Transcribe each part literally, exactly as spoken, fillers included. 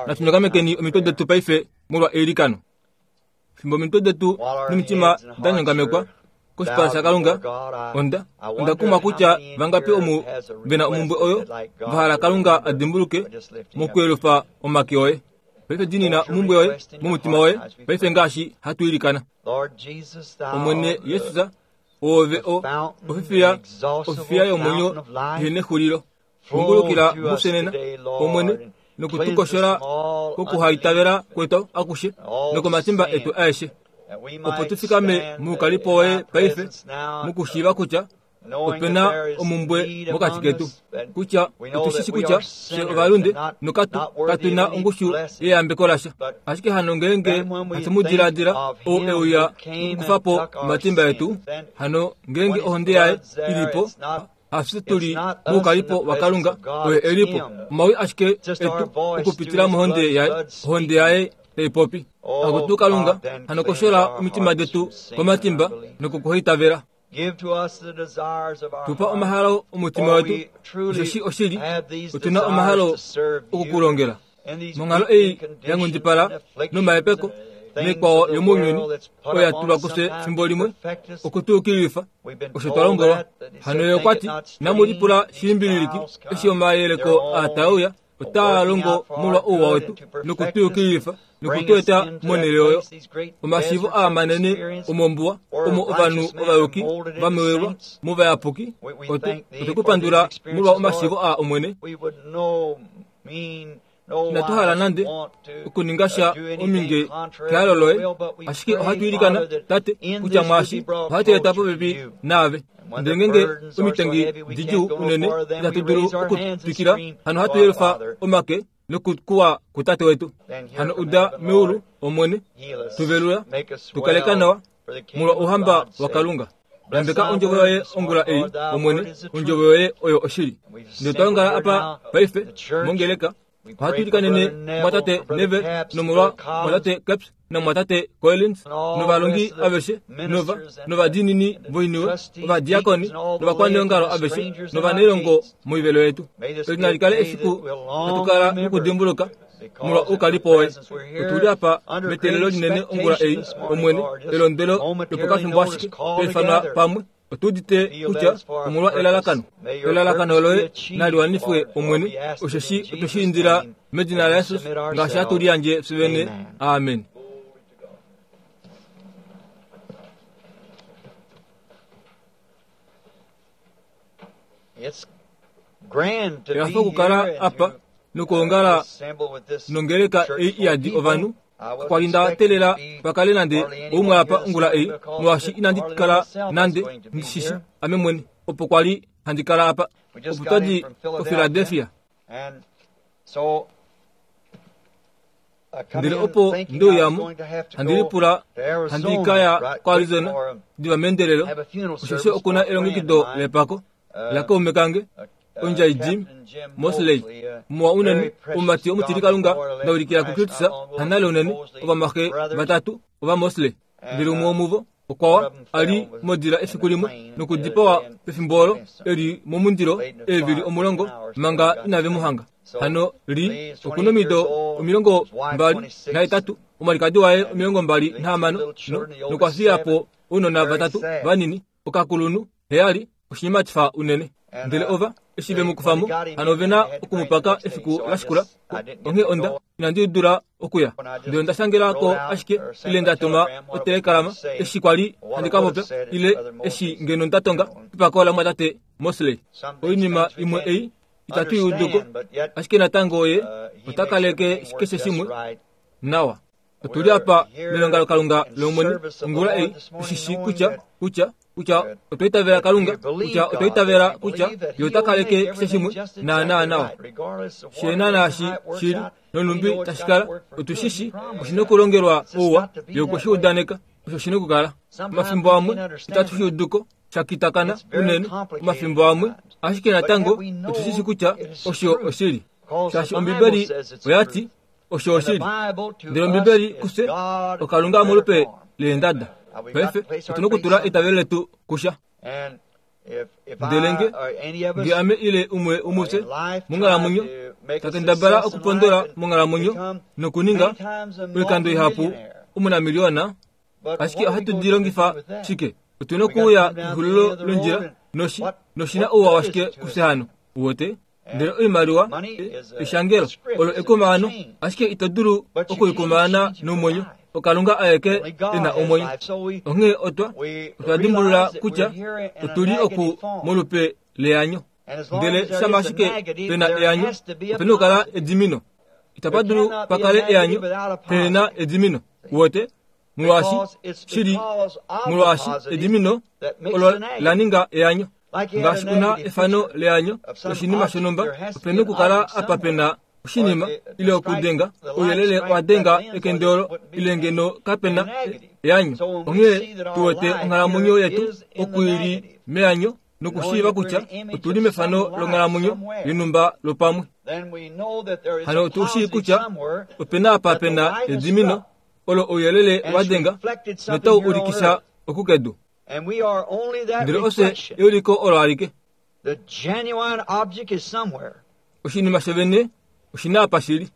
Natunyongamekeni omitwe detu paife molwa eilikano. Fimbo omitwe detu nomitima da nyongamekwa koshipala shaKalunga, onda onda kumwa kutya vangapi omu vena omumbwe oyo vahala Kalunga a dimbuluke mokuyelufa omake oye. Paife dinina omumbwe yoye momutima woye paife ngaashi hatu ilikana. Omwene Yesus, oove o ofifiya ofifiya yomwenyo ihena exulilo. Kungulukila mufye nena, Omwene, nokutukoshola kokuhaitavela kwetu akushe nokomatimba etu aeshe, opo tufikame muukalipo woye paife mukushiiva kutya opena omumbwe mokati ketu, kutya otushishi kutya fye ovalunde nokatu katuna ongushu yeyambeko lasha. Ashike hano ngeenge hatu mu diladila ou euya nokukufa po omatimba etu, hano ngeenge ohonde yaye ilipo, hafye tuli moukalipo waKalunga, oye elipo. Omawi ashike etu okupitila mohonde yaye, ohonde yaye tai popi. Akutu Kalunga, hano koshola omitima detu komatimba nokukuhaitavela. Tupa omahalo omutima wetu, osheshi oshili otuna omahalo okukulongela. Monghalo ei ya nghundipala nomahepeko naikwao yomounyuni oyo ya tulwa kufye fimbo limwe okutuukilifa osho twa lombwelwa. Hano ye okwa ti, inamu lipula shilimbililiki eshi omayeleko aa tae uya, otaa longo molwa ouwa wetu nokutuukilifa nokutueta monhele oyo. Omashiivo aa manene omombuwa omo ovanhu ovayuki vamewelwa movayapuki, otwe ku pandula molwa omashiivo aa Omwene. Inatu hala nande okuninga sha ominge kehalo loye, ashike ohatu ilikana, Tate, kutya mwaashi ohatu eta popepi naave. Ndele ngeenge omitengi didjuu unene itatu dulu okutwikila, hano ohatu yelufa omake nokukuwa kuTate wetu. Hano uda meulu, Omwene, tuvelula, tukaleka nawa molwa ouhamba waKalunga. Yambeka ondjovo yoye ongula ei, Omwene, ondjovo yoye oyo oshili. Ndele twa ongala apa paife mongeleka, ohatu ilikanene mwatate Neville nomolwa mwatate Capps namwatate Collins novalongi aveshe nova novadiinini voiniwe, ovadiakoni novakwaneongalo aveshe novanailongo moivelo yetu. Eli nali kale efiku hatu kala nokudimbuluka molwa oukalipo woye. Otuli apa meteelelo linene ongula ei, Omwene, elondwelo lopokafimbo ashike twa ifanwa pamwe. Otu udite kutya omolwa elalakano. Elalakano loye nali wanifwe, Omwene, osheshi otwe shi indila medina laJesus ngaashi hatu liyandje fye vene. Amen. Ehafo okukala apa nokuongala nongeleka ei iyadi ovanhu. Kwa li nda teelela pakale nande oumwe apa ongula ei, molwaashi inandi kala nande ndishishi ame mwene opo kwa li handi kala apa. Opo twa di koPhiladelphia. Ndele opo ndeuyamo, handi lipula handi ka ya koArizona diva meendelelo, osheshi okuna elongekido lepako lakaume kange ondjai Jim Mosley, muwa unene, omumati omutilikalunga ndaulikila kuKristus hanale unene, ovamwaxe vatatu ovaMosley. Ndele umwe womuvo okwawa a li modila efiku limwe nokudipawa pefimbo olo eli momundilo eevili omulongo manga inave mu hanga. Hano li okuna omido omilongo mbali nahetatu, omwalikadi waye omilongo mbali nahamano, nokwa fiya po ounona vatatu vanini, okakulunhu heyali, oshinimatifa unene. Ndele ova eshi ve mu kufamo, hano ovena okumupaka efiku la shikula. Onghee onda inandi dula okuya, ndele onda shangela ko ashike ile nda tuma otelekalama eshi kwa li handi ka popya, ile eshi ngeno nda tonga epako lamwatate Mosley. Oinima imwe ei itatu i uduko, ashike natango ye ota kaleke keshe shimwe nawa. Otuli apa melongalokalunga lOmwene ongula ei, tushishi kutya kutya kutya otwa itavela Kalunga, kutya otwa itavela kutya ye ota kaleke keshe shimwe naanaa nawa. She naashi shili nonumbi tashi kala, otushishi oshina okulongelwa ouwa, ye okwe shi udaneka, osho shina okukala. Omafimbo amwe itatu shi uduko, sha kitakana unene omafimbo amwe, ashike natango otushishi kutya osho oshili. Shaashi Ombibeli oya ti osho oshili. Ndele Ombibeli kufye oKalunga molupe leendada. Paife otuna okutula eitavelo letu kusha. Ndele nge nge ame ile umwe womufye monghalamwenyo Takendabala okupondola monghalamwenyo nokuninga oikando ihapu omunamiliona, ashike ohatu di longifa shike? Otuna okuuya kexulilo londjila noshi noshina ouwa washike kufye hano? Uwete? Ndele oimaliwa eshangelo olo ekumaano, ashike ito dulu okuikumaana nomwenyo. Okalunga aeke ena omwenyo. Onghee otwa otwa dimbulula kutya otuli oku molupe leanyo. Ndele shama ashike pena eanyo, opena okukala edimino. Itapa dulu pakale eanyo pena edimino. Uwete? Molwaashi shili molwaashi edimino olo la ninga eanyo. Ngaashi una efano leanyo loshinima shonhumba, opena okukala apa pena oshinima ile okudenga ouyelele wa denga ekende olo ile ngeno kapena eanyo. Onghee tuwete onghalamwenyo yetu oku ili meanyo nokushiiva kutya otuli mefano longhalamwenyo yonhumba lopamwe. Hano otushii kutya opena apa pena edimino olo ouyelele wa denga notau ulikisha okukedu. Ndele ofye euliko olo alike. Oshinima shovene oshina apa shili.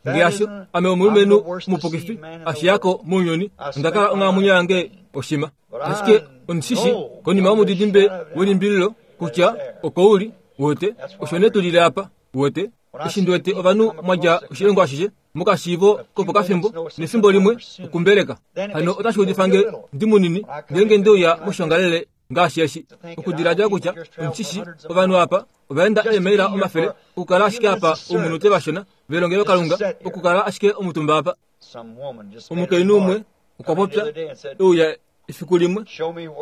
Ngaashi ame omulumenhu mupukifi ashiyako mounyuni, onda kala onghalamwenyo yange oshima. Ashike ondishishi konima yomudidimbe welimbililo kutya oko uli, uwete, osho nee tulile apa, uwete. Eshi ndiwete ovanhu mwadja oshilongo ashishe mokashiivo kopokafimbo nefimbo limwe okumbeleka. Hano otashi udifa nge ndi munini ngeenge ndeuya moshongalele ngaashi eshi. Okudiladila kutya ondishishi ovanhu apa ovaenda eemaila omafele okukala ashike apa oumunute vashona velongelo Kalunga okukala ashike omutumba apa. Omukainhu umwe okwa popya euya efiku limwe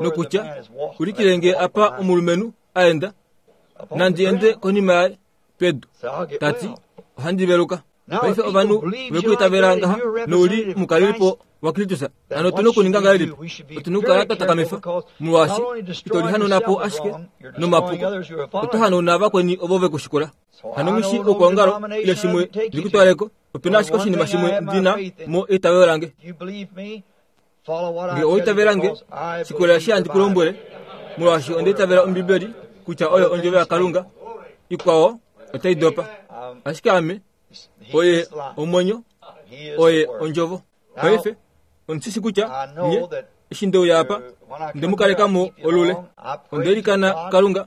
nokutya ulikilenge apa omulumenhu aenda nandi ende konima yaye pedu tati ohandi veluka. Paife ovanhu vekuitavela ngaha nouli omukalelipo waKristus. Hano otuna okuninga ngahelipi? Otuna okukala twa takamifa molwaashi ito lihanauna ashike nomapuko, oto hanauna vakweni ovo vekushikula. Hano nghi shi oukwaongalo ile shimwe ndikutwaleko, opena ashike oshinima shimwe ndina mo eitavelo lange. Nge oitavela nge, shikolela eshi handi ku lombwele, molwaashi onda itavela Ombibeli kutya oyo ondjovo yaKalunga, ikwao otai dopa. Ashike ame oye omwenyo, oye ondjovo. Paife ondishishi kutya nye eshi ndeuya apa ndemukalekamo olule. Ondelikana Kalunga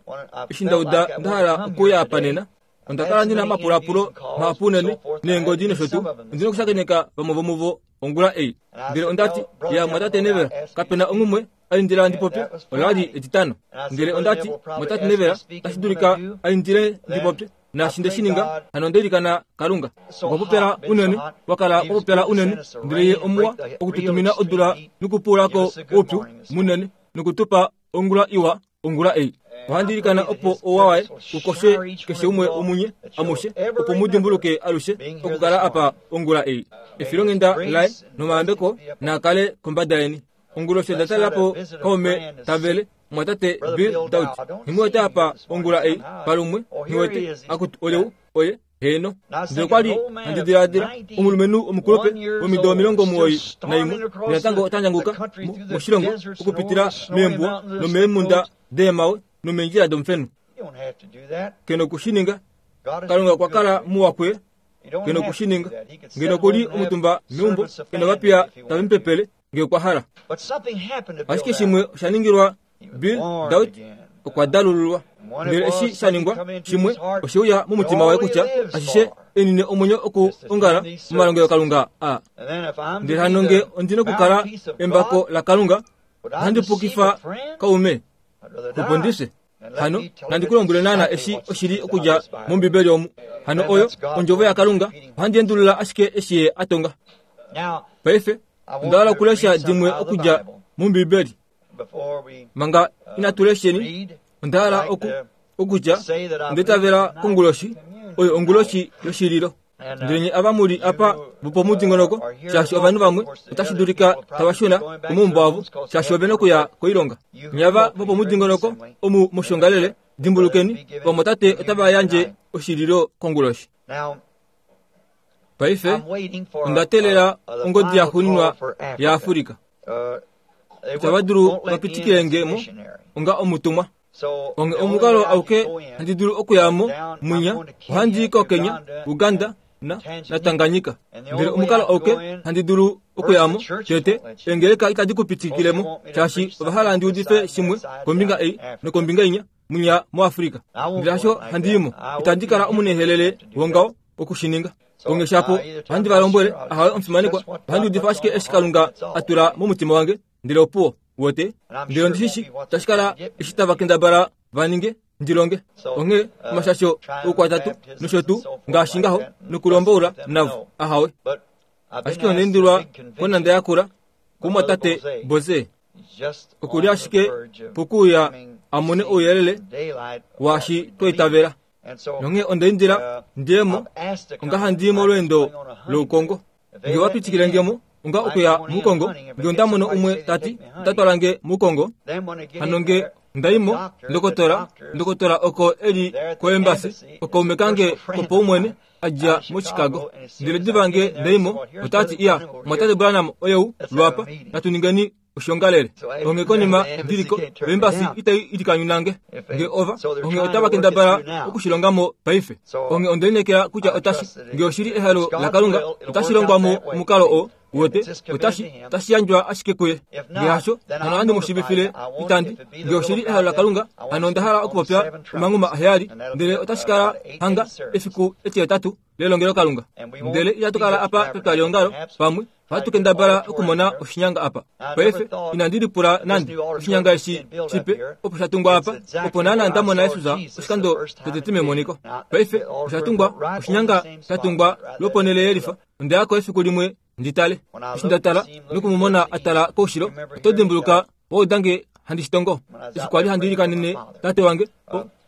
eshi ndauda nda hala okuya apa nena. Onda kala ndina omapulapulo mahapu unene neengodi nosho tuu. Ondina okushakeneka vamwe vomuvo ongula ei. Ndele ondati ya mwatate Neville, kapena onghumwe aindila ndipopye, olali etitano. Ndele ondati mwatate Neville tashi dulika aindile ndipopye, naashi nde shi ninga, hano ondelikana Kalunga. Okwa popela unene, wakala kwa popela unene, ndele ye omuwa okututumina odula nokupuulako oupyu munene nokutupa ongula iwa ongula ei. Ohandi ilikana opo ouwa waye ukoshe keshe umwe womunye amushe, opo mu dimbuluke alushe okukala apa ongula ei. Efilonghenda laye nomayambeko naakale kombada yeni. Onguloshi onda talelapo kaume tavele mwatate Bill Daut. Nghimuwete apa ongula ei palumwe, nghiwete akutu oleu oye heno. Ndele kwali handi diladila omulumenhu omukulupe womido omilongo omuwoi naimwe natango ota ndjanguka moshilongo okupitila meembuwa nomeemhunda deemawe nomeendjila domufenu. Keno okushininga. Kalunga okwa kala muwa kuye. Keno okushininga. Ngeno okuli omutumba meumbo, keno vapiya tave mu pepele nge okwa hala. Ashike shimwe osha ningilwa Bill Daut okwa dalululwa. Ndele eshi sha ningwa shimwe osheuya momutima waye kutya ashishe enine omwenyo oku ongala momalongelo Kalunga a. Ndele hano nge ondina okukala embako la Kalunga, ohandi pukifa kaume kupondise. Hano nandi ku lombwele naana eshi oshili okudja mOmbibeli omu. Hano oyo ondjovo yaKalunga, ohandi endulula ashike eshi ye a tonga. Paife onda hala okulesha dimwe okudja mOmbibeli. Manga inatu lesheni, onda hala oku okutya onda konguloshi oyo onguloshi yoshililo. Ndele nye ava muli apa vopomudingonoko, shaashi ovanhu vamwe otashi dulika tava shuna komaumbo avo, shaashi ovena okuya koilonga. Nye ava vopomudingonoko omu moshongalele, dimbulukeni, vamwatate otava yandje oshililo konguloshi. Paife onda teelela ongodi ya xuuninwa yaAfrika. Itava dulu vapitikile nge mo onga omutumwa. Onge omukalo auke handi dulu okuyamo mwinya ohandi ko Kenya, Uganda na, na Tanganyika. Ndele omukalo auke handi dulu okuyamo tete engeleka itadi kupitikilemo shaashi ovahala ndi udife shimwe kombinga ei nokombinga inya mwinya moAfrika. Ndele hasho handiimo itandi kala omunehelele wongao okushininga. Onge shapo ohandi valombwele ahawe omufimanekwa ohandi udifa ashike eshi Kalunga atula momutima wange ndele opuwo wote ndele ondishishi tashi kala eshi tava kendabala vaninge ndilonge. Onge omashasho oukwatatu nosho tuu ngaashi ngaho nokulomboula navo ahawe. Ashike ondeendilwa konanda yakula kumwatate Boze okuli ashike pokuuya amone ouyelele waashi twaitavela. Nonge ondeendila ndiemo onga handiimo olweendo loukongo. Nge wapitikile ngemo onga okuya mukongo nge ondamono umwe tati otatwalange mukongo. Hano nge ndaimo ndokotola ndokotola oko eli koembasi okaume kange kopaumwene adja mo Chicago. Ndele diva nge ndaimo otati iya mwatate Branham oyeu lwapa natuningeni oshongalele. Onge konima ndiliko embasi itai ilikanyunange nge ova onge otava kendabala okushilongamo paife. Onge ondelinekela kutya otashi nge oshili ehalo la Kalunga otashilongwamo omukalo o wote otashi tashiyandjwa ashike kuye. Nge hasho hano handi mushivifile itandi nge oshili ehalo la Kalunga hano ondahala okupopya omanguma aheyali ndele otashikala hanga efiku etihetatu lelongelo Kalunga. Ndele itatu kala apa petwaliongalo pamwe ohatu kendabala okumona oshinyanga apa. Paife inandi lipula nande oshinyanga eshi shipe opo shatungwa apa opo naana ndamona Yesus oshikando tete memoniko. Paife oshatungwa oshinyanga shatungwa lwoponele yelifa. Ondeyako efiku limwe nditale eshi ndatala nokumumona atala koushilo oto dimbuluka woudange handi shitongo. Eshi kwali handi ilikanene tate wange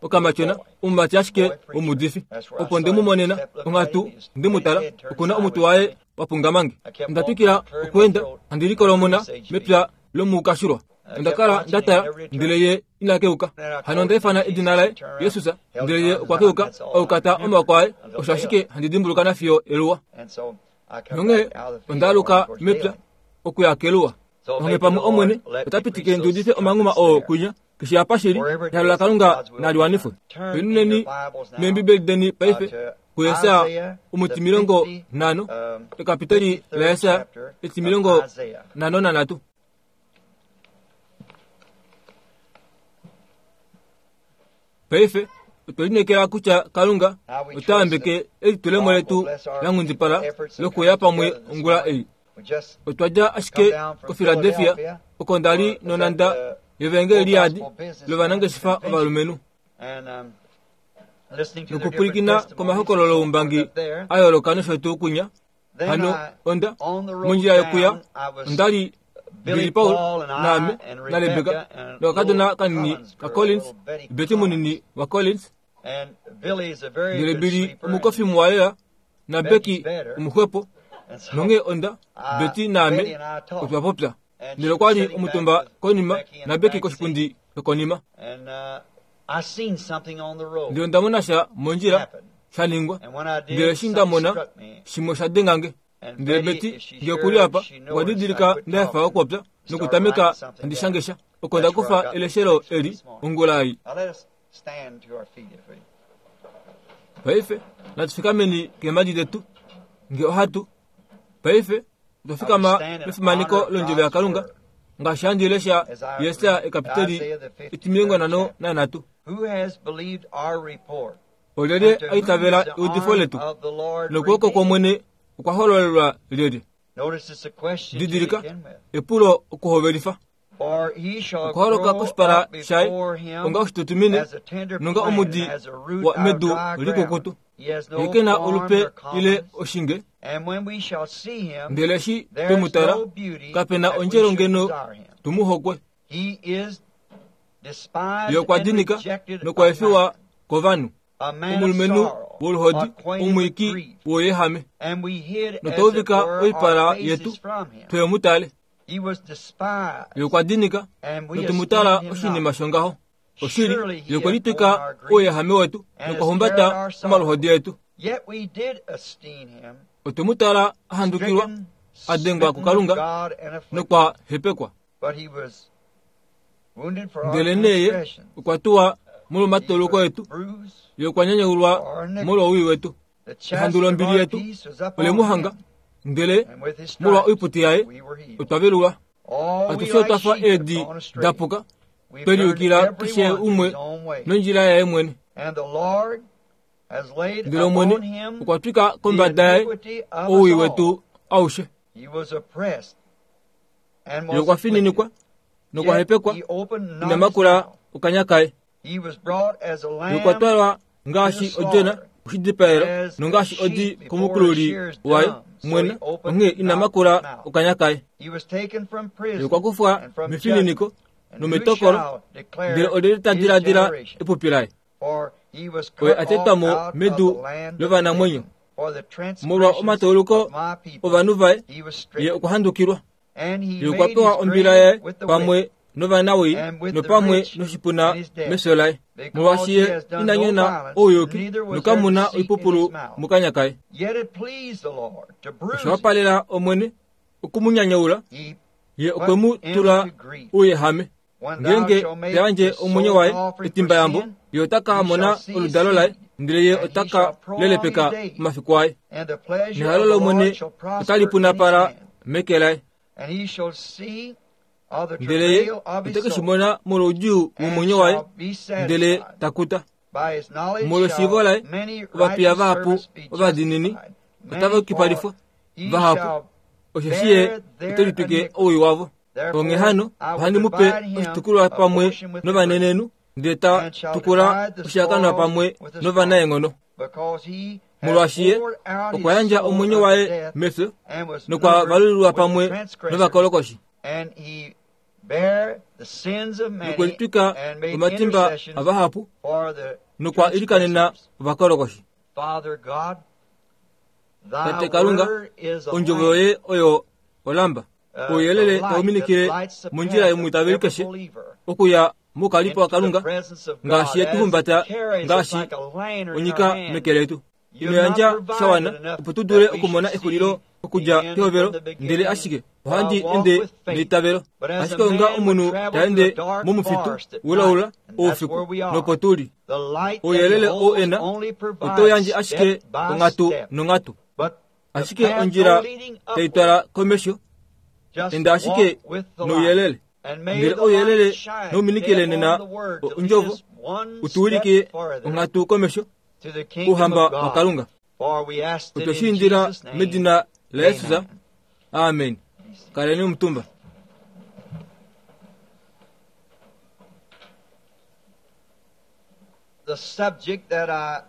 okamatyona omumati ashike omudifi opo ndemumonena onghatu ndemutala okuna omutu waye wapungamange. Ondatwikila okuenda handi likolomona mepya lomukashulwa. Ondakala ndatala ndele ye inakeuka. Hano ondaifana edina laye Yesus ndele ye okwakeuka aukata omaoko aye osho ashike handi dimbuluka nafiyo eluwa. Nonge ondaaluka mepya okuya keluwa. Onge pamwe omwene otapitikile ndiudife omanguma oo kwinya keshe apa shili ehalo la Kalunga naliwanifwe. Penuneni meembibeli deni paife kuYesaya omutimilongo nhano ekapiteli la Yesaya etimilongo nhano nanhatu. Paife otwelinekela kutya Kalunga otayambeke elitulemo letu la nghundipala lokuya pamwe ongula ei. Otwadja ashike koPhiladelphia oko ndali nonanda yevengeli liyadi lovanangeshefa ovalumenhu nokupwilikina komahokololo oumbangi a yooloka nosho tuu kunya. Hano onda mondjila yokuya ondali Billy Paul naame na Rebecca nokakadona kanini ka Collins, Betty munini wa Collins. Ndele Billy omukofi muwalela na Becky omuxwepo. Nonge onda Betty naame otwapopya. Ndele okwali omutumba konima na Becky koshipundi shokonima. Ndele ondamona sha mondjila shaningwa. Ndele eshi ndamona shimwe sha dengange. Ndele Betty nge okuli apa okwa didilika ndaefa okupopya nokutameka handi shangesha oko ndakufa eleshelo eli ongula ei. Paife natufikameni keemhadi detu nge ohatu. Paife otwafikama mefimaneko londjovo yaKalunga ngaashi handi lesha Yesaya ekapiteli etimilongo nhano nanhatu. Olyelye aitavela eudifo letu nokwooko kwOmwene okwa hololelwa lyelye? Didilika epulo okuhovelifa. Okuholoka koshipala shaye onga oshitutumine nonga omudi wa medu likukutu. Ye kena olupe ile oshinge. Ndele eshi twemutala kapena ondjelo ngeno tumuhokwe. Ye okwa dinika nokwa efiwa kovanhu. Omulumenhu woluhodi omwiiki woyehame. Notwauvika oipala yetu twemutale. Ye okwa dinika notumutala oshinima shongaho. Oshili ye okwe litwika ouyehame wetu nokwa omaluhodi etu. Otwemutala a handukilwa a dengwa kuKalunga nokwa hepekwa. Ndele neye okwa tuwa molwomatoloko etu, ye okwa nyanyaulwa molwowii wetu. Ehandu lombili yetu ole mu hanga, ndele molwa oiputi yaye otwa velulwa. Atushe otwa fa eedi da puka, twe liyukila keshe umwe nondjila yaye mwene. Ndele Omwene okwa twika kombada yaye owii wetu aushe. Ye okwa fininikwa nokwa hepekwa, ina makula okanya kaye. Ye okwa twalwa ngaashi odjona koshidipaelo, nongaashi odi komukululi waye mwene, onghee ina makula okanya kaye. Ye okwa kufwa mefininiko nometokolo, ndele olyelye ta diladila epupi laye? Oye a tetwa mo medu lovanamwenyo. Molwa omatauluko ovanhu vaye, ye okwa handukilwa. Ye okwa pewa ombila yaye pamwe novanawii nopamwe noshipuna mefyo laye, molwaashi ye ina nyona ouyuki nokamuna oipupulu mokanya kaye. Osha wapalela Omwene okumunyanyaula, ye okwe mu tula ouyehame. Ngeenge ta yandje omwenyo waye etimbayambo, ye ota ka mona oludalo laye, ndele ye ota ka lelepeka omafiku aye. Nehalo lOmwene otali punapala meke laye. Ndele ye ote ke shi mona molwoudjuu womwenyo waye, ndele ta kuta. Molweshiivo laye ovapiya vahapu ovadiinini otava yukipalifwa vahapu, osheshi ye ote litwike owii wavo. Onghee hano ohandi mu pe oshitukulwa pamwe novanenenhu, ndele ta tukula oshihakanwa pamwe novanaenghono. Molwaashi ye okwa yandja omwenyo waye mefyo nokwa valulilwa pamwe novakolokoshi. Nokwe litwika omatimba avahapu nokwa ilikanena ovakolokoshi. Tate Kalunga, ondjovo yoye oyo olamba, ouyelele tau minikile mondjila yomwiitaveli keshe okuya mokalipo waKalunga, ngaashi ye tu humbata ngaashi onyika meke letu. Ino yandja sha wana opo tu dule okumona exulilo okudja kehovelo, ndele ashike ohandi ende neitavelo. Ashike onga omunhu ta ende momufitu wulaula oufiku, nopo tuli. Ouyelele ou ena otau yandje ashike onghatu nonghatu. Ashike ondjila tai twala komesho, enda ashike nouyelele. Ndele ouyelele nouminikile nena ondjovo utuwilike onghatu komesho ouhamba waKalunga. Otwe shi indila medina laJesus. Amen. Kaleni omutumba. The subject that I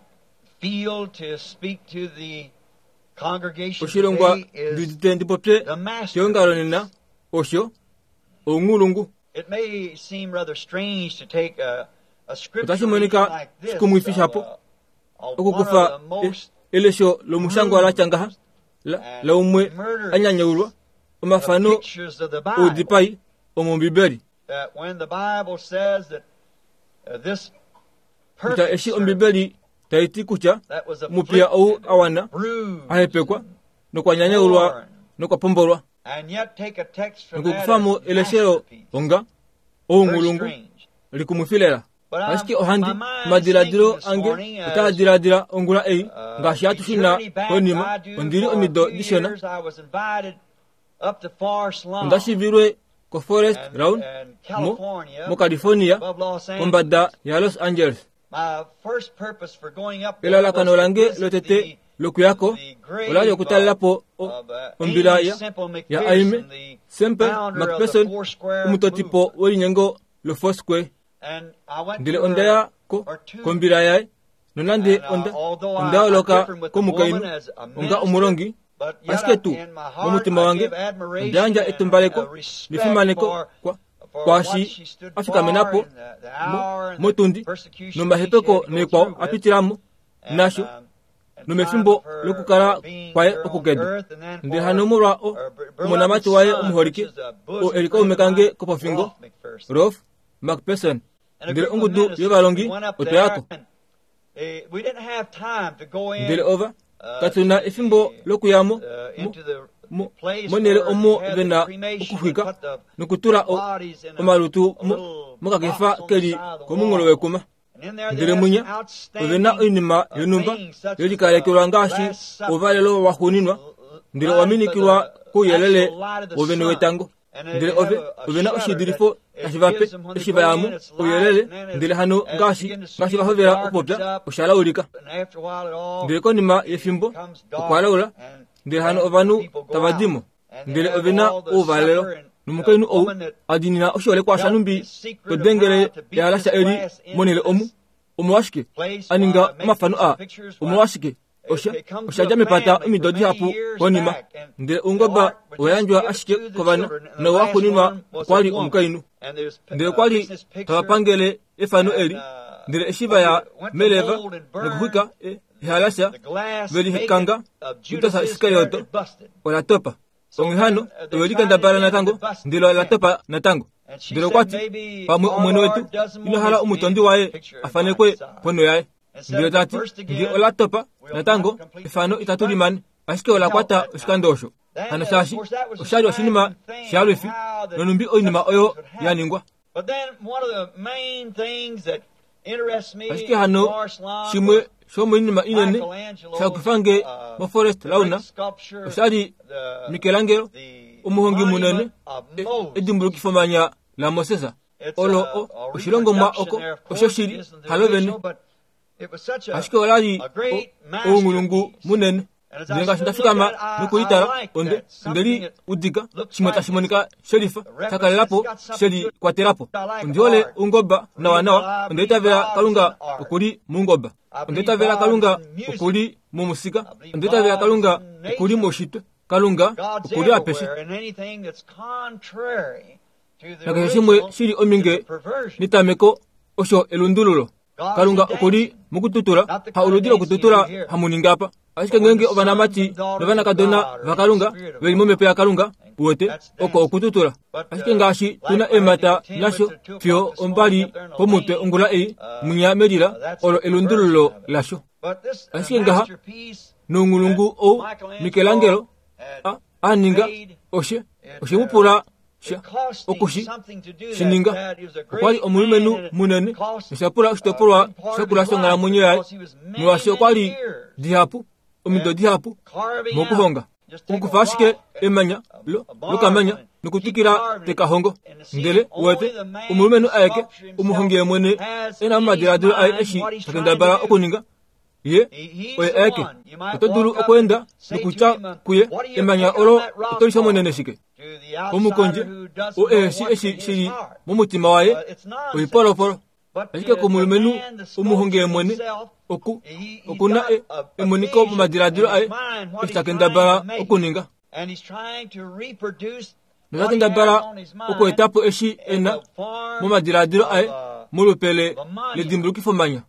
feel to speak to the congregation Oshilongwa today is ndudite ndipopye the masterpiece. keongalo nena osho ounghulungu. It may seem rather strange to take a, a scripture Otashi monika reading like this shikumwifi of, shapo uh, of one okukufa of the most elesho lomushangwa la tya ngaha la- laumwe anyanyaulwa omafano pictures of the Bible. oudipai omombibeli. That when the Bible says that uh, this Kutya perfect eshi servant ombibeli tai ti kutya that was omupiya ou afflicted, a wana bruised, ahepekwa nokwa nyanyaulwa nokwa pombolwa, and yet take a text from that nokukufamo as eleshelo masterpiece. onga Very ounghulungu strange. likumwifi lela. But I'm- Ashike ohandi my mind is omadiladilo thinking this ange morning as, otaa diladila ongula ei uh, ngaashi we hatu shuna journey back, konima I do ondili for a omido few dishona years, I was invited up to Forest Lawn onda shivilwe ko Forest and, Lawn and mo California, moCalifornia above Los Angeles. kombada ya Los Angeles. My first purpose for going up there was Elalakano to lange visit lotete the, lokuyako the grave olali okutalelapo of, o- of uh, ombila Amy ya Semple ya Aime McPherson, the Semple founder of the McPherson, Four Square omutotipo movement. welinyengo lo Foursquare. And I went Ndele to onda her, ya ko her tomb. kombila yaye nonande And, uh, onda although onda I, I oloka differed with the komukainhu woman as a onga minister, omulongi, but yet ashike I, tuu in my heart momutima I wange give admiration onda yandja and etumbaleko uh, respect nefimaneko for, kwa for what kwaashi she stood a for fikamenapo in the, the hour and the motundi persecution she nomahepeko had to go neekwao through a with, pitilamo and, nasho um, and time nomefimbo of her lokukala being kwaye here on okukedu. earth, and then Ndele for hano molwa o- her beloved omonamati waye son, which omuholike is a oo bosom e li friend kaume of kange mine, kopofingo Rolf McPherson. Rolf McPherson. And a Ndele group of ongudu ministers, we yovalongi went up otwa there, yako. and eh, we didn't have time to go in Ndele ova uh, katuna to efimbo the lokuyamo uh, mo- into the Monhele omo vena okuxwika nokutula omalutu mokakefa keli komunghulo wekuma. Ndele munya ovena oinima yonhumba yelikalekelwa ngaashi ouvalelo waxuuninwa, ndele owa minikilwa kouyelele wovene wetango. Ndele ove ovena oshiidilifo tashi vape eshi vayamo ouyelele, ndele hano ngaashi ngaashi vahovela okupopya osha laulika. Ndele konima yefimbo okwa laula, ndele hano ovanhu tava dimo, ndele ovena ouvalelo. Nomukainhu ou a diinina oshiholekwa shanumbi to dengele ehalasha eli monhele omu, omolwashike a ninga omafano aa, omolwashike osha osha dja mepata omido dihapu konima, ndele oungoba owa yandjwa ashike kovana, nowa xuuninwa okwa li omukainhu. Ndele okwa li tava pangele efano eli, ndele eshi vaya meleva nokuxwika ehalasha velikanga Judas Iskarioto ola topa. Onghee hano ove likendabala natango, ndele ola topa natango. Ndele okwa ti, pamwe Omwene wetu ina hala omutondi waye a fanekwe ponho yaye. Ndele ta ti, ngee ola topa natango efano itatu limane, ashike ola kwata oshikando osho. Hano shaashi oshali oshinima shalwifi, nonumbi oinima oyo ya ningwa. Ashike hano shimwe shomoinima inene shakufange moForest Lawn oshali Michelangelo, omuhongi munene, edimbulukifomanya laMoses. Olo oshilongomwa oko oshoshili halo vene, ashike olali ounghulungu munene. Ndele ngaashi ndafikama nokulitala, onde ondeli udika shimwe tashi monika shelifa shakalelapo shelikwatelapo. Ondihole oungoba nawanawa, onde itavela Kalunga okuli moungoba, onde itavela Kalunga okuli momusika, onde itavela Kalunga okuli moushitwe, Kalunga okuli apeshe. Nakeshe shimwe shili ominge netameko osho elundululo. Kalunga okuli mokututula, ha oludi lokututula hamuningi apa. Ashike ngeenge ovanamati novanakadona vaKalunga veli momhepo yaKalunga, uwete oko okututula. Ashike ngaashi tuna eemhata nasho fiyo ombali pomutwe ongula ei, munya melila olo elundululo lasho. Ashike ngaha nounghulungu ou Michelangelo a, a ninga oshe oshe mu pula sha okushi shininga. Okwa li omulumenhu munene nosha pula oshitopolwa shakula shonghalamwenyo yaye, molwaashi okwa li dihapu omido dihapu mokuhonga. Okukufa ashike emanya lokamanya nokutwikila tekahongo. Ndele uwete omulumenhu aeke omuhongi yemwene ena omadiladilo aye eshi takendabala okuninga, ye oye aeke. Oto dulu okweenda nokutya kuye emanya olo oto lishomonene shike? Omukondje oo eheshi eshi shili momutima waye oipolopolo. Ashike komulumenhu omuhongi yemwene oku okuna emoniko momadiladilo aye eshi takendabala okuninga. Notakendabala okuetapo eshi ena momadiladilo aye molupele ledimbulukifomanya.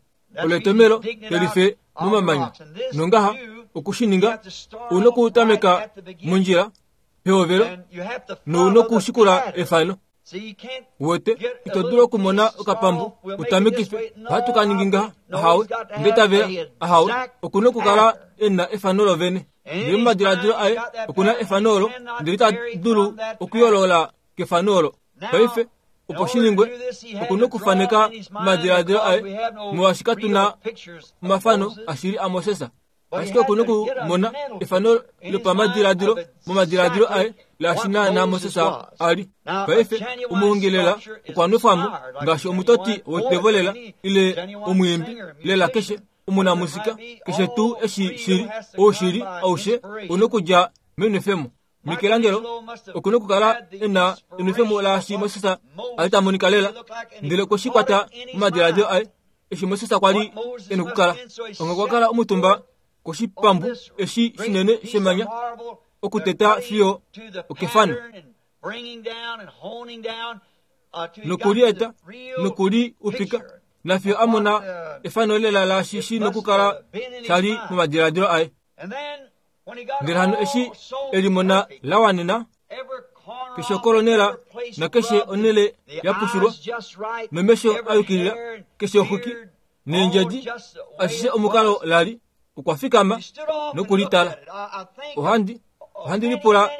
Olo etomelo lelife momamanya. Nongaha okushininga una okutameka mondjila pehovelo nouna okushikula efano. Uwete ito dulu okumona okapambu utamekife ohatu ka ningi ngaha, ahawe, ndetavela, ahawe. Okuna okukala ena efano lovene. Ndele momadiladilo aye okuna efano olo, ndele ita dulu okuyoolola kefano olo. Paife opo shiningwe okuna okufaneka omadiladilo aye, molwaashi katuna omafano ashili aMoses. Ashike okuna okumona efano lopamadiladilo momadiladilo aye laashi naana Moses a li. Paife omuhongi lela okwa nwefwamo ngaashi omutoti wetevo lela ile omwiimbi lela keshe omunamusika keshe tuu eshi shili oushili aushe una okudja menwefemo. Michelangelo okuna okukala ena enwefemo laashi Moses a li ta monika lela, ndele okwe shi kwata momadiladilo aye eshi Moses kwa li ena okukala. Onga okwa kala omutumba koshipambu eshi shinene shemanya okuteta fiyo okefano nokulieta nokuli upika nafiyo a mona efano lela laashi shi nokukala shali momadiladilo aye. Ndele hano eshi elimona la wanena keshe okolonela nakeshe onhele ya pushulwa nomesho a yukilila keshe oxwiki neendjedi ashishe omukalo lali okwa fikama nokulitala. Ohandi Ohandi lipula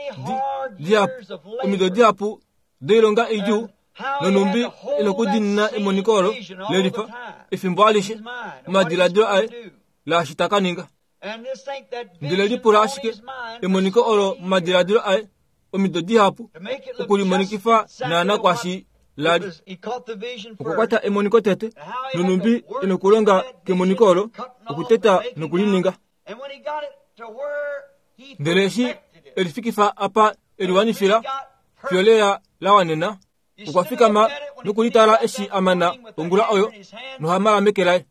dihapu omido dihapu doilonga idjuu nonumbi inokudinina emoniko olo lelifa efimbo alishe omadiladilo aye laashi taka ninga. Ndele lipula ashike emoniko olo momadiladilo aye omido dihapu okulimonikifa naana kwashi lali. Okukwata emoniko tete nonumbi inokulonga kemoniko olo okuteta nokulininga. Ndele eshi elifikifa apa eliwanifila fyoleya lawanena okwa fikama nokulitala eshi amana ongula oyo nohamala meke laye.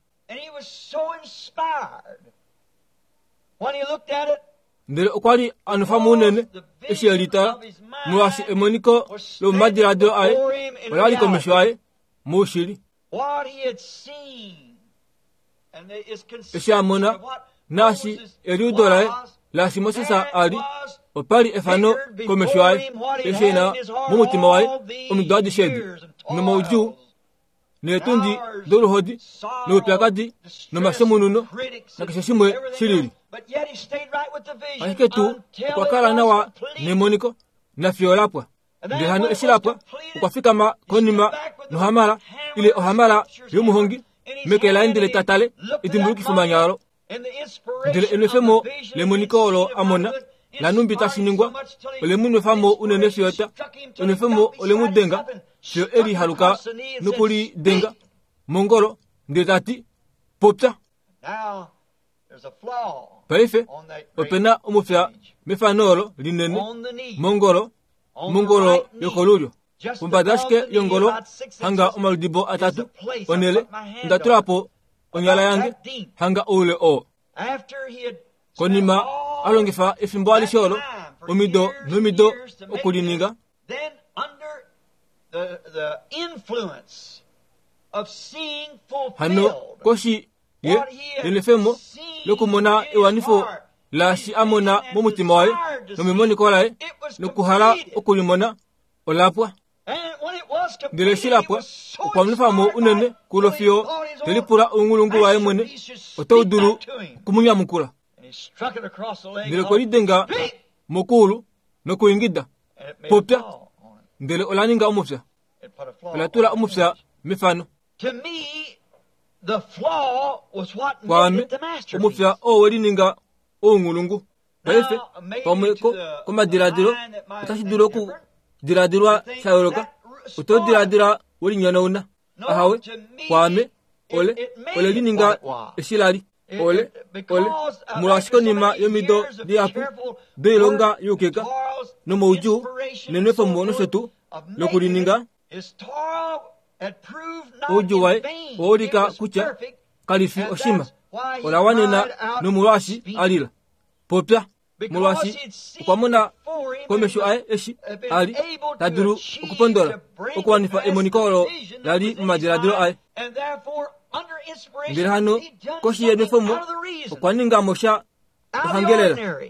Ndele okwa li anufa muunene eshi elitala molwaashi emoniko lomomadiladilo aye olali komesho aye moushili. Eshi amona naashi eliudo laye laashi Moses a li opali efano komesho aye eshi ena momutima waye omido adishe edi nomaudjuu neetundi doluhodi noupyakadi nomashemununo nakeshe shimwe shilili. Ashike tuu okwa kala nawa nemoniko nafiyo lapwa. Ndele hano eshi lapwa okwa fikama konima nohamala ile ohamala yomuhongi meke laye ndele tatale edimbulukifomanya olo. Ndele enwefemo lemoniko olo amona lanumbi tashiningwa olemunwefamo unene fiyota enwefemo olemudenga fiyo eli haluka nokulidenga mongolo ndele tati popya. Paife opena omufya mefano olo linene mongolo mongolo yokolulyo pombada ashike yongolo hanga omaludibo atatu onele ndatulapo onyala yange hanga oule oo. Konima alongifa efimbo alishe olo omido nomido okulininga. Hano koshi ye enefemo lokumona ewanifo laashi amona momutima waye nomemoniko laye nokuhala okulimona olapwa. Ndele eshi lapwa okwa nwefamo unene kulo fiyo telipula ounghulungu waye mwene otau dulu okumunyamukula. Ndele kwelidenga mokuulu nokuingida popya. Ndele olaninga omufya olatula omufya mefano. Kwaame omufya oo welininga ounghulungu. Paife pamwe komadiladilo otashi dulu okudiladilwa sha yooloka. Oto diladila welinyonauna. Ahawe kwaame ole ole lininga eshi lali ole ole molwaashi konima yomido dihapu doilonga youkeka nomoudjuu nenwefemo nosho tuu lokulininga oudjuu waye owaulika kutya kalifi oshima olawanena nomolwaashi alila popya. Molwaashi okwa mona komesho aye eshi ali tadulu okupondola okuwanifa emoniko olo lali momadiladilo aye. Ndele hano koshi yenwefemo okwa ninga mo sha ohangelela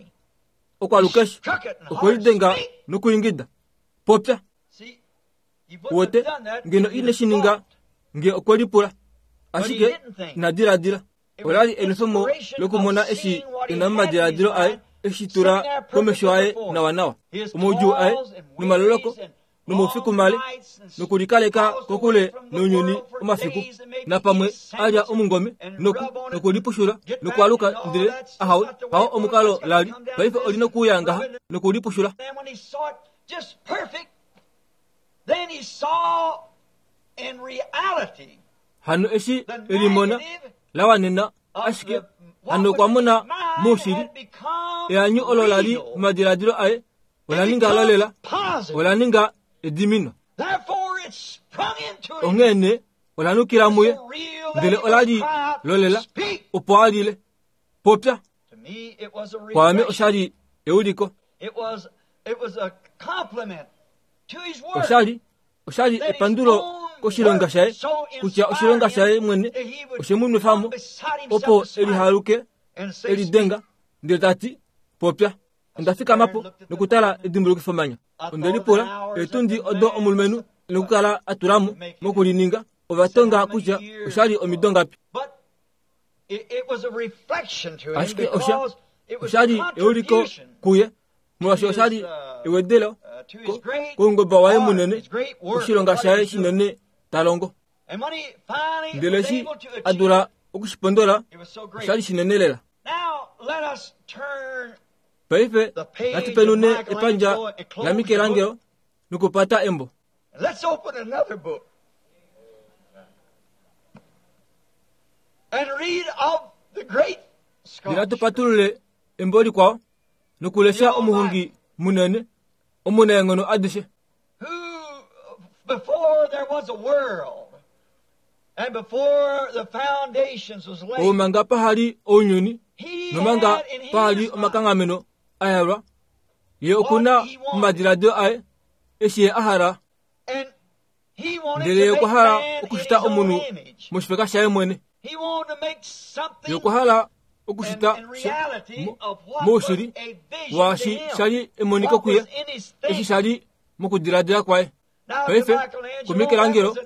okwalukeshi okwelidenga nokuingida popya. Wote ngeno ine shininga nge okwelipula ashike inadiladila. Olali enwefemo lokumona eshi ena momadiladilo aye eshi tula komesho aye nawanawa omaudjuu aye nomaloloko nomaufiku male nokulikaleka kokule nounyuni omafiku napamwe alya omungome noku nokulipushula nokwaluka ndele ahawe hawo omukalo lali paife olina okuuya ngaha nokulipushula. Hano eshi elimona lawanena ashike hano okwa mona moushili eanyu olo lali momadiladilo aye olaninga lolela olaninga edimino. Onghene olanukila muye ndele olali lolela opo alile popya. Kwaame oshali euliko. Oshali oshali epandulo koshilonga shaye kutya oshilonga shaye mwene oshemunwefamo opo elihaluke elidenga ndele tati popya. Onda fikamapo nokutala edimbulukifomanya. Onde lipula eetundi odo omulumenhu nokukala atulamo mokulininga ovatonga kutya oshali omido ngapi. Ashike osha oshali euliko kuye Molwaashi oshali ewedelo koungoba waye munene, oshilonga shaye shinene ta longo. Ndele eshi a dula okushipondola, oshali shinene lela. Paife natu penune epandja laMichelangelo nokupata embo. Let's open another book and read of the great Ndele natu patulule embo likwao nokulesha omuhongi munene omunaenghono adishe, who before there was a world and before the foundations was laid, omanga pahali ounyuni nomanga pahali omakanghameno a yalwa, ye okuna omadiladilo aye eshi ye a hala. Ndele ye okwa hala okushita omunhu moshifeka shaye mwene. Ye okwa hala okushita moushili waashi shali emoniko kuye, eshi shali mokudiladila kwaye. Paife kuMichelangelo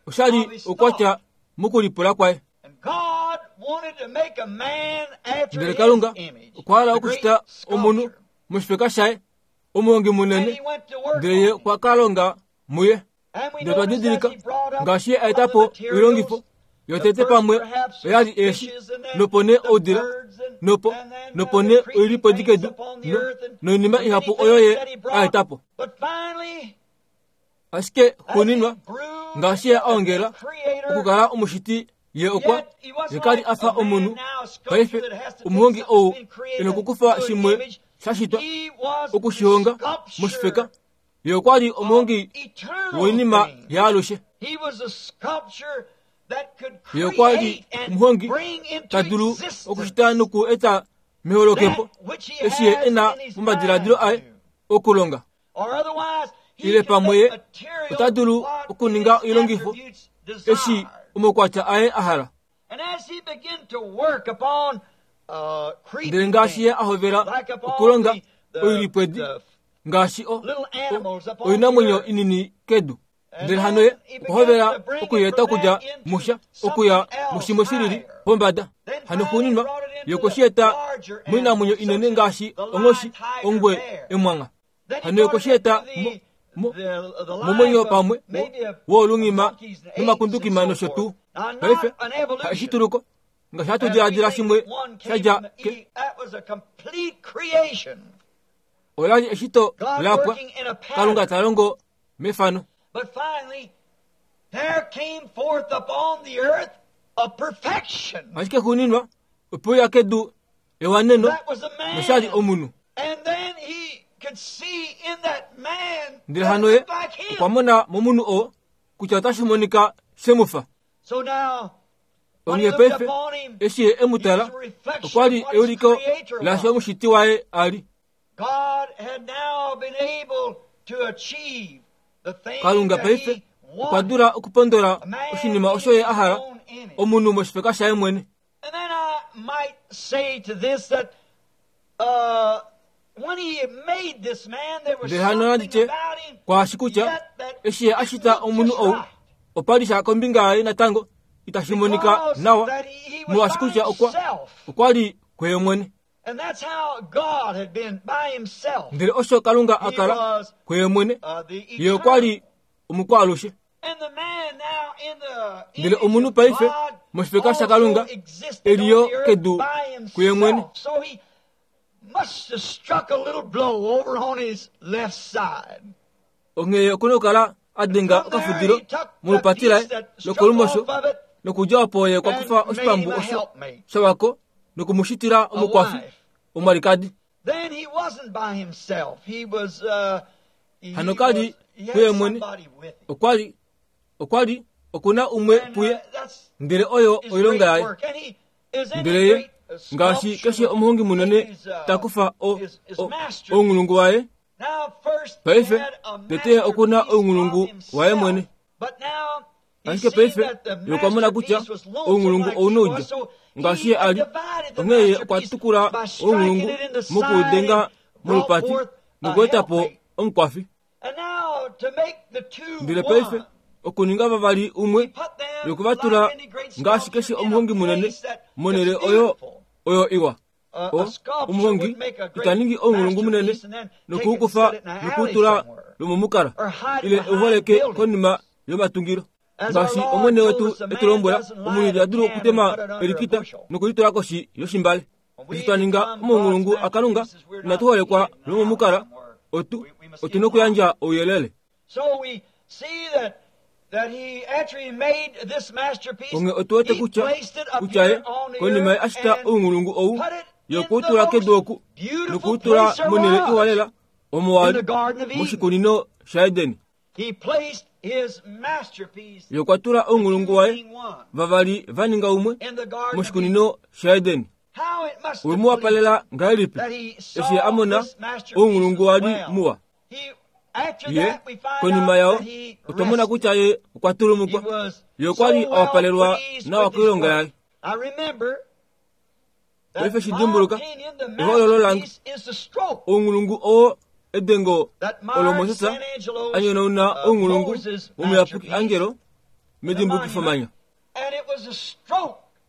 oshali okwatya mokulipula kwaye. Ndele Kalunga okwa hala okushita omunhu moshifeka shaye, omuhongi munene, ndele ye okwa ka longa muye. Ndele twa didilika ngaashi ye a eta po oilongifo yotete pamwe oyali eeshi, nopo nee oudila, nopo nopo nee oilipodi kedu, noinima ihapu oyo ye a eta po. Ashike xuuninwa ngaashi ye a ongela okukala omushiti, ye okwa ye kali a fa omunhu. Paife omuhongi ou e nokukufa shimwe sha shitwa okushihonga moshifeka, ye okwa li omuhongi woinima yaalushe. Ye okwa li omuhongi ta dulu okushita noku eta meholokepo eshi ye e na momadiladilo aye okulonga. Ile pamwe ye ota dulu okuninga oilongifo eshi omaukwatya aye a hala. Ndele ngaashi ye a hovela okulonga oilipwedi ngaashi o oinamwenyo inini kedu, ndele hano ye okwa hovela okuyeeta okudja musha okuya mushimwe shilili pombada. Hano xuuninwa ye okwe shi eta moinamwenyo inene ngaashi onghoshi, ongwe, emwangha. Hano ye okwe shi eta momwenyo pamwe woolungima nomakundukima nosho tuu. Paife haishituluko ngaashi hatu diladila shimwe shadja ke olali eshito lapwa, Kalunga ta longo mefano. Ashike xuuninwa opo ya kedu ewaneno noshali omunhu. Ndele hano ye okwa mona momunhu oo kutya otashi monika shemufa. Onghee paife eshi ye e mu tala, okwa li euliko laashi omushiti waye a li. Kalunga paife okwa dula okupondola oshinima osho ye a hala, omunhu moshifeka shaye mwene. Ndele hano nandi tye kwaashi kutya eshi ye a shita omunhu ou, opa li sha kombinga yaye natango itashi monika nawa, molwaashi kutya okwa okwa li kuye mwene. Ndele osho Kalunga a kala kuye mwene, ye okwa li omukwaalushe. Ndele omunhu paife moshifeka shaKalunga eliyo kedu kuye mwene. Onghee okuna okukala a denga okafudilo molupati laye lokolumosho, nokudja opo ye okwa kufa oshipambu osho shawako nokumushitila omukwafi omwalikadi. Hano kali kuye mwene, okwa li okwa li okuna umwe puye, ndele oyo oilonga yaye. Ndele ye ngaashi keshe omuhongi munene ta kufa ounghulungu waye. Paife tete okuna ounghulungu waye mwene. Ashike paife ye okwa mona kutya ounghulungu ouna oudja ngaashi ye a li. Onghee ye okwa tukula ounghulungu mokuudenga molupati nokueta po omukwafi. Ndele paife okuninga vavali umwe yokuvatula ngaashi keshe omuhongi munene monhele oyo oyo iwa. O omuhongi itaningi ounghulungu munene nokuukufa nokuutula lomomukala ile uholeke konima yomatungilo. Ngaashi omwene wetu etulombwela, omunhu ita dulu okutema elikita nokulitula koshi yoshimbale. Eshi twa ninga omaunghulungu aKalunga, inatu holekwa lomomukala, otu otu nokuyandja ouyelele. Onge otu wete kutya kutya ye konima ye ashita ounghulungu ou yokuutula kedu oku nokuutula monhele iwalela omo wali moshikunino shaEdeni. Yokwatula ounghulungu waye vavali vaninga umwe moshikunino shaEdeni. Wemu wapalela ngahelipi eshi a mona ounghulungu wali muwa. Ye konima yao otwa mona kutya ye okwa tulumukwa. Ye okwali a wapalelwa nawa koilonga yaye. Paife shidimbuluka ehololo lange ounghulungu oo edengo olo Moses a nyonauna ounghulungu womuyapuki Angelo medimbukifomanya.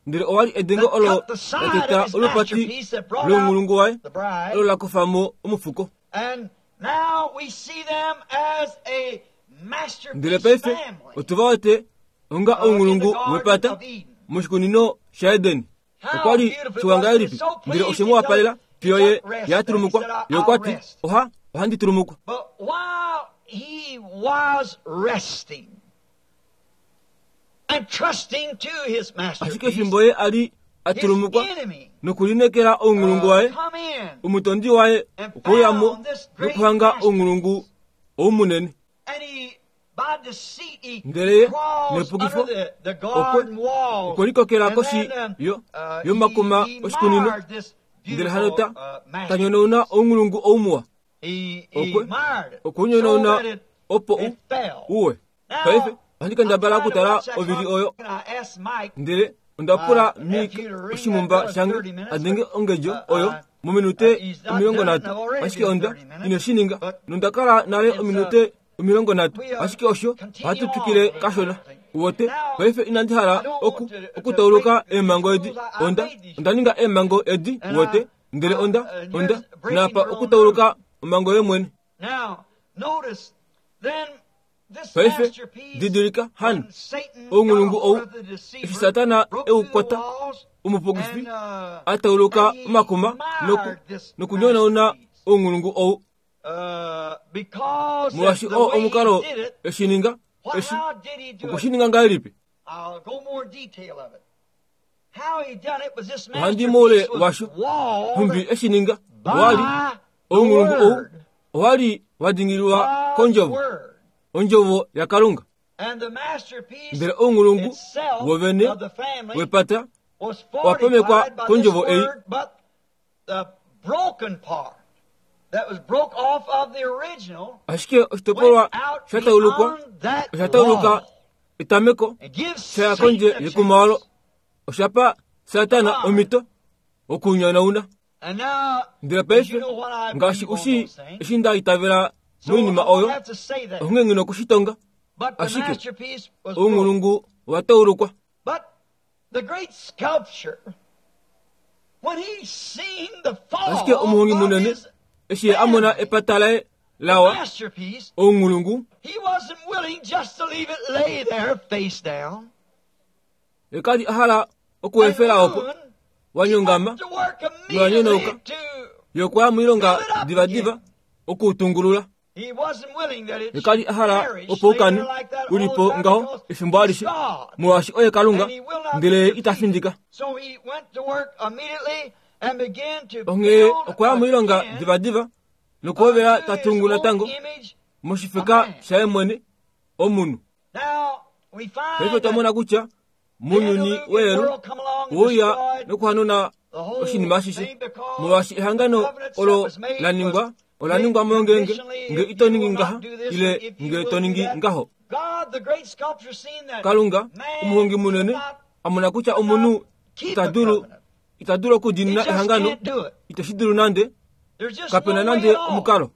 Ndele owali edengo olo lateta olupati lounghulungu waye olo la kufamo omufuko. Ndele paife otuva wete onga ounghulungu wepata moshikunino shaEdeni. Okwali shiwangahelipi ndele oshemu wapalela fiyo ye yatulumukwa. Ye okwati oha ohandi tulumukwa. Ashike fimbo ye ali atulumukwa nokulinekela ounghulungu waye, omutondi waye okweuyamo nokuhanga ounghulungu oumunene. Ndele ye nepukifo okwe okwelikokela koshi yo yomakuma oshikunino. Ndele hano ta tanyonauna ounghulungu oumuwa. Okwe okunyonauna opo u uwe. Paife ohandi kendabala okutala ovili oyo. Ndele onda pula Mike oshimumba shange adenge ongedjo oyo mominute omilongo nhatu, ashike onda ine shininga nonda kala nale ominute omilongo nhatu, ashike osho ohatu twikile kashona. Uwote paife inandi hala oku okutauluka eemhango edi. Onda onda ninga eemhango edi uwote, ndele onda onda napa okutauluka omhango yemwene. Paife didilika hano ounghulungu ou eshi Satana eukwata omupukifi atauluka omakuma noku nokunyonauna ounghulungu ou. Molwaashi oo omukalo eshininga eshi okushininga ngahelipi? Ohandi moule washo nhumbi eshininga. Wali ounghulungu ou owali wadingililwa kondjovo, ondjovo yaKalunga. Ndele ounghulungu wovene wepata wapamekwa kondjovo ei. Ashike oshitopolwa shataulukwa oshatauluka etameko shaya kondje yekuma olo oshapa Satana omhito okunyonauna. Ndele paife ngaashi ushi eshi nda itavela moinima oyo, onghee nghi nokushitonga, ashike ounghulungu wataulukwa. Ashike omuhongi munene eshi a mona epata laye lawa ounghulungu, ye kali a hala okuefela opo wanyongama nowanyonauka. Ye okwaya moilonga divadiva okuutungulula. Ye kali a hala opo ukane ulipo ngaho efimbo alishe, molwaashi oye Kalunga, ndele ita findika. Onghee okwaya moilonga divadiva nokuhovela ta tungu natango moshifeka shaye mwene omunhu. Paife otwa mona kutya mounyuni weelu ouya nokuhanuna oshinima ashishe, molwaashi ehangano olo la ningwa ola ningwa mongenge nge ito ningi ngaha ile nge to ningi ngaho. Kalunga omuhongi munene a mona kutya omunhu ita dulu ita dulu okudiinina ehangano, iteshi dulu nande, kapena nande omukalo.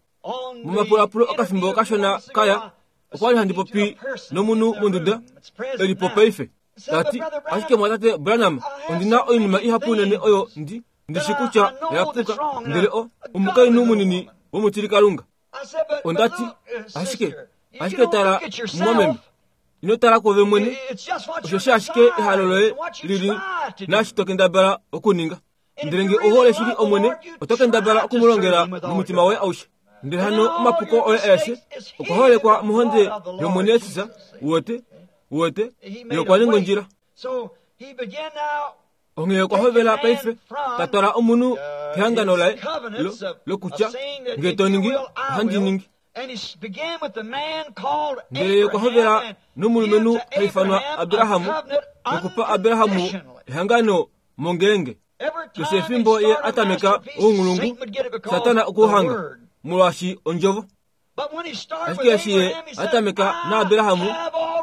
Momapulapulo okafimbo kashona kaya okwali handi popi nomunhu monduda elipo paife. Tati ashike mwatate Branham, ondina oinima ihapu unene oyo ndi Ndishi kutya oyapuka ndele o omukainhu munini womutilikalunga. Ondati ashike ashike tala mumwameme, ino tala kwoove mwene, osho ashike ehalo loye lili naashi to kendabala okuninga. Ndele nge ohole shili Omwene, oto kendabala okumulongela nomutima woye aushe. Ndele hano omapuko oye aeshe okwa holekwa mohonde yOmwene Jesus, uwete, uwete, ye okwa ninga ondjila. Onghee okwa hovela paife ta twala omunhu kehangano laye lokutya nge to ningi ohandi ningi. Ndele ye okwa hovela nomulumenhu ha ifanwa Abrahamu, nokupa Abrahamu ehangano mongenge. Keshe efimbo ye atameka ounghulungu, Satana okuhanga molwaashi ondjovo. Ashike eshi ye atameka naAbrahamu,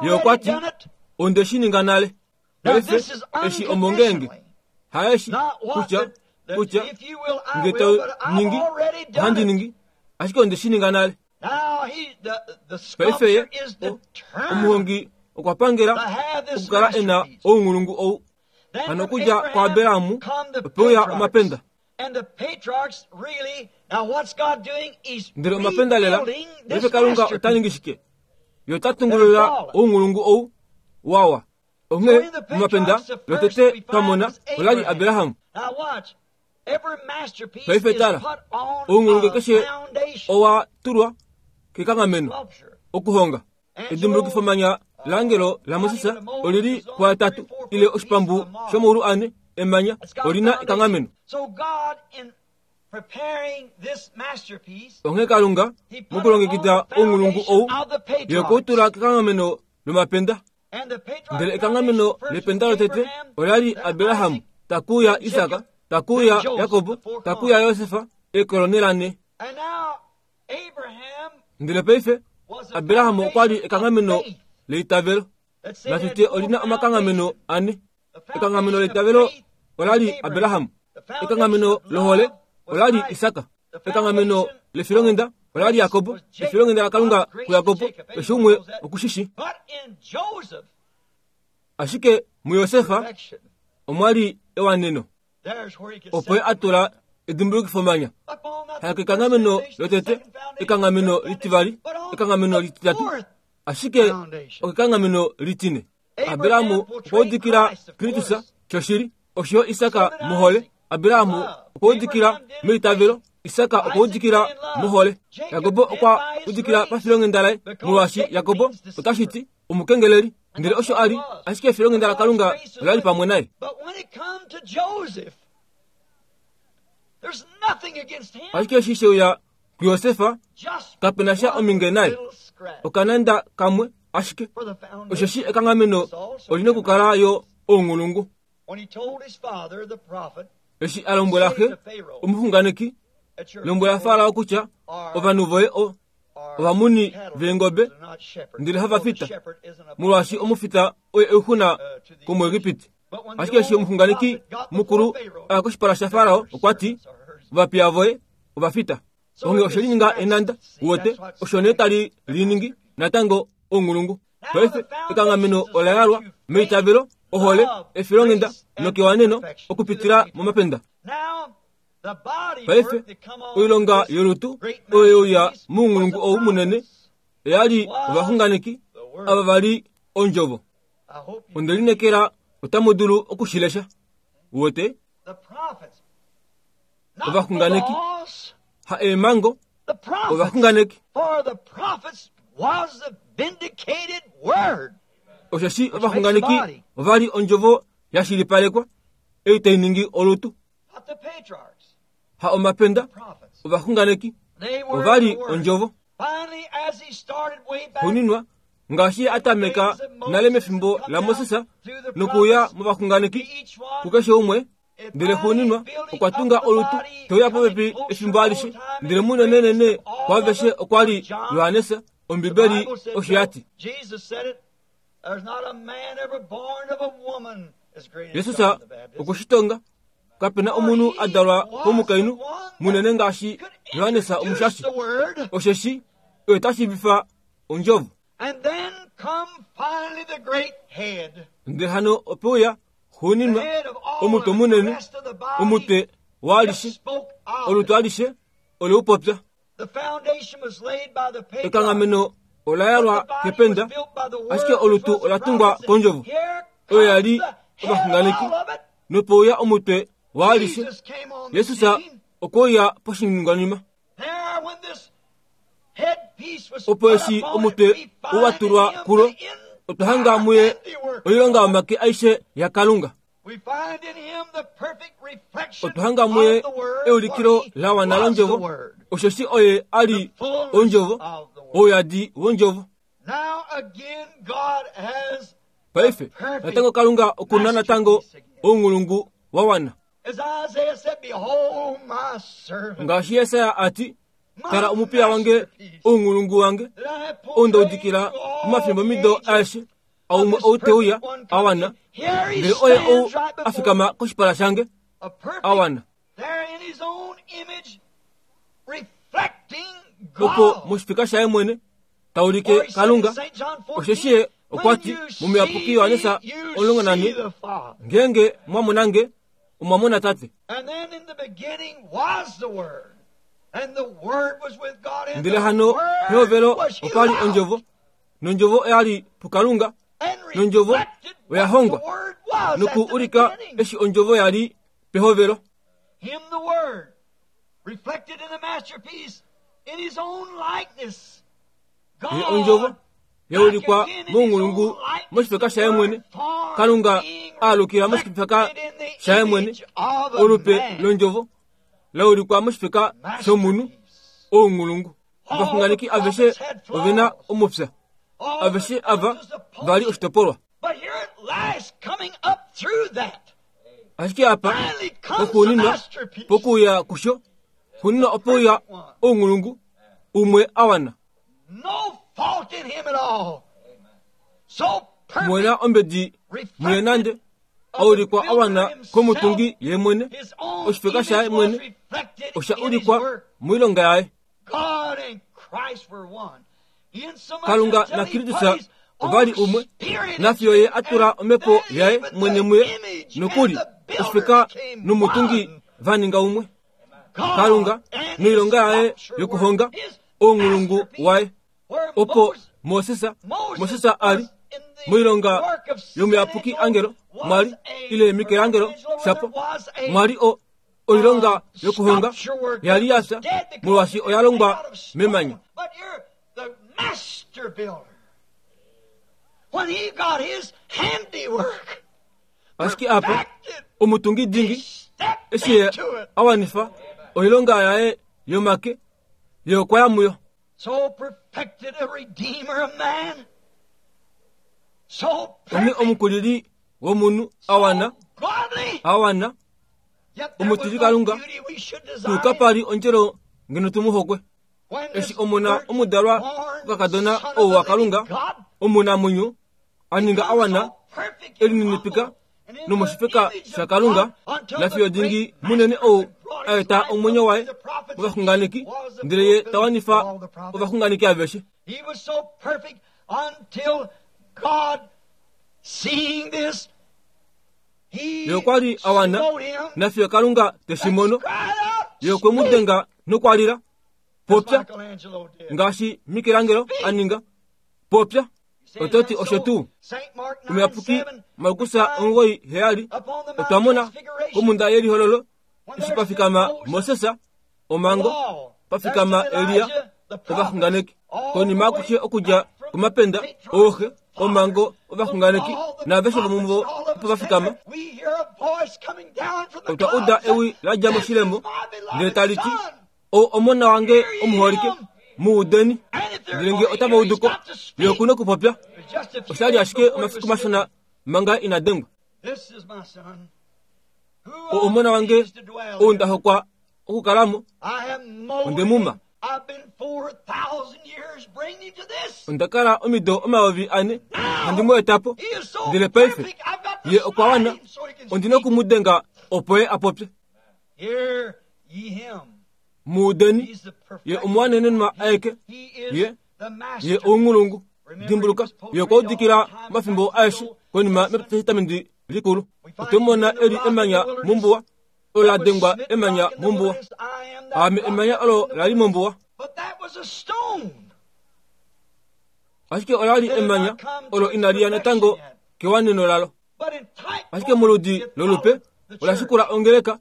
ye okwa ti, onde shi ninga nale. Paife eshi omongenge, haeshi kutya kutya nge to ningi ohandi ningi, ashike onde shi ninga nale. Paife ye omuhongi okwa pangela okukala e na ounghulungu ou. Hano okudja kwaAbrahamu opeuya omapenda. Ndele omapenda lela, paife Kalunga ota ningi shike? Ye ota tungulula ounghulungu ou wawa. Onghee omapenda lotete twamona olali Abrahamu. Paife tala, ounghulungu keshe owa tulwa kekanghameno okuhonga. Edimbulukifomanya langelo laMoses olili puatatu ile oshipambu shomaulu ane emanya olina ekanghameno. Onghee Kalunga mokulongekida ounghulungu ou, ye okwa tula kekanghameno lomapenda. Ndele ekanghameno lependa lotete olali Abrahamu, takuya Isaka, takuya Jakobo, takuya Josefa, ekolonela ne. Ndele paife Abrahamu okwa li ekanghameno leitavelo. Natute olina omakanghameno ane. Ekanghameno leitavelo olali Abrahamu, ekanghameno lohole olali Isaka, ekanghameno lefilonghenda olali Jakobo, efilonghenda laKalunga kuJakobo, eshi umwe okushishi. Ashike muJosefa omwali ewaneno, opo ye a tula edimbulukifomanya. Hakekanghameno lotete, ekanghameno litivali, ekanghameno lititatu, ashike okekanghameno litine. Abrahamu okwa udikila Kristus shoshili, osho Isaka mohole. Abrahamu okwa udikila meitavelo, Isaka okwa udikila mohole. Jakobo okwa udikila pafilonghenda laye, molwaashi Jakobo otashi ti omukengeleli, ndele osho ali, ashike efilonghenda laKalunga olali pamwe naye. Ashike eshi sheuya kuJosefa, kapena sha ominge naye, okananda kamwe ashike. Osheshi ekanghameno olina okukala yo ounghulungu. Eshi a lombwela xe omuxunganeki, lombwela Farao kutya ovanhu voye o ovamuni veengobe ndele hava fita, molwaashi omufita oye oixuna komuEgipiti. Ashike eshi omuxunganeki mukulu aya koshipala shaFarao, okwa ti, ovapiya voye ovafita. Onghee oshe lininga enanda, uwete, osho nee tali liningi natango ounghulungu. Paife ekanghameno ola yalwa meitavelo, ohole, efilonghenda nokewaneno okupitila momapenda. Paife oilonga yolutu oyo yeuya mounghulungu ou munene oyali ovaxunganeki ava vali ondjovo. Onde linekela otamu dulu okushilesha, uwete. Ovaxunganeki, ha eemhango, ovaxunganeki. Osheshi ovaxunganeki ovali ondjovo ya shilipalekwa, ei tai ningi olutu. Ha omapenda, ovaxunganeki ovali ondjovo. Xuuninwa, ngaashi atameka nale mefimbo laMoses nokuuya movaxunganeki kukeshe umwe, ndele xuuninwa okwa tunga olutu teuya popepi efimbo alishe. Ndele munenenene kwaaveshe okwa li Johannes. Ombibeli osho ya ti. Jesus okushitonga, kapena omunhu a dalwa komukainhu munene ngaashi Johannes omushashi, osheshi oye ta shiivifa ondjovo. Ndele hano opeuya xuuninwa omutwe munene, omutwe waalishe olutu alishe oleupopya. Ekanghameno ola yalwa kependa, ashike olutu ola tungwa kondjovo oyo yali ovaxunganeki nopouya omutwe waalishe. Yesus okweuya poshiningwanima. Opo eshi omutwe uwatulwa kulo, otwa hanga muye oilonga yomake aishe yaKalunga. Otwa hanga muye eulikilo la wana londjovo, osheshi oye ali ondjovo, ouyadi wondjovo. Paife natango Kalunga okuna natango ounghulungu wa wana. Ngaashi Yesaya ati, tala omupiya wange, ounghulungu wange, ou ndaudikila momafimbo mido aeshe, aumwe ou teuya awana, ndele oye ou afikama koshipala shange awana. Opo moshifika shaye mwene taulike Kalunga, osheshi ye okwa ti momuyapuki Yohanesa omulongo nane, ngeenge mwamonange omwamona Tate. Ndele hano pehovelo opali ondjovo, nondjovo oyali puKalunga, nondjovo oya hongwa noku ulika eshi ondjovo yali pehovelo. Ye ondjovo yaulikwa mounghulungu moshifeka shaye mwene, Kalunga aalukila moshifeka shaye mwene, olupe londjovo laulikwa moshifeka shomunhu ounghulungu. Ovaxunganeki aveshe ovena omupya, aveshe ava vali oshitopolwa. Ashike apa pokuuninwa, pokuuya kusho, xuuninwa opouya ounghulungu umwe awana. Mwena ombedi muye nande aulikwa awana komutungi ye mwene, oshifeka shaye mwene osha ulikwa moilonga yaye. Kalunga na Kristus ovali umwe, nafiyo ye atula omhepo yaye mwene muye, nokuli oshifeka nomutungi vaninga umwe. Kalunga noilonga yaye yokuhonga ounghulungu waye. Opo Moses, Moses ali moilonga yomuyapuki angelo mwali ile Michelangelo shapo mwali o oilonga yokuhonga yali yafya molwaashi oya longwa memanya. Ashike apa omutungi dingi eshi ye awanifa oilonga yaye yomake ye okwa ya muyo. Onghee omukulili womunhu awana, awana, omutili Kalunga, tuu kapali ondjelo ngeno tumuhokwe. Eshi omona omudalwa kokakadona ou waKalunga, omunamwenyo, aninga awana, elininipika nomoshifeka shaKalunga, nafiyo dingi munene ou aeta omwenyo waye ovaxunganeki, ndele ye tawanifa ovaxunganeki aveshe. Ye okwa li awana, nafiyo Kalunga teshimono, ye okwe mu denga nokwalila, popya, ngaashi Michelangelo aninga, popya. Ototi osho tuu omuyapuki Markus omugoyi heyali otwa mona komunda yelihololo eshi pafikama Moses, omango, pafikama Elia, ovaxunganeki. Konima akushe okudja komapenda, ooxe, omango, ovaxunganeki naaveshe vomuvo opo vafikama, otwa uda ewi ladja moshilemo ndele tali ti, ou omona wange omuholike, muudeni. Ndele nge otava uduko, ye okuna okupopya. Oshali ashike omafiku mashona manga ina dengwa. O omona wange ou nda hokwa okukalamo, onde muma. Onda kala omido omayovi ane handi mu eta po, ndele paife ye okwa wana, ondina okumudenga opo ye apopye. Muudeni, ye omuwanenenwa aeke, ye ye ounghulungu. Dimbuluka, ye okwa udikila omafimbo aeshe konima metestamenti likulu. Otwemona eli emanya mombuwa, olo la dengwa emanya mombuwa. Aame emanya olo lali mombuwa. Ashike ola li emanya olo inali ya natango kewaneno lalo. Ashike moludi lolupe ola shikula ongeleka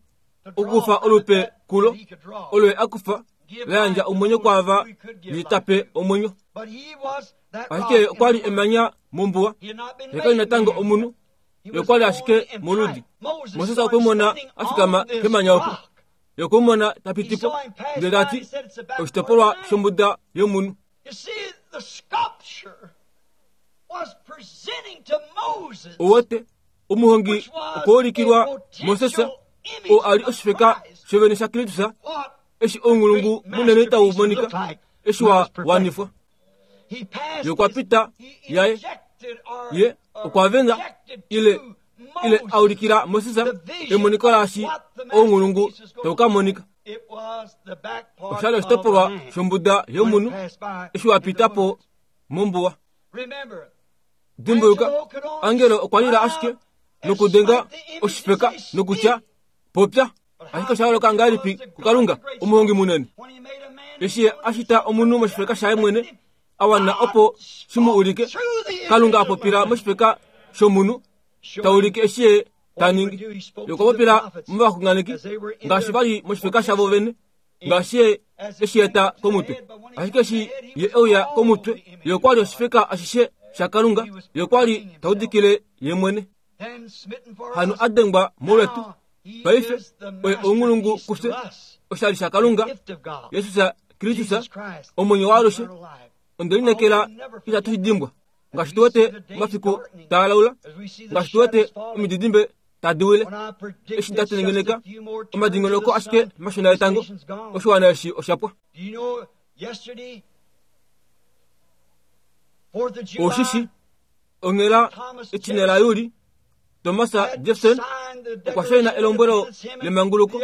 okukufa olupe kulo olo ye akufa layandja omwenyo kwaava litape omwenyo. Ashike okwa li emanya mombuwa, ye kali natango omunhu, ye okwa li ashike moludi. Moses okwe mona afikama kemanya oko, ye okwe mona tapitipo, ndele tati oshitopolwa shombuda yomunhu. Owote omuhongi okwaulikilwa Moses oo ali oshifeka shovene sha Kristus eshi ounghulungu munene tau monika eshi wa wanifwa. Ye okwa pita yaye, ye okwa venga ile ile aulikila Moses emoniko laashi ounghulungu tau ka monika. Oshali oshitopolwa shombuda yomunhu eshi wa pita po mombuwa. Dimbuluka, angelo okwa lila ashike nokudenga oshifeka nokutya popya. Ashike osha holoka ngahelipi kuKalunga omuhongi munene eshi ye ashita omunhu moshifeka shaye mwene a wana opo shi mu ulike. Kalunga a popila moshifeka shomunhu ta ulike eshi ye ta ningi. Ye okwa popila movaxunganeki ngaashi vali moshifeka shavo vene, ngaashi ye eshi eta komutwe. Ashike eshi ye euya komutwe, ye okwa li oshifeka ashishe shaKalunga, ye okwa li ta udikile ye mwene. Hano a dengwa molwetu paife oye ounghulungu kufye oshali shaKalunga Jesus Kristus omwenyo waalushe. Onde linekela itatu shi dimbwa ngaashi tu wete omafiku taa laula, ngaashi tu wete omididimbe tadi wile. Eshi nda tengeneka omadingonoko ashike mashona etango, oshiwana eshi oshapwa. Oshishi onghela etine la Juli, Thomas Jefferson okwa shaina elombwelo lemanguluko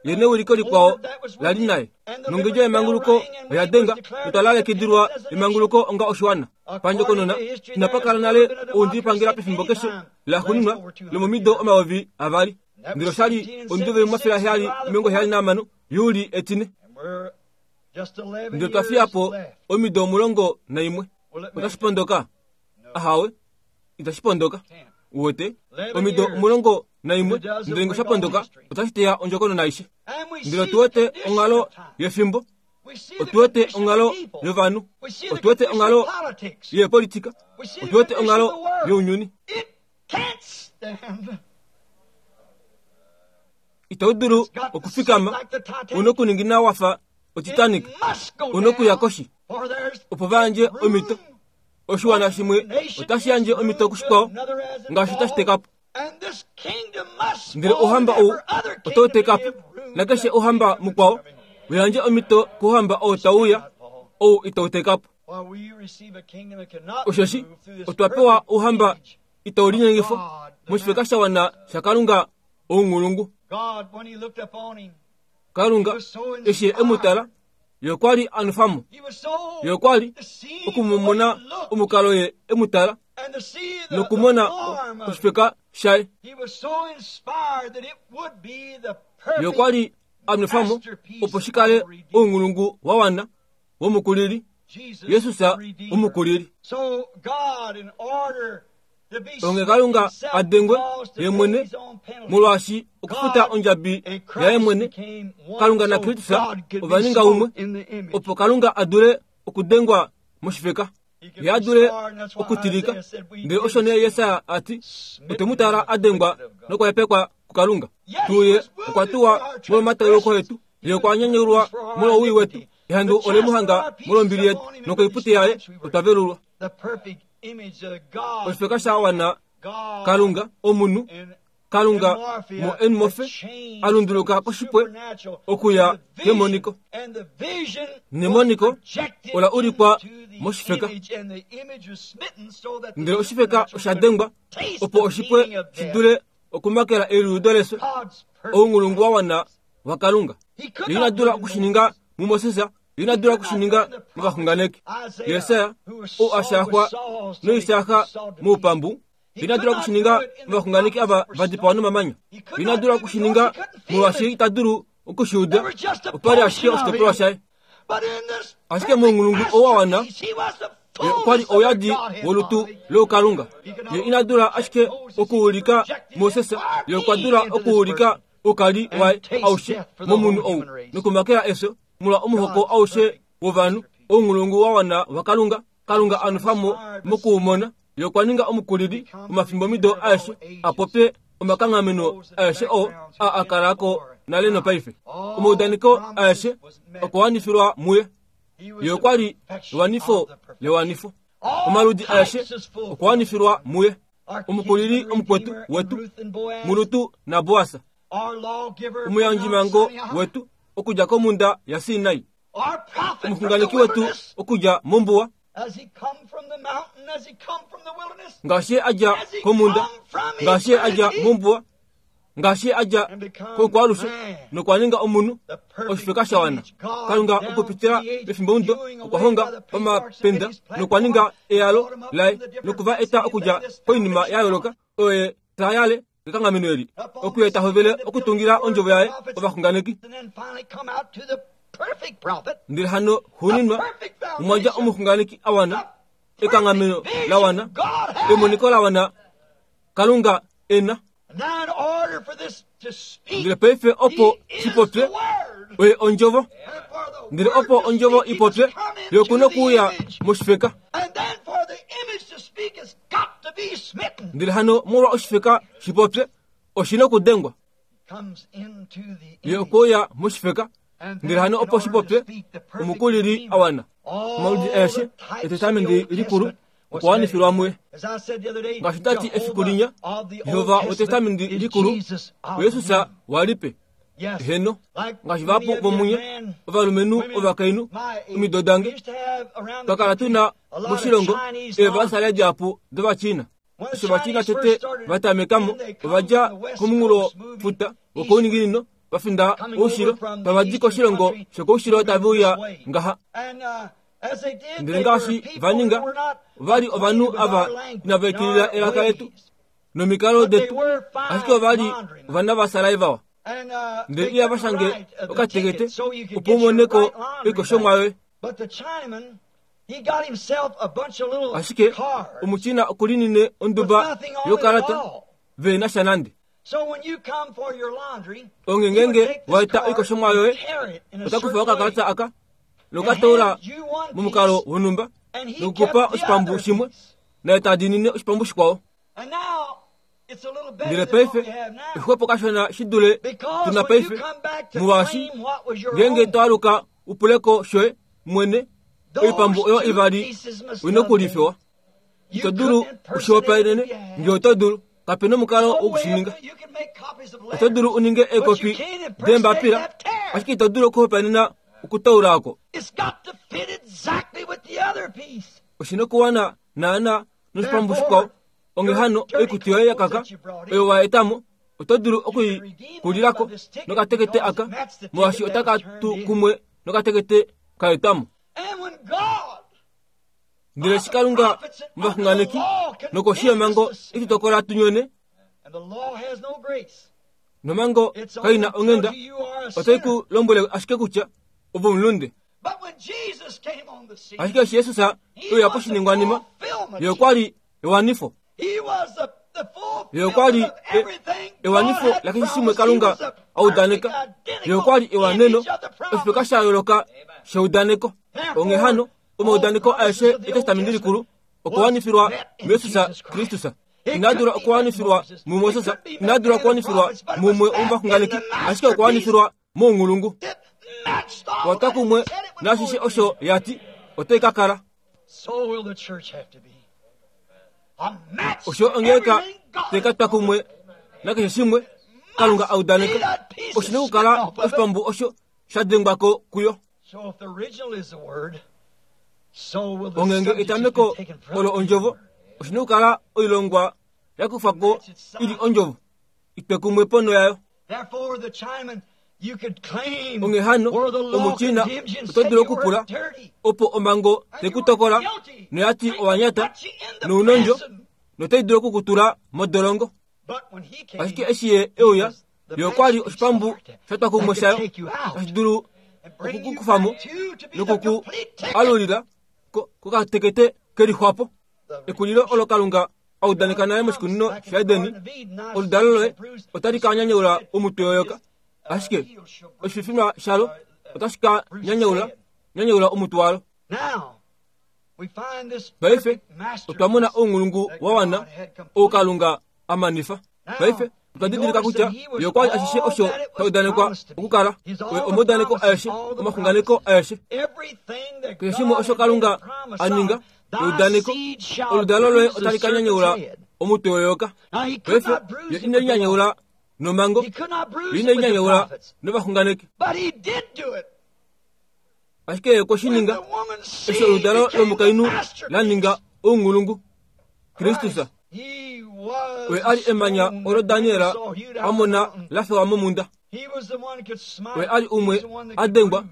ye neuliko likwao lali naye. Nongedjo yemanguluko oya denga notwa lalekidilwa emanguluko onga oshiwana. Pandjokonona inapa kala nale oundilipangela pefimbo keshe laxuuninwa lomomido omayovi avali. Ndele oshali omudo vemafele aheyali omilongo heyali nahamano Juli etine. Ndele twa fiya po omido omulongo naimwe. Otashi pondoka? Ahawe, itashi pondoka. Uwete omido omulongo naimwe ndele ngosha pondoka otashi teya ondjokonona aishe. Ndele otuwete onghalo yefimbo, otuwete onghalo yovanhu, otuwete onghalo yepolitika, otuwete onghalo younyuni. Itau dulu okufikama, una okuningina wafa oTitanic, una okuya koshi opo vayandje omito. Oshiwana shimwe otashi yandje omito kushikwao ngaashi tashi teka po. Ndele ouhamba ou otau teka po, nakeshe ouhamba mukwao uyandje omito kouhamba ou tau uya, ou itau teka po. Osheshi otwa pewa ouhamba itau linyengifwa moshifeka sha wana shaKalunga ounghulungu. Kalunga eshi e mu tala, ye okwa li a nwefa mo, ye okwa li okumumona omukalo ye e mu tala nokumona oshifeka shaye. Ye okwa li a nwefa mo opo shi kale ounghulungu wa wana womukulili, Jesus omukulili. Onge Kalunga a dengwe ye mwene molwaashi okufuta ondjabi yaye mwene. Kalunga naKristus ova ninga umwe opo Kalunga a dule okudengwa moshifeka, ye a dule okutilika. Ndele osho nee Yesaya a ti, otwe mu tala a dengwa nokwahepekwa kuKalunga. Tuye okwa tuwa molwomatauluko etu, ye okwa nyanyulwa molwowii wetu. Ehandu ole mu hanga molwombili yetu, nokoipute yaye otwa velulwa. Oshifeka sha wana Kalunga omunhu, Kalunga mo enmofe a lunduluka koshipwe okuya kemoniko. Nemoniko ola ulikwa moshifeka, ndele oshifeka osha dengwa opo oshipwe shi dule okumakela eliudo leso ounghulungu wa wana waKalunga. Ye ina dula okushininga muMoses, ye ina dula okushininga movaxunganeki. Yesaya ou a shaaxwa noisaaxa moupambu, Ina dula okushininga movaxunganeki ava va dipawa nomamanya. Ina dula okushininga molwaashi ita dulu okushiuda. Opa li ashike oshitopolwa shaye. Ashike mounghulungu ou wa wana, ye okwa li ouyadi wolutu loukalunga. Ye ina dula ashike okuulika Moses, ye okwa dula okuulika oukali waye aushe momunhu ou nokumakela efyo molwa omuhoko aushe wovanhu. Ounghulungu wa wana waKalunga, Kalunga a nwefa mo mokuumona. Ye okwa ninga omukulili womafimbomido aeshe a popye omakanghameno aeshe oo a a kala ko nale nopaife. Omaudaneko aeshe okwa wanifilwa muye. Ye okwa li ewanifo lewanifo. Omaludi aeshe okwa wanifilwa muye. Omukulili omukwetu wetu muRut naBoas, omuyandjimango wetu okudja komhunda yaSinai, omuxunganeki wetu okudja mombuwa, ngaashi a dja komhunda, ngaashi a dja mombuwa, ngaashi a dja koukwalushe nokwa ninga omunhu oshifeka sha wana. Kalunga okupitila mefimbomudo okwa honga pamapenda nokwa ninga eyalo laye nokuva eta okudja koinima ya yooloka oyo ye ta yale kekanghameno eli, okuye ta hovele okutungila ondjovo yaye ovaxunganeki. Ndele hano xuuninwa omwa dja omuxunganeki a wana, ekanghameno la wana, emoniko la wana Kalunga e na. Ndele paife opo shipopye oye ondjovo. Ndele opo ondjovo ipopye, ye oku nokuuya moshifeka. Ndele hano molwa oshifeka shipopye, oshi nokudengwa. Ye okwa moshifeka. Ndele hano opo shipopye, omukulili a wana. Omaludi aeshe etestamenti likulu okwa wanifilwa muye. Ngaashi tati efiku linya, Jehova wetestamenti likulu oYesus walipe. Heno, ngaashi vahapu vomunye ovalumenhu ovakainhu omido dange, twa kala tuna moshilongo eevasale dihapu dOvachina. Eshi Ovachina tete va tamekamo, ova dja komunghulofuta wokouninginino va finda oushilo, tava di koshilongo shokoushilo tave uya ngaha. Ndele ngaashi va ninga, ova li ovanhu ava inava ikilila elaka letu nomikalo detu, ashike ova li ovana vaSarai vawa. Ndele ihava shange okatekete opo u mone ko oikoshomwa yoye. Ashike omuChina okulinine onduba yokalata ve na sha nande. Onge ngenge wa eta oikoshomwa yoye, ota kufa okakalata aka nokatoula momukalo wonhumba nokukupa oshipambu shimwe, naye ta diinine oshipambu shikwao. Ndele paife exwepo kashona shi dule tuna paife, molwaashi ngeenge to aluka u pule ko shoye mwene, oipambu oyo ivali oina okulifewa. Ito dulu ushihopaenene nge oto dulu, kape nomukalo wokushininga. Oto dulu u ninge eekopi deembapila, ashike ito dulu okuhopaenena okutaula oko. Oshi nokuwana naana noshipambu shikwao. Onge hano oikutu yoye ya kaka oyo wa etamo, oto dulu okuikulilako nokatekete aka, molwaashi otaka tu kumwe nokatekete ka etamo. Ndele eshi Kalunga movaxunganeki nokoshi yomhango e tu tokola tu nyone, nomhango kai na onghenda, otai ku lombwele ashike kutya ove omulunde. Ashike eshi Jesus e uya poshiningwanima, ye okwa li ewanifo. Ye okwa li ewanifo lakeshe shimwe Kalunga a udaneka. Ye okwa li ewaneno, oshifeka sha yooloka sheudaneko. Onghee hano, omaudaneko aeshe etestamenti likulu okwa wanifilwa muJesus Kristus. Ina dula okuwanifilwa muMoses, ina dula okuwanifilwa mumwe womovaxunganeki, ashike okwa wanifilwa mounghulungu. Watwa kumwe naashishe osho ya ti otai ka kala. Osho ongeleka tai ka twa kumwe nakeshe shimwe Kalunga a udaneka, oshi nokukala oshipambu osho sha dengwa ko kuyo. Ongenge etameko olo ondjovo, oshi nokukala oilongwa ya kufwa ko ili ondjovo, itwe kumwe ponho yayo. Onghee hano, omuChina oto dulu okupula opo omhango tai ku tokola noya ti owa nyata nounondjo notai dulu okukutula modolongo. Ashike eshi ye euya, ye okwa li oshipambu sha twa kumwe shayo, tashi dulu okukukufamo nokuku alulila kokatekete kelixwapo. Ekulilo olo Kalunga a udaneka naye moshikunino shaEdeni, oludalo loye otali ka nyanyaula omutwe weyoka, ashike oshififinwa shalo otashi ka nyanyaula nyanyaula omutwe walo. Paife otwa mona ounghulungu wa wana ou Kalunga a manifa. Paife otwa didilika kutya ye okwa li ashishe osho sha udanekwa okukala, oye omaudaneko aeshe, omaxunganeko aeshe, keshe shimwe osho Kalunga a ninga eudaneko, oludalo loye otali ka nyanyaula omutwe weyoka. Paife ye ine linyanyaula nomango, ye ine linyanyaula novaxunganeki, ashike ye okwe shi ninga eshi oludalo lomukainhu la ninga ounghulungu, Kristus. Oye a li emanya olo Daniel a mona la fewa momunda. Oye a li umwe a dengwa,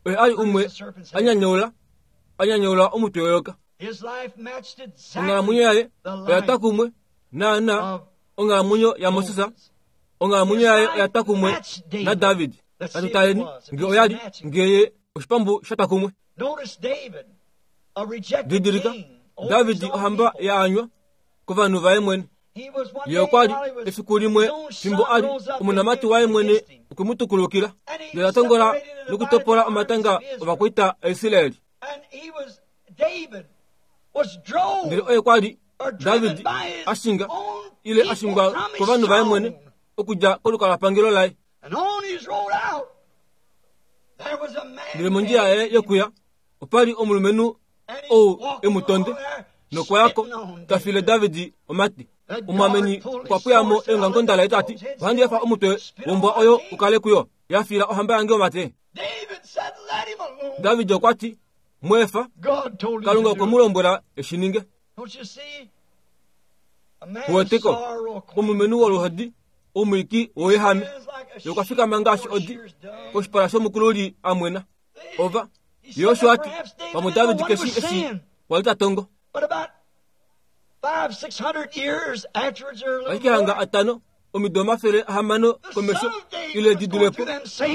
oye a li umwe a nyanyaula, a nyanyaula omutwe weyoka. Onghalamwenyo yaye oya twa kumwe naana onghalamwenyo yaMoses, onghalamwenyo yaye oya twa kumwe naDavid. Natu taleni nge oya li ngeye oshipambu sha twa kumwe. Didilika, David ohamba yaanywa kovanhu vaye mwene. Ye okwa li efiku limwe fimbo a li omonamati waye mwene okwe mu tukulukila, ndele a tongola nokutopola omatanga ovakwaita aIsraeli. Ndele oye kwa li David a shinga ile a shingwa kovanhu vaye mwene okudja kolukalwapangelo laye. Ndele mondjila yaye yokuya opa li omulumenhu ou e mu tonde, nokwayako ta file David omati. Omwameni okwa pweyamo eongamukonda laye tati, ohandi efa omutwe wombwa oyo u kale kuyo, ya fila ohamba yange omate. David okwa ti, mweefa, Kalunga okwe mu lombwela eshi ninge. Kuweteko, omulumenhu woluhodi, omwiiki woyehame, ye okwa fikama ngaashi odi koshipala shomukululi a mwena. Ova, ye osho a ti, pamwe David keshi eshi kwali ta tongo. Ashike hanga atano omido omafele ahamano komesho ile di dulepo,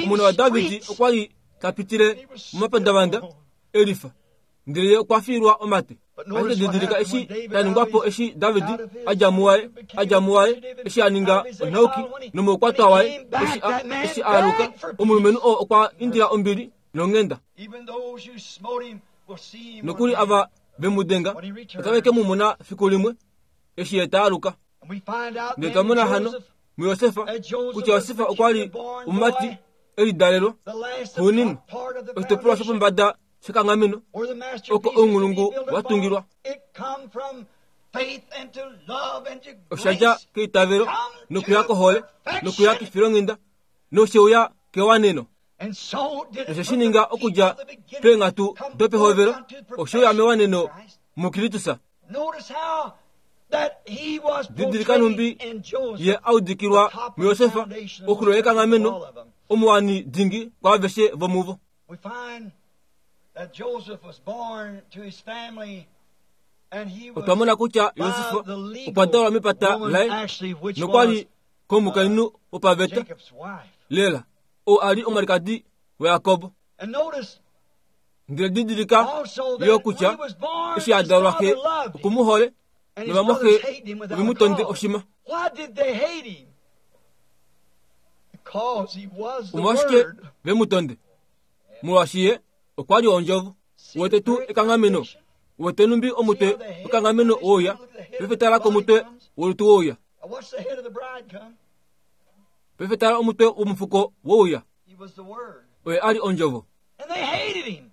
omona waDavid okwa li ta pitile momapandavanda elifa, ndele ye okwa fiilwa omate. Ashike didilika eshi ta ningwapo eshi David a dja muwaye, a dja muwaye, eshi a ninga onhauki nomoukwatwa waye, eshi a, eshi a aluka, omulumenhu oo okwa indila ombili nonghenda. Nokuli ava ve mu denga otave ke mu mona fiku limwe eshi ye ta aluka. Ndele twa mona hano muYosefa kutya Yosefa okwa li omumati e lidalelwa xuuninwa, oshitopolwa shopombada shekanghameno oko ounghulungu wa tungilwa. Osha dja keitavelo nokuya kohole nokuya kefilonghenda nosheuya kewaneno. Noshe shi ninga okudja peenghatu dopehovelo osheuya mewaneno muKristus. Didilika nhumbi ye a udikilwa muYosefa oxulo yekanghameno, omuwani dingi kwaaveshe vomuvo. Otwa mona kutya Yosefa okwa dalwa mepata laye nokwa li komukainhu wopaveta lela, ou a li omwalikadi waJakob. Ndele didilika yo kutya eshi a dalwa xe oku mu hole, novamwaxe ove mu tonde oshima. Omolwashike ve mu tonde? Molwaashi ye okwa li ondjovo. Wete tuu ekanghameno, wete numbi omutwe wekanghameno wouya, paife tala komutwe wolutu wouya, paife tala omutwe womufuko wouya. Oye a li ondjovo.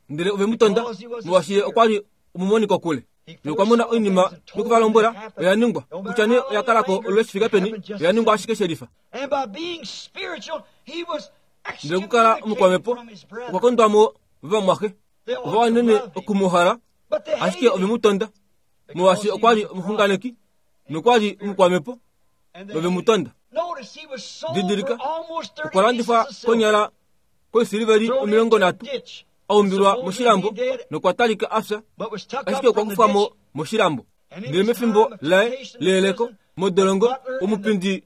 Ndele ove mu tonda molwaashi ye okwa li omumoniko kule. Nokwa mona oinima nokuvalombwela oya ningwa, kutya nee oya kalako olule shi fike peni, oya ningwa ashike shelifa. Ndele okukala omukwamhepo okwa kondwa mo vovamwaxe, ova wanene okumuhala, ashike ove mu tonda molwaashi okwa li omuxunganeki nokwa li omukwamhepo, nove mu tonda. Didilika, okwa landifwa konyala koisiliveli omilongo nhatu, a umbilwa moshilambo nokwa talika a fya, ashike okwa kufwa mo moshilambo. Ndele mefimbo laye leyeleko modolongo omupindi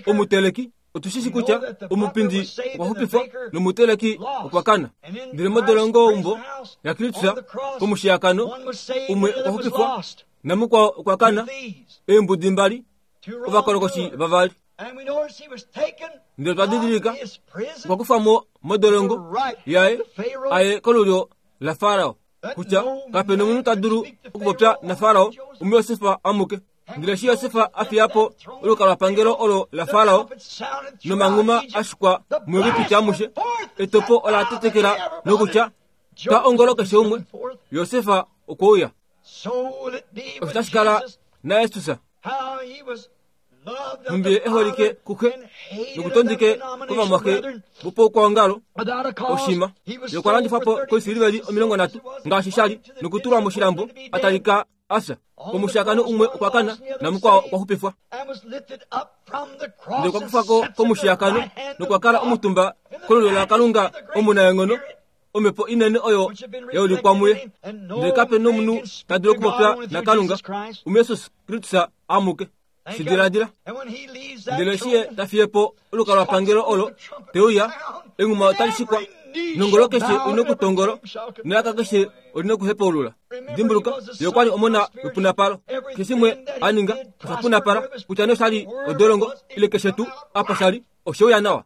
omuteleki otushishi kutya omupindi okwa xupifwa nomuteleki okwa kana. Ndele modolongo umbo yaKristus komushiyakano umwe okwa xupifwa namukwao okwa kana. Eembudi mbali ovakolokoshi vavali. Ndele twa didilika okwa kufamo modolongo yaye aye kolulyo la Farao kutya kapena omunhu ta dulu okupopya na Farao umuYosefa amuke. Ndele eshi Yosefa a fiya po olukalwapangelo olo la Farao nomanghuma a shikwa muEgipiti amushe, etopo ola tetekela nokutya twa ongolo keshe umwe, Yosefa okwe uya. Osho tashi kala naYesus nhumbi e holike kuxe nokutondike kovamwaxe vopaukwaongalo oshima yokwa landifwa po koisiliveli omilongo nhatu ngaashi shali nokutulwa moshilambo a talika asa. Komushakano umwe okwa kana namukwao okwa xupifwa. Ndele okwa kufako komushiyakano nokwa kala omutumba kolulyo laKalunga omunaenghono, omhepo inene oyo yaulikwa muye. Ndele kape nomunhu ta dulu okupopya naKalunga umuYesus Kristus amuke. Shidiladila. Ndele eshi ye ta fiye po olukalwapangelo olo te uya, enghuma otali shikwa nongolo keshe olina okutongolo nelaka keshe olina okuhepaulula. Dimbuluka, ye okwali omona wepunapalo. Keshe shimwe a ninga osha punapala, kutya nee oshali odolongo ile keshe tuu apa shali, osheuya nawa.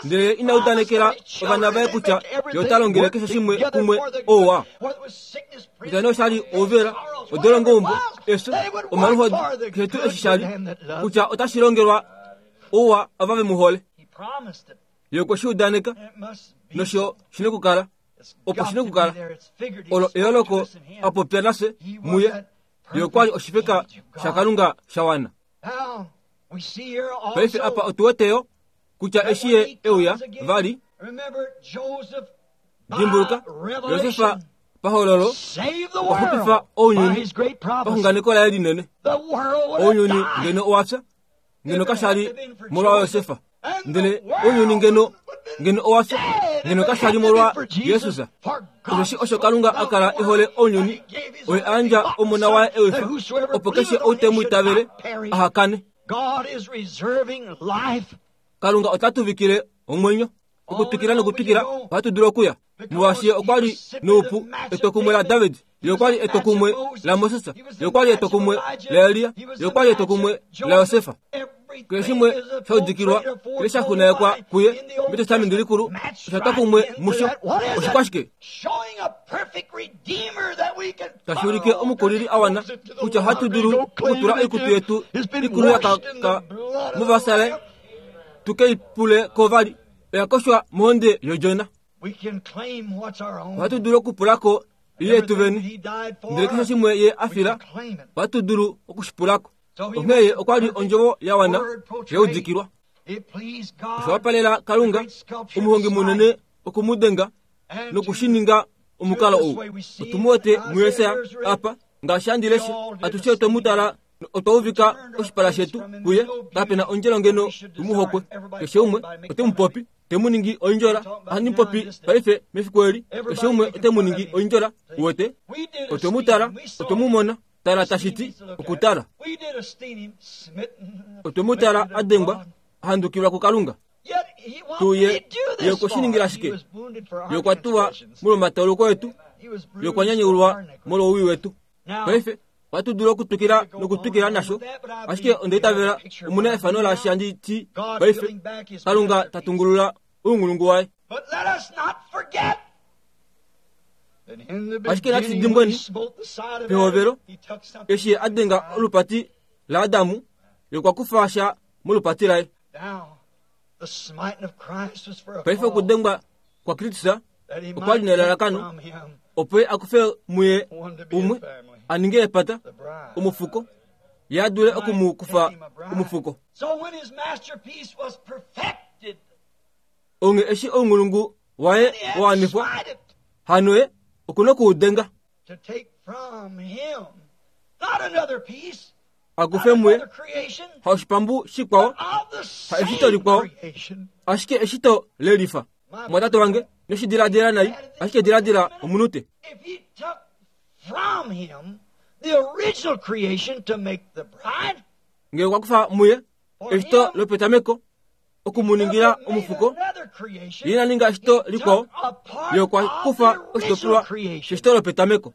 Ndele ina udanekela ovana vaye kutya ye ota longele keshe shimwe kumwe ouwa. Kutya nee oshali ouvela, odolongo umbo, efyo, omaluhodi, keshe tuu eshi shali, kutya otashi longelwa ouwa ava ve mu hole. Ye okwe shi udaneka, nosho shina okukala, opo shina okukala. Olo eyooloko a popya nafye muye. Ye okwali oshifeka shaKalunga sha wana. Paife apa otu wete yo kutya eshi ye euya vali, dimbuluka, Yosefa pahololo okwa xupifa ounyuni paxunganeko laye linene. Ounyuni ngeno owa fya ngeno kashali molwa Yosefa, ndele ounyuni ngeno ngeno owa fya ngeno kashali molwa Jesus. Osheshi osho Kalunga a kala e hole ounyuni, oye a yandja omona waye ewifa, opo keshe ou te mu itavele aha kane. Kalunga ota tuvikile omwenyo okutwikila nokutwikila ohatu dulu okuya, molwaashi ye okwa li noupu etokumwe laDavid, ye okwa li etokumwe laMoses, ye okwa li etokumwe laElia, ye okwa li etokumwe laYosefa. Keshe shimwe sha udikilwa ile sha xunaekwa kuye metestamenti likulu osha twa kumwe musho. Oshikwashike tashi ulike omukulili a wana kutya ohatu dulu okutula oikutu yetu ikulu yakaka muvasale tuke i pule ko vali oya koshwa mohonde yodjona. Ohatu dulu okupulako ile yetu vene, ndele keshe shimwe ye a fila ohatu dulu okushipulako. Onghee ye okwa li ondjovo ya wana yaudikilwa. Osha wapalela Kalunga omuhongi munene okumudenga nokushininga omukalo ou. Otu mu wete muYesaya apa ngaashi handi leshe, atushe otwe mu tala otwa uvika oshipala shetu kuye, kapena ondjelo ngeno tumuhokwe. Keshe umwe ote mu popi te mu ningi oindjola. Ohandi mu popi paife mefiku eli, keshe umwe ote mu ningi oindjola. Uwete, otwe mu tala, otwe mu mona. Tala tashi ti okutala. Otwe mu tala a dengwa, a handukilwa kuKalunga. Tuye ye okwe shi ningila shike? Ye okwa tuwa molwomatauluko etu, ye okwa nyanyaulwa molwowii wetu. Paife ohatu dulu okutwikila nokutwikila nasho, ashike onda itavela omuna efano laashi handi ti paife Kalunga ta tungulula ounghulungu waye. Ashike natu dimbweni pehovelo eshi a denga olupati laAdamu, ye okwa kufa sha molupati laye. Paife okudengwa kwaKristus okwa li nelalakano opo ye a kufe muye umwe a ninge epata omufuko, ye a dule oku mu kufa omufuko. Onge eshi ounghulungu waye wa wanifwa, hano ye okuna okuudenga a kufe muye haoshipambu shikwao, ha eshito likwao, ashike eshito lelifa. Mwatate wange, noshidiladila nai, ashike diladila omunute. Ngele okwa kufa muye eshito lopetameko okumuningila omufuko, ye ina ninga eshito likwao, ye okwa kufa oshitopolwa sheshito lopetameko.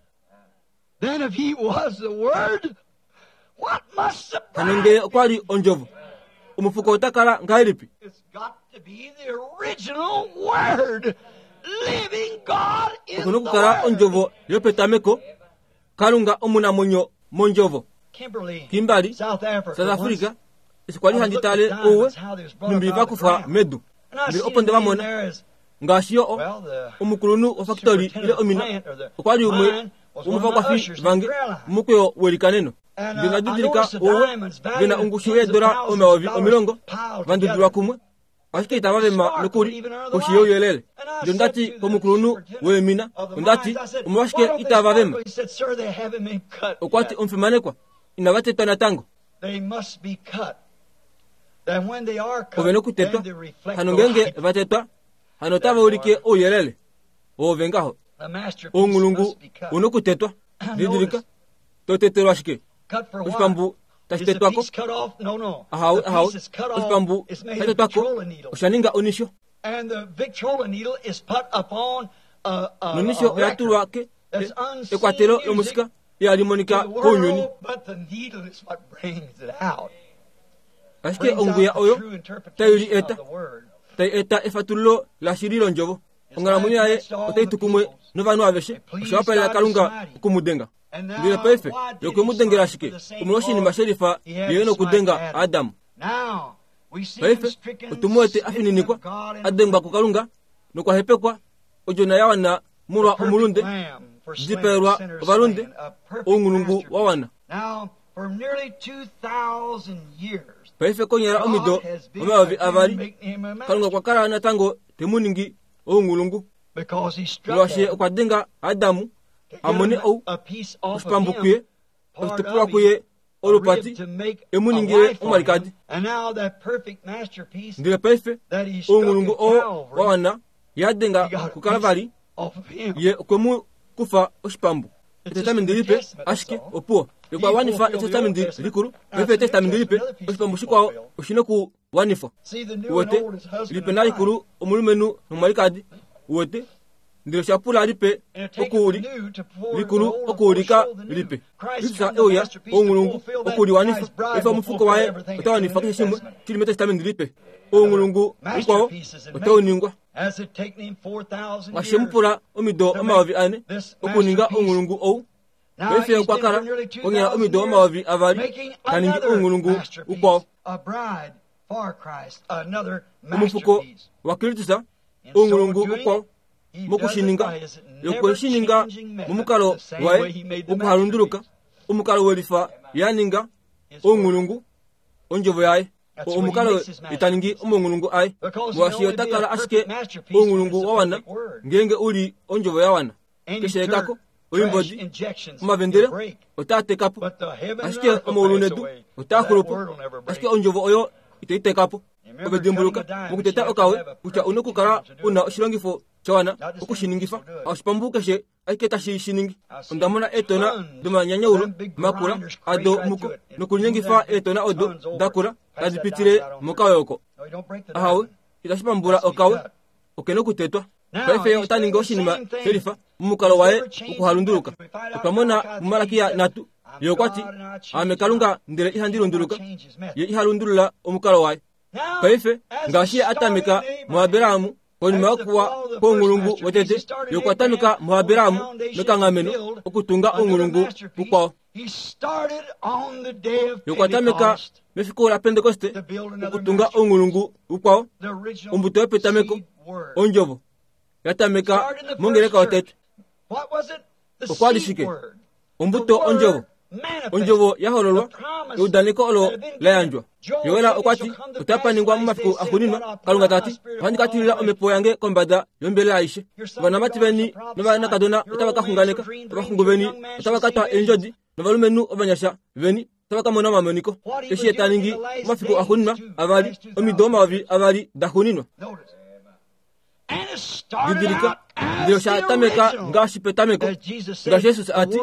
Hano ngele okwa li ondjovo, omufuko ota kala ngahelipi? Oku na okukala ondjovo yopetameko, Kalunga omunamwenyo mondjovo. Kimberley, South Africa, eshi kwali handi tale ouwe numbi va kufwa medu, ndele opo nde va mona ngaashi yo omukulunhu wofakitoli ile omina okwa li umwe womuvakwafi vange mumukweyo welikaneno. Ndele nda didilika ouwe ve na ongushu yeedola omayovi omilongo va ndudulwa kumwe, ashike itava vema nokuli koshi youyelele. Ndele onda ti komukulunhu weemina, onda ti, omolwashike itava vema? Okwa ti, omufimanekwa, inava tetwa natango. Ove nokutetwa. Hano ngeenge va tetwa, hano otava ulike ouyelele. Oove ngaho. Ounghulungu u nokutetwa. Didilika, to tetelwa shike? Oshipambu tashi tetwako? Ahawe, ahawe. Oshipambu sha tetwako osha ninga onisho. Nonisho oya tulwa ke ekwatelo lomusika ihali monika kounyuni. Ashike ongwiya oyo tai li eta, tai eta efatululo lashili londjovo. Onghalamwenyo yaye otai tu kumwe novanhu aveshe. Osha wapalela Kalunga oku mu denga. Ndele paife ye okwe mu dengela ashike omolwoshinima shelifa ye nokudenga Adam. Paife otu mu wete a fininikwa, a dengwa kuKalunga nokwa hepekwa, odjona ya wana molwa omulunde, dipaelwa ovalunde, ounghulungu wa wana. Paife konyala omido omayovi avali, Kalunga okwa kala natango te mu ningi ounghulungu, molwaashi okwa denga Adamu a mone ou oshipambu kuye, oshitopolwa kuye olupati, e mu ningile omwalikadi. Ndele paife ounghulungu oo wa wana ya denga kuKalvari, ye okwe mu kufa oshipambu. Etestamenti lipe ashike opuwo. Ye okwa wanifa etestamenti likulu, paife etestamenti lipe oshipambu shikwao oshi nokuwanifwa. Uwete, lipe nalikulu omulumenhu nomwalikadi. Uwete, ndele osha pula lipe okuuli likulu okuulika lipe. Kristus euya ounghulungu okuliwanifa. Paife omufuko waye ota wanifa keshe shimwe shili metestamenti lipe. Ounghulungu ukwao otau ningwa. Oshe mu pula omido omayovi ane okuninga ounghulungu ou. Paife okwa kala konyala omido omayovi avali ta ningi ounghulungu ukwao. Omufuko waKristus ounghulungu ukwao mokushininga, yokwe shi ninga momukalo waye wokuhalunduluka, omukalo welifa ya ninga ounghulungu ondjovo yaye. Omukalo ita ningi omaunghulungu aye, molwaashi ota kala ashike ounghulungu wa wana ngeenge u li ondjovo ya wana. Keshe ekako, oimbodi, omavendele otaa teka po, ashike omaulu nedu otaa xulu po, ashike ondjovo oyo itai teka po. Ove dimbuluka mokuteta okawe kutya u nokukala u na oshilongifo sha wana okushiningifa. Oshipambu keshe ashike tashi shi ningi. Onda mona eetona domanyanyaulo makula ado muko nokulinyengifa eetona odo dakula tadi pitile mokawe oko. Ahawe, itashi pambula okawe, oke nokutetwa. Paife ota ningi oshinima shelifa momukalo waye wokuhalunduluka. Otwa mona muMalakia nhatu, ye okwa ti, Aame Kalunga ndele ihandi lunduluka. Ye iha lundulula omukalo waye. Paife ngaashi ye a tameka muAbraham konima yokuwa kwounghulungu wotete, ye okwa tameka muAbraham mekanghameno okutunga ounghulungu ukwao. Ye okwa tameka mefiku laPentekoste okutunga ounghulungu ukwao, ombuto yopetameko, ondjovo ya tameka mongeleka yotete. Okwa li shike? Ombuto ondjovo. Ondjovo ya hololwa, eudaneko olo la yandjwa. Joel okwa ti, otapa ningwa momafiku axuuninwa, Kalunga ta ti, ohandi ka tilila omhepo yange kombada yombelela aishe. Ovanamati veni novanakadona otava ka xunganeka, ovaxungu veni otava ka twa eendjodi, novalumenhu ovanyasha veni otava ka mona omamoniko. Eshi ye ta ningi momafiku axuuninwa avali, omido omayovi avali daxuuninwa. Didilika ndele osha tameka ngaashi petameko, ngaashi Jesus a ti,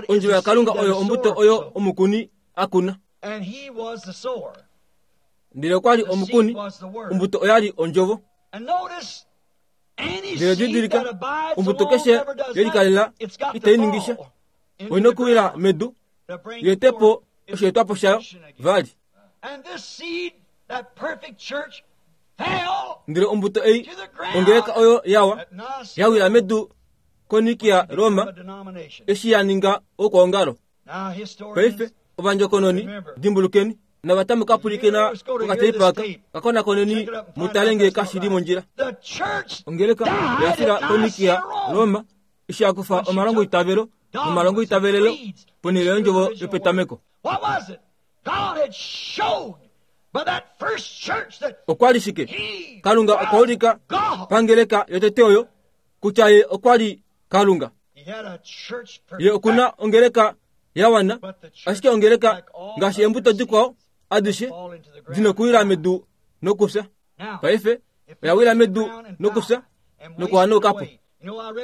ondjovo yaKalunga oyo ombuto oyo omukuni a kuna. Ndele okwa li omukuni, ombuto oya li ondjovo. Ndele didilika, ombuto keshe yelikalela itai ningisha, oina okuwila medu, yeetepo osheetwapo shayo vali. Ndele ombuto ei, ongeleka oyo yawa, yawila medu koNikia Roma, eshi ya ninga oukwaongalo. Paife ovandjokononi, dimbulukeni, navatamu kapulikena kokateipa kakonakoneni mutale ngee kashi li mondjila. Ongeleka oya fila koNikia Roma eshi ya kufa omalongo itavelo nomalongo itavelelo ponhele yondjovo yopetameko. Okwa li shike? Kalunga okwa ulika pangeleka yotete oyo kutya ye okwa li Kalunga. Ye okuna ongeleka ya wana, ashike ongeleka ngaashi embuto dikwao adishe dinokuwila medu nokufya. Paife oya wila medu nokufya nokuhanaukapo.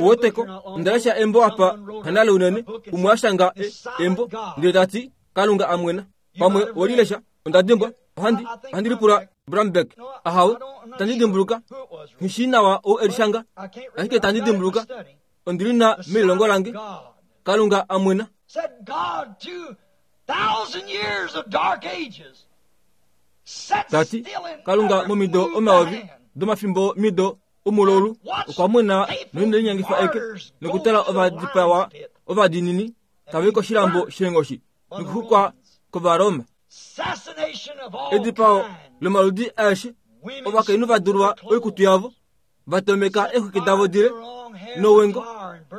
Uweteko, ondalesha embo apa hanale unene, umwe ashanga embo ndele tati Kalunga amwena. Pamwe wolilesha, onda dimbwa, ohandi ohandi lipula Brambeck ahawe, tandi dimbuluka, nghishi nawa ou elishanga, ashike tandi dimbuluka, ondili na melilongo lange, Kalunga amwena. Tati, Kalunga momido omayovi, domafimbo mido omulolu, okwa mwena noine linyangifa eke, nokutala ovadipawa ovadiinini, tava i koshilambo sheenghoshi, nokuxukwa kOvaroma. Edipao lomaludi aeshe, ovakainhu va dulwa oikutu yavo, va tomeka eexwiki davo dile nowengo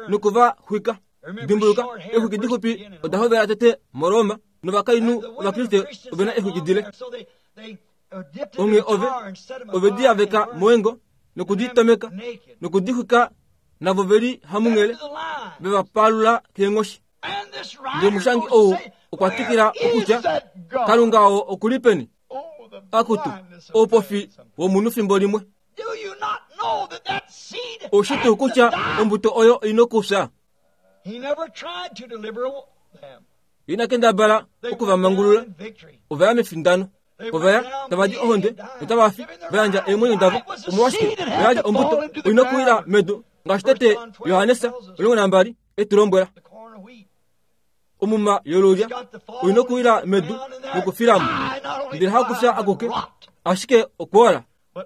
nokuva xwika. Dimbuluka, eexwiki dixupi oda hovela tete moRoma, novakainhu Ovakriste ovena eexwiki dile. Onghee ove ove di yaveka mowengo nokuditomeka nokudixwika, navo veli hamunghele veva palula keenghoshi. Ndele omushangi ou okwa twikila okutya, Kalunga oo okuli peni? Akutu, oupofi womunhu fimbo limwe. Oushi tuu kutya ombuto oyo oina okufya? Ina kendabala okuvamangulula, ova ya mefindano. Ova ya tava di ohonde notava fi, va yandja eemwenyo davo. Omolwashike? Oya li ombuto oina okuwila medu, ngaashi tete Johannes omulongo nambali e tu lombwela. Omuma yolulya oina okuwila medu nokufilamo, ndele hakufya akuke, ashike okwola.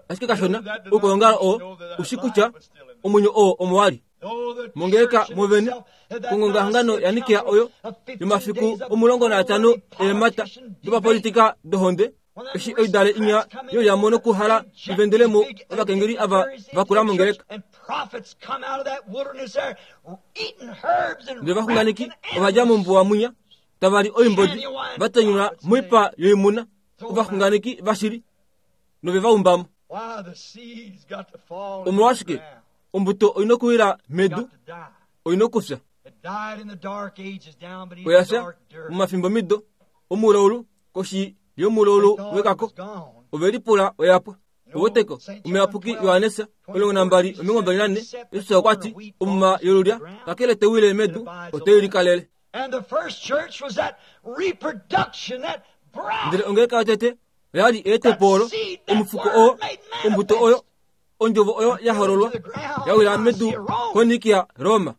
Ashike kashona oukwaongalo oo ushi kutya omwenyo oo omo wali. Mongeleka movene, kongongahangano yaNikea oyo yomafiku omulongo naatano eemhata dopapolitika dohonde, eshi oidale inya yolyamo nokuhala ivendelemo ovakengeli ava vakula mongeleka. Ndele ovaxunganeki ova dja mombuwa mwinya, tava li oimbodi, va tanyula moipa yoimuna, ovaxunganeki vashili, nove va umbamo. Omolwashike? Ombuto oina okuwila medu, oina okufya. Oya fya momafimbo mido omulaulu, koshi yomulaulu wekako, ove lipula oya pwa. Uweteko, omuyapuki Johannes omulongo nambali omilongo mbali nane, Jesus okwa ti, omuma yolulya kakele tewile medu, otei likalele. Ndele ongeleka yotete oya li eetepo olo, omufuko oo, ombuto oyo, ondjovo oyo ya hololwa, ya wila medu koNikia Roma.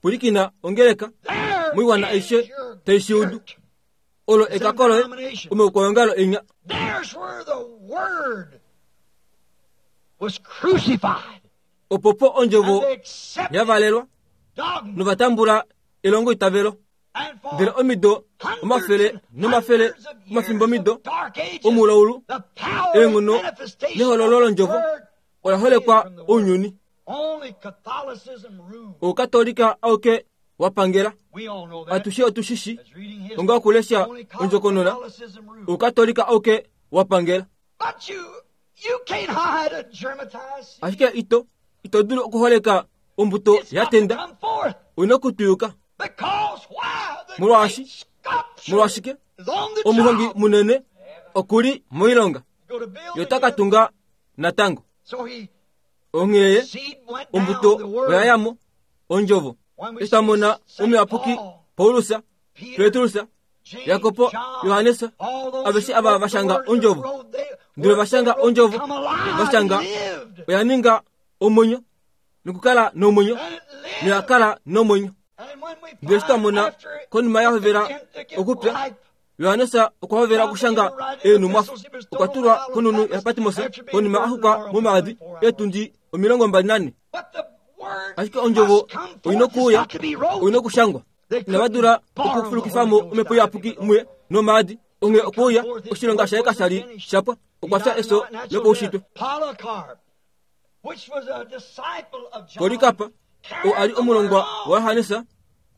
Pulikina ongeleka moiwana aishe tai shi udu. Olo ekako loye omaukwaongalo enya. Opopo ondjovo ya valelwa novatambula elongo itavelo. Ndele omido omafele nomafele omafimbo mido omulaulu eenghono nehololo londjovo ola holekwa ounyuni. Oukatolika auke wapangela. Atushe otushishi onga okulesha ondjokonona. Oukatolika auke wapangela. Ashike ito ito dulu okuholeka ombuto ya tenda, oina okutuyuka. Molwaashi molwashike omuhongi munene okuli moilonga. Yotakatunga natango. Onghee ombuto oyayamo ondjovo. Eshi omuyapuki Paulus, Petrus, Jakobo, Johannes, aveshe ava vashanga ondjovo. Ndele vashanga ondjovo, vashanga oyaninga omwenyo, nokukala nomwenyo, noyakala nomwenyo. Ndele eshi twamona konima yahovela okupya, Johannes okwa hovela okushanga eenhumwafo. Okwa tulwa konhunhu yaPatmos konima axukwa momaadi eetundi omilongo mbali nane. Ashike ondjovo oina okuuya, oina okushangwa. Inava dula okufulukifamo omhepo iyapuki muye nomaadi. Onghee okuuya oshilonga shaye kasha li shapwa. Okwa fya efyo lopaushitwe. Polikapa, oo ali omulongwa waJohannes,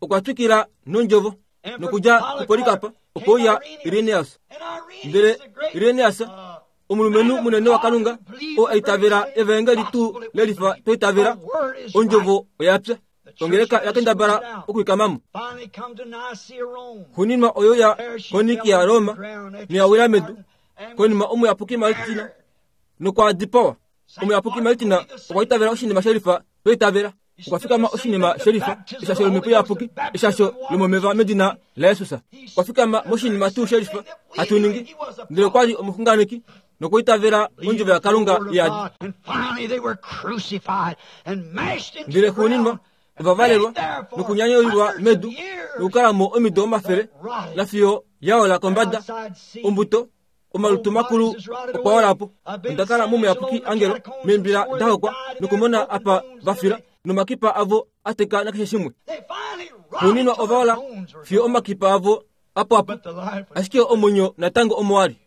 okwa twikila nondjovo nokudja kuPolikapa okwauya Irenaeus. Ndele Irenaeus, omulumenhu munene waKalunga, oo aitavela evaengeli tuu lelifa twaitavela, ondjovo oyapya. Ongeleka yakendabala okuikamamo. Xuninwa oyo ya konikia Roma noyawila medu. Konima omuyapuki Martina nokwa dipawa. Omuyapuki Martina okwa itavela oshinima shelifa twaitavela. Okwa fikama oshinima shelifa eshasho lomhepo iyapuki, eshasho lomomeva medina laJesus. Okwa fikama moshinima tuu shelifa hatu ningi. Ndele okwa li omuxunganeki nokwa itavela ondjovo yaKalunga yadi. Ndele xuuninwa ovavalelwa nokunyanyaulilwa medu nokukalamo omido omafele nafiyo yaola kombada. Ombuto omalutu makulu okwa olapo. Ondakala momuyapuki angelo meembila dahokwa nokumona apa vafila nomakipa avo ateka nakeshe shimwe. Xuuninwa ovaola fiyo omakipa avo apo apo. Ashike omwenyo natango omo wali.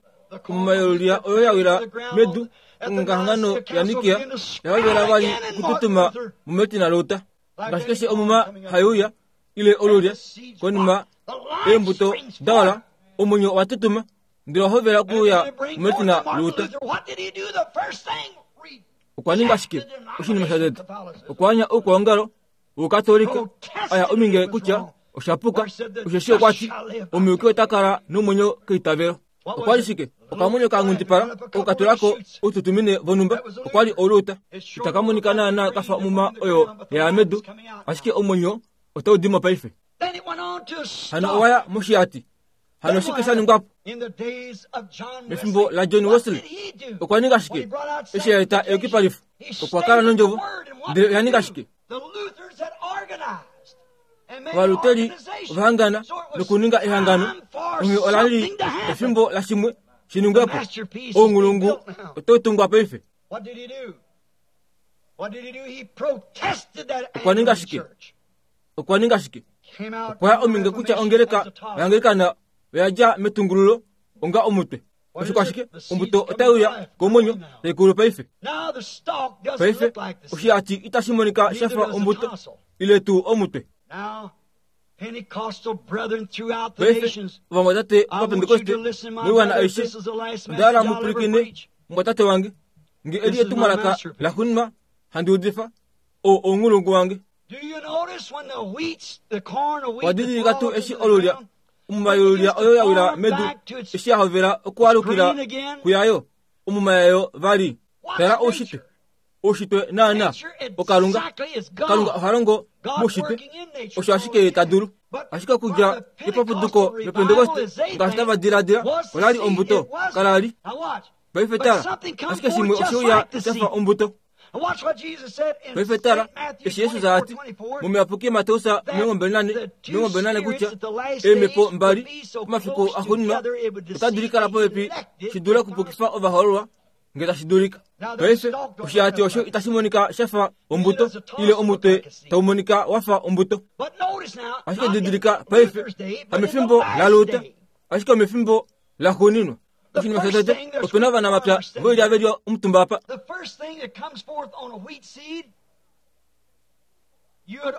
Omumayolulia oyo yawila medu ongahangano yaNikia yahovela vali okututuma muMartin Luther. Ngaashi keshe omuma haiuya ile olulya konima eembuto daola, omwenyo watutuma ndele wahovela okuuya muMartin Luther. Okwa ninga shike oshinima shatete? Okwa anya oukwaongalo wOukatolika aya ominge kutya oshapuka, osheshi okwati omuyuki ota kala nomwenyo keitavelo. Okwali shike? Okamwenyo ka nghundipala okukatulako oututumine vonhumba. Okwali oluta. Itakamonika naana kafa omuma oyo yaya medu, ashike omwenyo otau dimo paife. Hano owaya moshihati. Hano shike sha ningwapo? Mefimbo laJohn Wesley okwa ninga shike? Eshi yaeta eyukipalifo, okwa kala nondjovo. Ndele oya ninga shike? Ovaluteli ovahangana nokuninga ehangano. Onghee ola li efimbo lashimwe shiningwepo. Ounghulungu otau tungwa paife. Okwa ninga shike? Okwa ninga shike? Okwa ya ominge kutya ongeleka oyaAnglikana oyadja metungululo onga omutwe. Osho shike? Ombuto otaiuya komwenyo taikulu paife. Paife oshihati itashi monika shafa ombuto ile tuu omutwe. Paife ovamwatate Ovapentekoste moiwana aishe, ondahala mupwilikine mumwatate wange. Nge eli etumwalaka laxuuninwa handi udifa, oo ounghulungu wange. Owadidilika tuu eshi olulya omumayolulia oyo yawila medu eshi yahovela okualukila kuyayo omuma yayo vali. Tala oushitwe. Oushitwe naana oKalunga. Kalunga oha longo moushitwe. Osho ashike ta dulu. Ashike okudja kepapuduko loPentekoste ngaashi tava diladila olali ombuto kalali. Paife tala, ashike shimwe osheuya shafa ombuto. Paife tala, eshi Jesus ati momuyapuki Mateus omilongo mbali nane omilongo mbali nane kutya eemhepo mbali pomafiku axuuninwa otadi likala popepi shi dule okupukifa ovahoololwa nge tashi dulika. Paife oshihati osho itashi monika shafa ombuto ile omutwe tau monika wafa ombuto. Ashike didilika paife hamefimbo laLuther, ashike omefimbo laxuuninwa. Oshinima shatete, opena ovanamapya voilya veli omutumba apa.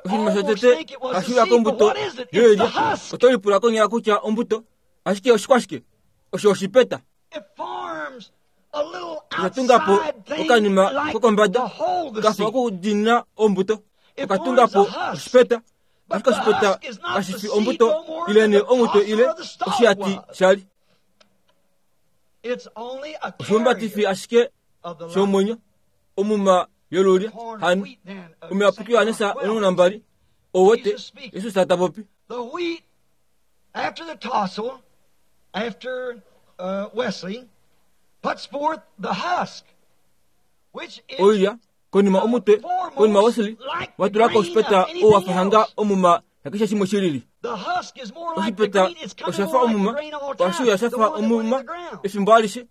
Oshinima shatete hashiuya kombuto yoilya, oto lipula konyala kutya ombuto, ashike oshikwashike? Osho oshipeta. Oshatungapo okanima kokombada kafa okudiinina ombuto. Okatungapo oshipeta, ashike oshipeta kashifi ombuto ile nee omutwe ile oshihati shali. Oshiumbatifi ashike shomwenyo omuma yolulya hano omuyapuki Yohanesa omulongo nambali ouwete Jesus ta popi. The wheat after the tassel, after uh, Wesley, puts forth the husk, which is oilya konima omutwe konima Wesley watulako oshipeta oo wafahanga omuma yakeshe shimwe shilili. The husk is more like the Oshipeta grain. It's coming oshafa more like the omuma grain all the time. washuya The shafa one that went in omuma the ground. efimbo alishe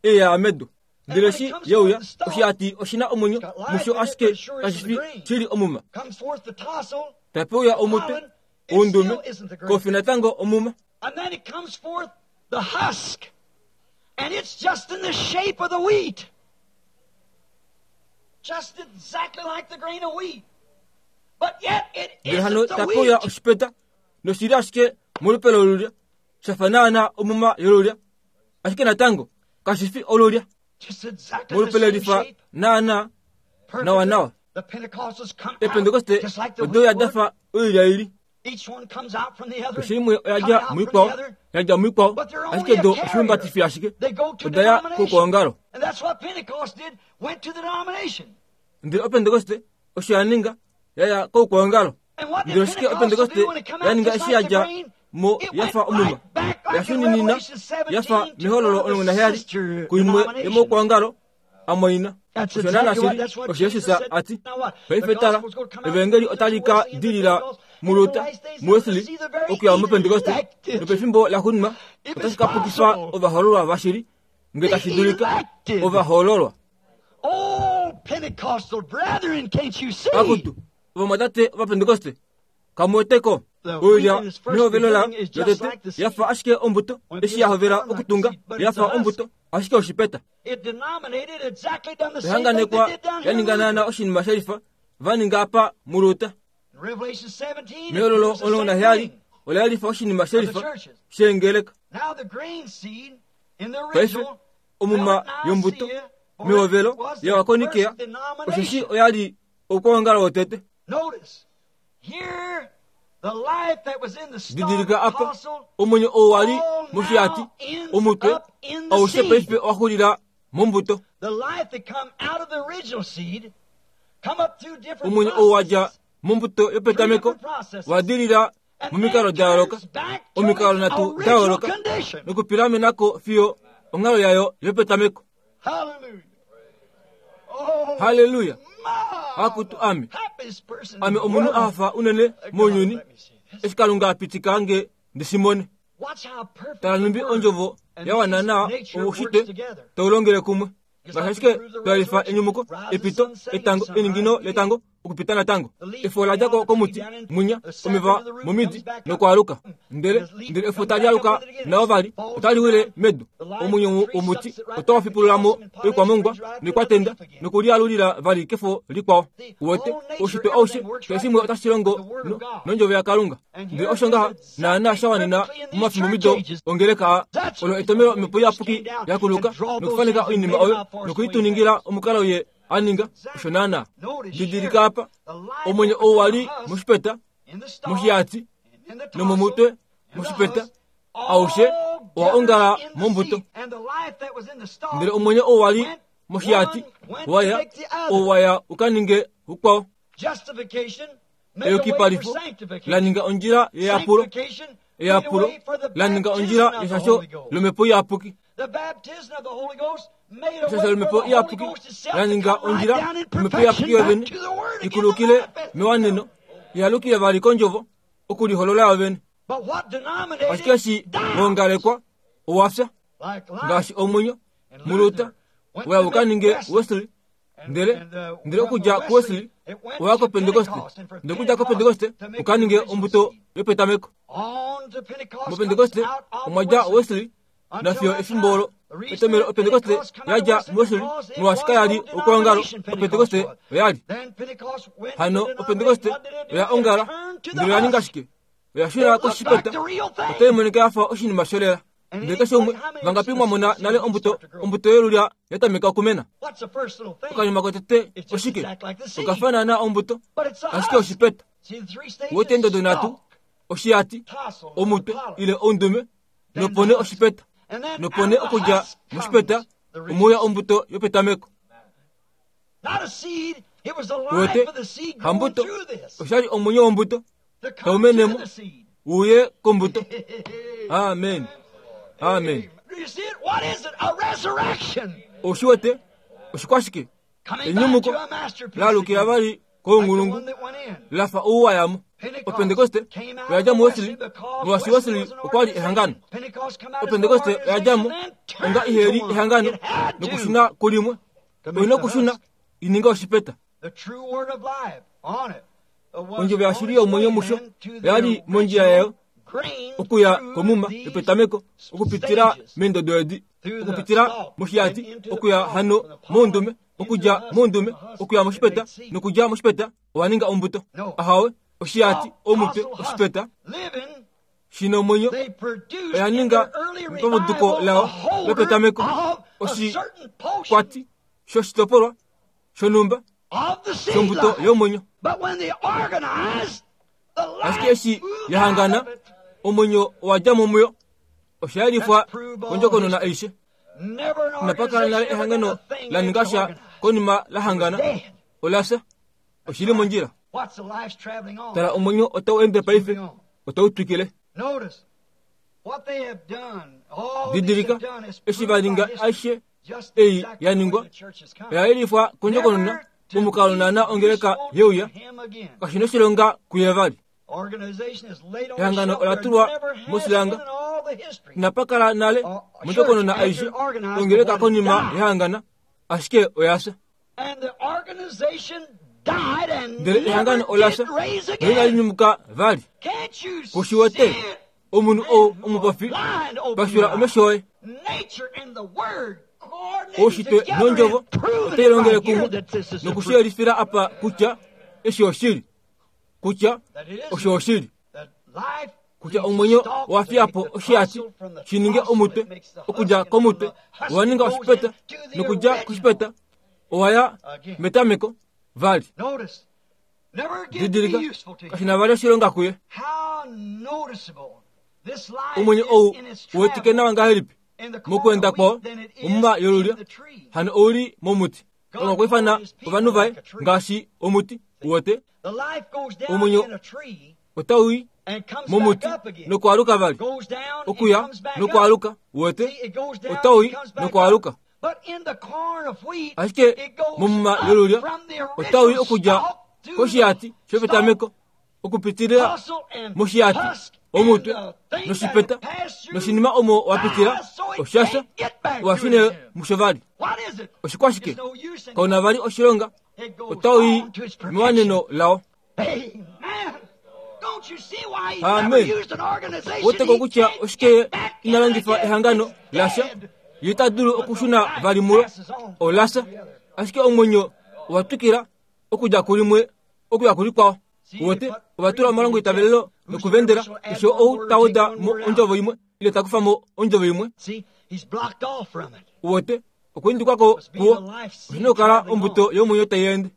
eya medu. Ndele shi yeuya oshiyati oshina omwenyo musho ashike kashifi shili omuma. Comes forth the tassel, Tapeuya omutwe oundume kofi natango omuma. and then it comes forth the husk, and it's just in the shape of the wheat. Just exactly like the grain of wheat. But yet it Ndele hano isn't the tapeuya wheat. oshipeta noshili ashike molupe lolulya shafa naana omuma yolulya ashike natango kashifi olulya Just exactly the molupe same lelifa shape. naana Perfectly. nawa nawa. The Pentecostals come out Epentekoste just like the odo wheat ya would. dafa oilya ili. Each one comes out from the other. Keshe imwe coming oyadja out from the muikwao other. yadja muikwao But they're only ashike a do carrier. oshiumbatifi ashike They go to odaya denomination. kokuongalo. And that's what Pentecost did, went to the denomination. Ndele opentekoste osho ya ninga yaya kokuongalo. And what did Ndele ashike Pentecostal opentekoste do when it come out ya ninga just eshi like the yadja grain? mo It went yafa omuma right back like in yashuninina Revelation seventeen yafa to mihololo one of omulongo the naheyali sister kuimwe denominations. yomokuongalo amwaina. That's Osho naana exactly what, shili that's what osho Jesus Jesus said. ati Now what? The paife tala gospel's going to come out evangeli through otali ka Wesley and the dilila Pentecost. And in the muluta last days, they're muwesley gonna see the very okuya mupentekoste elected. nopefimbo laxuuninwa If otashi it's ka pukifa possible. ovahoololwa vashili nge tashi The dulika elected. ovahoololwa. Oh, Pentecostal brethren, can't you see? Akutu ovamwatate ovapentekoste kamuweteko The oilya wheat in its first mihovelo la beginning is just yotete like the seed. yafa ashike ombuto When eshi yahovela people okutunga like the seed, but it's yafa a husk. ombuto ashike oshipeta. It denominated exactly done the same thing they Ehanganekwa did down here in yaninga naana Luther. oshinima shelifa vaninga apa muluta. In Revelation seventeen, it Mihololo proves the omulongo same naheyali thing. ola yalifa oshinima Of the shelifa churches. sheengeleka. Now the grain seed in the Paife original omuma fell at yombuto Nicaea, for it mihovelo was the yawakonikea first osheshi denomination. oyali okuongala wotete. Notice, here the life that was in the stalk Didilika apa apostle omwenyo oo wali all moshiyati now ends omutwe up in the aushe seed. paife owaxulila mombuto. The life that come out of the original seed come up through different Omwenyo oo wadja processes, mombuto three yopetameko different processes, wadilila and momikalo then da yooloka turns back to omikalo its nhatu da original yooloka condition. nokupilamenako fiyo onghalo yayo yopetameko. Hallelujah. Oh, Haleluya! my, Akutu ame happiest person in ame the omunhu world. ahafa unene God, mounyuni let me see this. eshi Kalunga apitika nge ndisimone. Watch how perfect Tala the numbi word ondjovo and ya wana these nawa nature works oushitwe together. taulongele kumwe. Just Ngaashi like ashike we prove the twalifa resurrection, enyumuko rise epito the sun, setting, etango sunrise eningino again. letango okupita natango. The leaf Efo ladja down the tree komuti down in munya the sap omeva into the root momidi comes back up. nokwaaluka. Ndele The leaf ndele efo comes tali back up aluka with it again. nao vali Falls to otali the wile ground. medu. The life Omwenyo of the tree womuti sucks it right otawa back into fipululamo calcium and potash, oikwamongwa brings right to nokwatenda another leaf again. nokulialulila vali kefo likwao. The Uwete whole nature, oushitwe aushe everything works keshe right shimwe otashi longo with the word no- of God. nondjovo yaKalunga. And Ndele here osho it ngaha is naana exactly sha wanena perfectly in these momafimbo church ages. ongeleka a That's olo what etomelo the omhepo Holy Ghost iyapuki came down yakuluka and draw those nokufaneka things and oinima made them oyo out for us nokuituningila omukalo ye aninga osho naana. Notice Didilika here, apa the life omwenyo that was oo in wali the husk, moshipeta in the stalk, moshiyati and in the tassel, nomomutwe and the moshipeta husk, aushe all owa ongala gathered in the mombuto. seed. And the life that was in the stalk Ndele omwenyo oo wali went moshiyati one went to waya make the other. oo waya ukaninge ukwao. Justification made a way for Eyukipalifo sanctification. laninga ondjila yeyapulo Sanctification made a eyapulo way for the laninga baptism ondjila of the yeshasho Holy Ghost. lomhepo iyapuki. The baptism of the Holy Ghost made a Eshasho way for lomhepo the Holy iyapuki Ghost itself to laninga come right ondjila down in omhepo perfection iyapuki back yovene to the Word again to ikulukile manifest mewaneno itself. yalukile vali kondjovo okuliholola yovene. But what Ashike denominated eshi dies wongalekwa owafya like life ngaashi omwenyo and muluta Luther went waya to make ukaninge Wesley. Wesley And, ndele and uh, ndele from okudja Wesley, kuWesley it went oya to kopentekoste Pentecost, and from ndele okudja Pentecost kopentekoste to make the ukaninge original ombuto seed. yopetameko. On to Pentecost comes Mopentekoste out of omwa dja Wesley Wesley until nafiyo that efimbo time. olo The reason etomelo that opentekoste Pentecost come out of yadja Wesley muWesley because it molwaashi was kayali no okuongalo denomination Pentecost opentekoste was. oyali. Then Pentecost went to Hano denomination. opentekoste What did it do? oya It ongala turned to the ndele oya ninga husk. shike? Oya It shuna looked like koshipeta the real otayi thing. monika yafa oshinima sholela. And Ndele keshe umwe anybody, how many of vangapi us mwa mona see nale the seed ombuto start to grow? ombuto yolulya yatameka okumena. What's the first little thing? Okanima kotete It's just oshike? exactly like the seed. Okafanana ombuto But it's a ashike husk. oshipeta. See the three Wote stages? endodo nhatu Stalk, oshiyati tassel, the omutwe pollen, ile oundume then the nopone husk. oshipeta. Nopo nee okudja moshipeta omwe uya ombuto yopetameko. Uwete, hambuto, oshali omwenyo wombuto taumenemo uye kombuto. Amen. Amen. Oshiwete oshikwashike enyumuko lalukila vali koungulungu lafa ouwayamo. Opentekoste oyadja muWesley, molwaashi Wesley okwali ehangano. Opentekoste oyadjamo onga iheli ehangano nokushuna kulimwe. Oina okushuna ininga oshipeta. Ondjovo yashili yomwenyo musho oyali mondjila yayo okuya komuma yopetameko okupitila meendodo edi, okupitila moshiyati okuya hano moundume, okudja moundume okuya moshipeta, nokudja moshipeta owa ninga ombuto. Ahawe, oshiyati, omutwe, oshipeta shina omwenyo oya ninga pamuduko lao lopetameko oshikwati shoshitopolwa shonhumba shombuto yomwenyo. Ashike eshi yahangana, omwenyo owa dja mo muyo. Osha yelifwa kondjokonona aishe. Inapa kala nale ehangano la ninga sha konima la hangana, ola fya. Oshili mondjila. Tala, omwenyo otau ende paife, otau twikile. Didilika, eshi va ninga aishe ei ya ningwa, oya yelifwa kondjokonona momukalo naana ongeleka yeuya, kashina oshilonga kuye vali. Ehangano ola tulwa mosilanga. Inapa kala nale mondjokonona aishe ongeleka konima yehangana, ashike oya fya. Ndele ehangano ola fya noinali nyumuka vali. Kushiwete omunhu ou omupofi, pashula omesho oye. Oushitwe nondjovo otai longele kumwe nokushiyelifila apa kutya eshi oshili, kutya osho oshili, kutya omwenyo owa fiya po oshiyati shi ninge omutwe, okudja komutwe owa ninga oshipeta, nokudja koshipeta owa ya metameko vali. Didilika, kashina vali oshilonga kuye. Omwenyo ou uwetike nawa ngahelipi mokwenda kwao omuma yolulyo, hano ouli momuti. Kalunga okwa ifana ovanhu vaye ngaashi omuti. Uwete, omwenyo otau i momuti nokwaaluka vali, okuya nokwaaluka. Uwete, otau i nokwaaluka. Ashike momuma yolulyo otau i okudja koshiyati shopetameko okupitilila moshiyati, omutwe noshipeta noshinima omo wapitila oshasha owashune musho vali. Oshikwashike kauna vali oshilonga, otau i mewaneno lao. Amen. Weteko kutya oshike ina longifa ehangano lasha, ye ita dulu okushuna vali mulo, olasha. Ashike omwenyo owa twikila okudja kulimwe okuya kulikwao. Uwete, ova tula omalongo itavelelo nokuvendela keshe ou ta weda mo ondjovo imwe ile ta kufa mo ondjovo imwe. Uwete, okwiindikwako kuwo oshina okukala ombuto yomwenyo tai ende.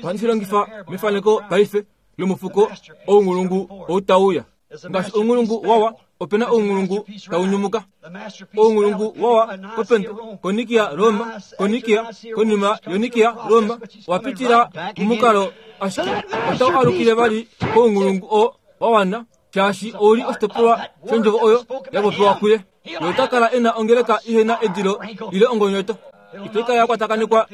Ohandi shi longifa mefaneko paife lomufuko ounghulungu ou tau uya. Ngaashi ounghulungu wawa, opena ounghulungu tau nyumuka. Ounghulungu wawa kopente konikia Roma, konikia konima yonikia Roma, wapitila momukalo ashike otau alukile vali kounghulungu oo wawana, shaashi ouli oshitopolwa shondjovo oyo ya popiwa kuye. Ye ota kala ena ongeleka ihena edilo ile ongonyoto. Itai kala ya kwatakanekwa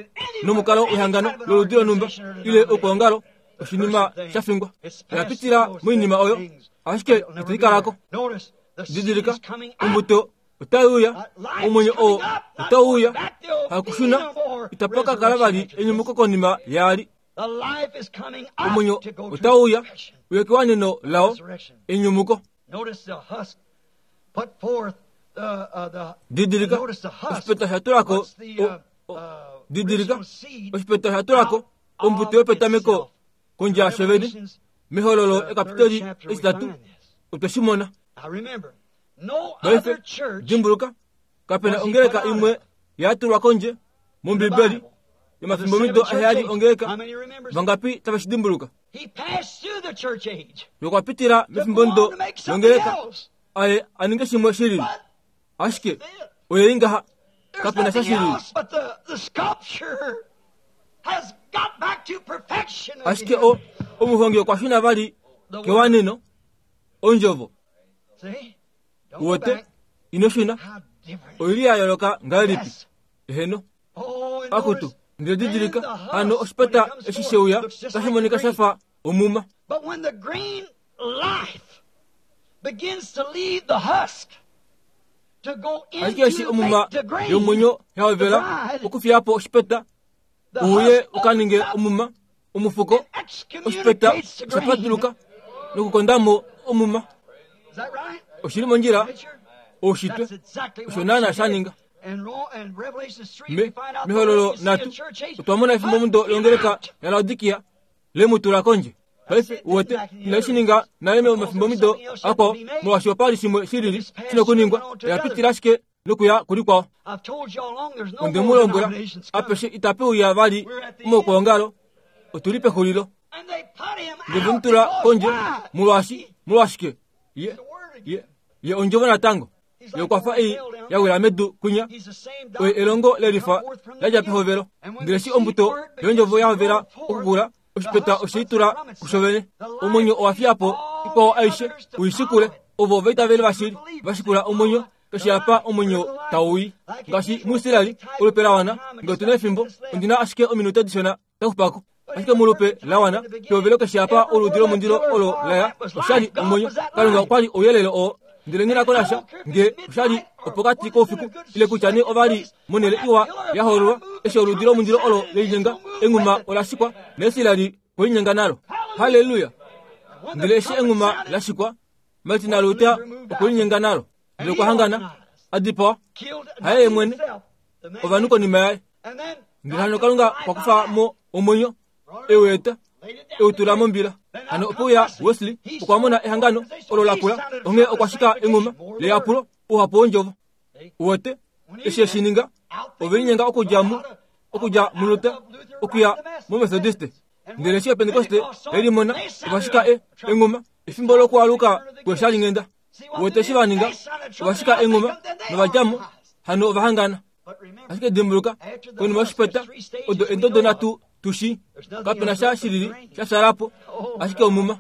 nomukalo wehangano loludi lonhumba ile oukwaongalo, oshinima sha fingwa. Oya pitila moinima oyo, ashike itai kalako. Didilika, ombuto otai uya, omwenyo oo otau uya, hakushuna, itapa ka kala vali enyumuko konima yaali. Omwenyo otau uya, uye kewaneno lao, enyumuko. Didilika, oshipeta sha tulako, didilika, oshipeta sha tulako ombuto yopetameko kondje yasho vene. Mehololo ekapiteli etitatu otwe shi mona. Paife dimbuluka, kapena ongeleka imwe ya tulwa kondje mOmbibeli yomafimbomido aheyali ongeleka. Vangapi tave shi dimbuluka? Yokwapitila mefimbomido longeleka aye aninge shimwe shilili. Ashike oye ingaha kapena sha shilili. Ashike o omuhongi okwa shuna vali kewaneno ondjovo. Uwete ino shuna oili ya yooloka ngahelipi? Eheno. Akutu ndele didilika hano oshipeta eshi sheuya tashi monika shafa omuma. But when the green life begins to leave the husk to go Ashike eshi into omuma the grain, yomwenyo yahovela okufiyapo oshipeta the uye husk ukaninge opens up omuma omufuko and oshipeta excommunicates the grain. oshapatuluka nokukondamo omuma. Is that right? Oshili mondjila Preacher? oushitwe That's exactly osho what naana she sha did. ninga. And Ro- and Revelation three, Me we find out the mehololo Laodicean natu church age otwamona efimbo mundo put longeleka out. ya Laodikia lemutula kondje. Paife uwete inashininga nale mefimbo mido akwao molwaashi opali shimwe shilili shina okuningwa oyapitila ashike nokuya kulikwao. I've told you all along there's no Onde more mu lombwela denominations coming. apeshe itape uya vali momaukwaongalo otuli pexulilo. And they put him Ndele out vemutula because kondje why? molwaashi molwashike ye ye ye ondjovo natango ye okwafa ei yawila medu kwinya He's the same oye doctrine elongo lelifa come forth from the ladja beginning. pehovelo. And when Ndele the eshi seed ombuto word begins yondjovo to yahovela grow forth, okukula the oshipeta husk osheitula puts from itself. kushovene. The life Omwenyo owa fiyapo all ikwao aishe others to uishikule follow it. ovo vaitaveli vashili vashikula omwenyo keshe apa omwenyo tauyi. Ngaashi muIsraeli olupe la wana nge otuna efimbo ondina ashike ominute dishona dakupako. Ashike mulupe la wana pehovelo keshe apa oludi lomundilo olo laya oshali omwenyo. Kalunga okwali ouyelele oo. Ndele nghinako nasha nge oshali opokati koufiku ile kutya nee ovali monhele iwa ya hoololwa eshi oludi lomundilo olo lelinyenga enghuma ola shikwa naIsraeli kwelinyenga nalo. Haleluya! When the Ndele eshi trumpet enghuma sounded, la shikwa Martin Luther okwelinyenga nalo. Ndele okwa hangana adipawa killed haye not mwene himself, the man. ovanhu konima yaye. And then Ndele hano Kalunga okwa kufa mo omwenyo eueta eutula mombila. Hano opo uya Wesley okwa mona ehangano olo lakula onghee okwa shika enghuma leyapulo ouhapu wondjovo. Uwete eshi eshininga ovelinyenga okudja mu okudja muLuther okuya muMethodiste. Ndele eshi Pentecoste elimona ova shika e enghuma efimbo lokualuka kweshalinghenda. Uwete eshi vaninga ova shika enghuma novadjamo hano ova hangana. But remember, Ashike dimbuluka konima yoshipeta odo endodo nhatu tushi kapena sha shilili sha shalapo ashike omuma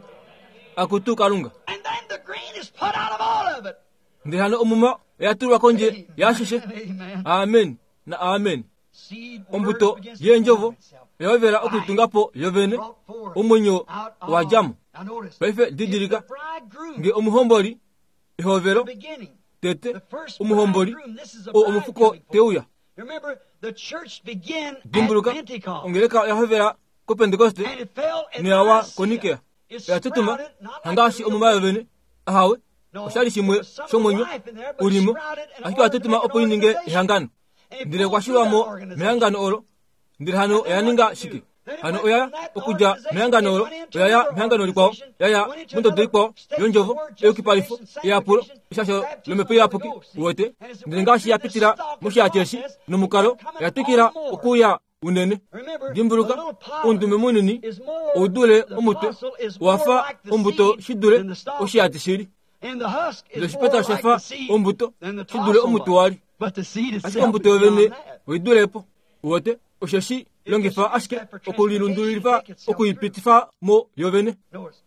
akutu Kalunga. and then the grain is put out of all of it. Ndele hano omuma oya tulwa kondje yaashishe. Amen. Amen na amen. Seed word Ombuto begins to yeendjovo form itself. oya okulitungapo yovene Brought forth omwenyo out of- wadjamo. Now notice, Paife if didilika the bridegroom, nge omuhomboli ehovelo the beginning, tete the first omuhomboli bridegroom, this is a o bride omufuko coming forth. teuya. Remember, the church began at Dimbuluka Pentecost, ongeleka oya hovela koPentecoste and it fell at noyawa Nicaea. koNikea. It Oya tutuma sprouted, not like hangaashi the real omuma yovene ahawe No, oshali shimwe there was some shomwenyo life in there, but ulimo sprouted in ashike oya order to tutuma make an opo ininge organization. ehangano. And it Ndele pulled okwa through that shilwamo organization. mehangano olo ndele hano oya ninga shike hano oya okudja mehangano olo oyaya mehangano likwao yaya mondodo ikwao yondjovo eyukipalifo eyapulo eshasho lomhepo iyapuki uwete. Ndele ngaashi yapitila moshihati eshi nomukalo oya twikila okuya unene. Remember, Dimbuluka the little pod oundume munini is more, oudule the omutwe apostle is more owafa like the ombuto seed shidule than the stalk. oshihati shili. And the husk Ndele is more oshipeta like oshafa the seed ombuto than the shidule tassel omutwe was. wali. But the seed Ashike itself ombuto is yovene beyond that. oidulepo. Uwete osheshi longifa ashike okulilundululifa okuipitifa mo yovene. Notice,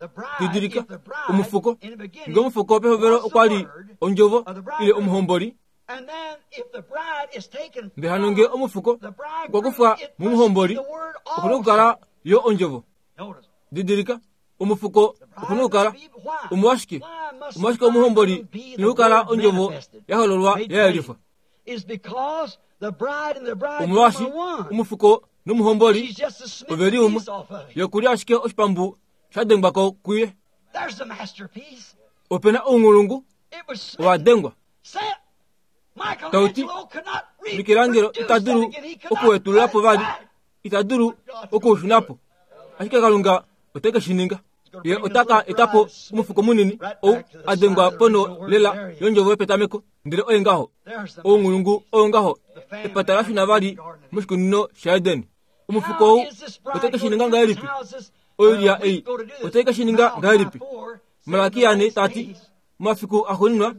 the bride, Didilika if the bride omufuko in the beginning nge omufuko pehovelo was the okwali word, ondjovo of the ile bridegroom, omuhomboli. and then if the bride is taken Ndele hano nge from omufuko the bridegroom, okwa kufwa it must mumuhomboli be the word okuna okukala also. yo ondjovo. Notice, Didilika omufuko the okuna bride okukala must be, why? omwashike Why must the omwashike omuhomboli bridegroom be ina the okukala word ondjovo manifested, yahololwa made yayelifwa. plain? Is because the bride and the bridegroom Omolwaashi are one. omufuko nomuhomboli She's just a smitten oveli umwe piece off of him. yokuli ashike oshipambu sha dengwako kuye. There's the masterpiece. Opena ounghulungu It was smitten. owa dengwa. Say Tauti Michelangelo could not Michelangelo reproduce ita that dulu again. He could not okuwetululapo put it vali back. ita dulu okuushunapo. Ashike Kalunga ote ke shi ninga. Ye otaka etapo omufuko munini ou a dengwa pono lela yondjovo yopetameko ndele oye ngaho There's the ounghulungu oyo ngaho epata la shuna vali moshikunino shaEden. Omufuko How ou is this ote bride ke shi going ninga to do this? ngahelipi? How is this Oilya uh, ei wheat going to do this? ote ke shi ninga Malachi ngahelipi? four said in the Malakia ane last tati days, Momafiku axuuninwa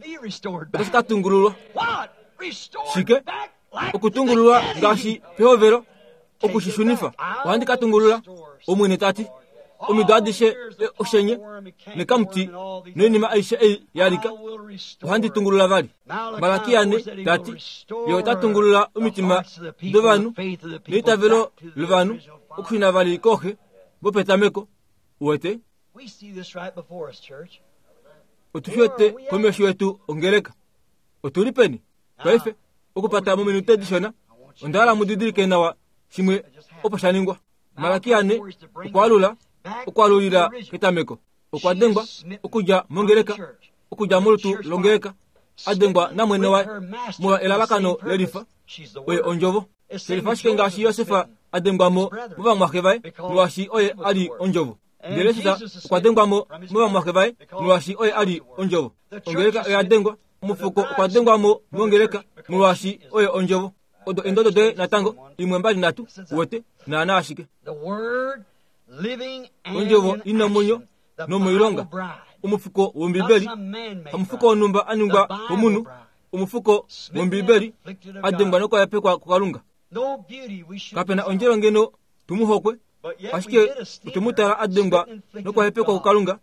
otashi ka tungululwa. Shike? Okutungululwa ngaashi pehovelo, okushishunifa. Ohandi ka tungulula, Omwene ta ti. Omido adishe oshenye nekamuti noinima aishe ei ya lika, ohandi tungulula vali. Malakia ne ta ti, ye ota tungulula omitima dovanhu neitavelo lovanhu okushuna vali kooxe vopetameko. Uwete? Otu shi wete komesho yetu ongeleka. Otuli peni? Paife, okupata mominute dishona, onda hala mu didilike nawa shimwe opo sha ningwa. Malakia ne okwaalula, okwaalulila ketameko. Okwa dengwa okudja mongeleka, okudja molutu longeleka, a dengwa namwene waye molwa elalakano lelifa, oye ondjovo. Shelifa ashike ngaashi Josef a dengwa mo movamwaxe vaye, molwaashi oye a li ondjovo. Ndele Jesus okwa dengwa mo movamwaxe vaye, molwaashi oye a li ondjovo. Ongeleka oya dengwa, omufuko okwa dengwa mo mongeleka, molwaashi oye ondjovo. Odo endodo doye natango, imwe mbali nhatu, uwete, naana ashike. Ondjovo ina omwenyo nomoilonga, omufuko wOmbibeli, hamufuko wonhumba a ningwa komunhu, omufuko wOmbibeli a dengwa nokwayapekwa kuKalunga. Kapena ondjelo ngeno tumuhokwe, ashike otumutala a dengwa nokwahepekwa kuKalunga,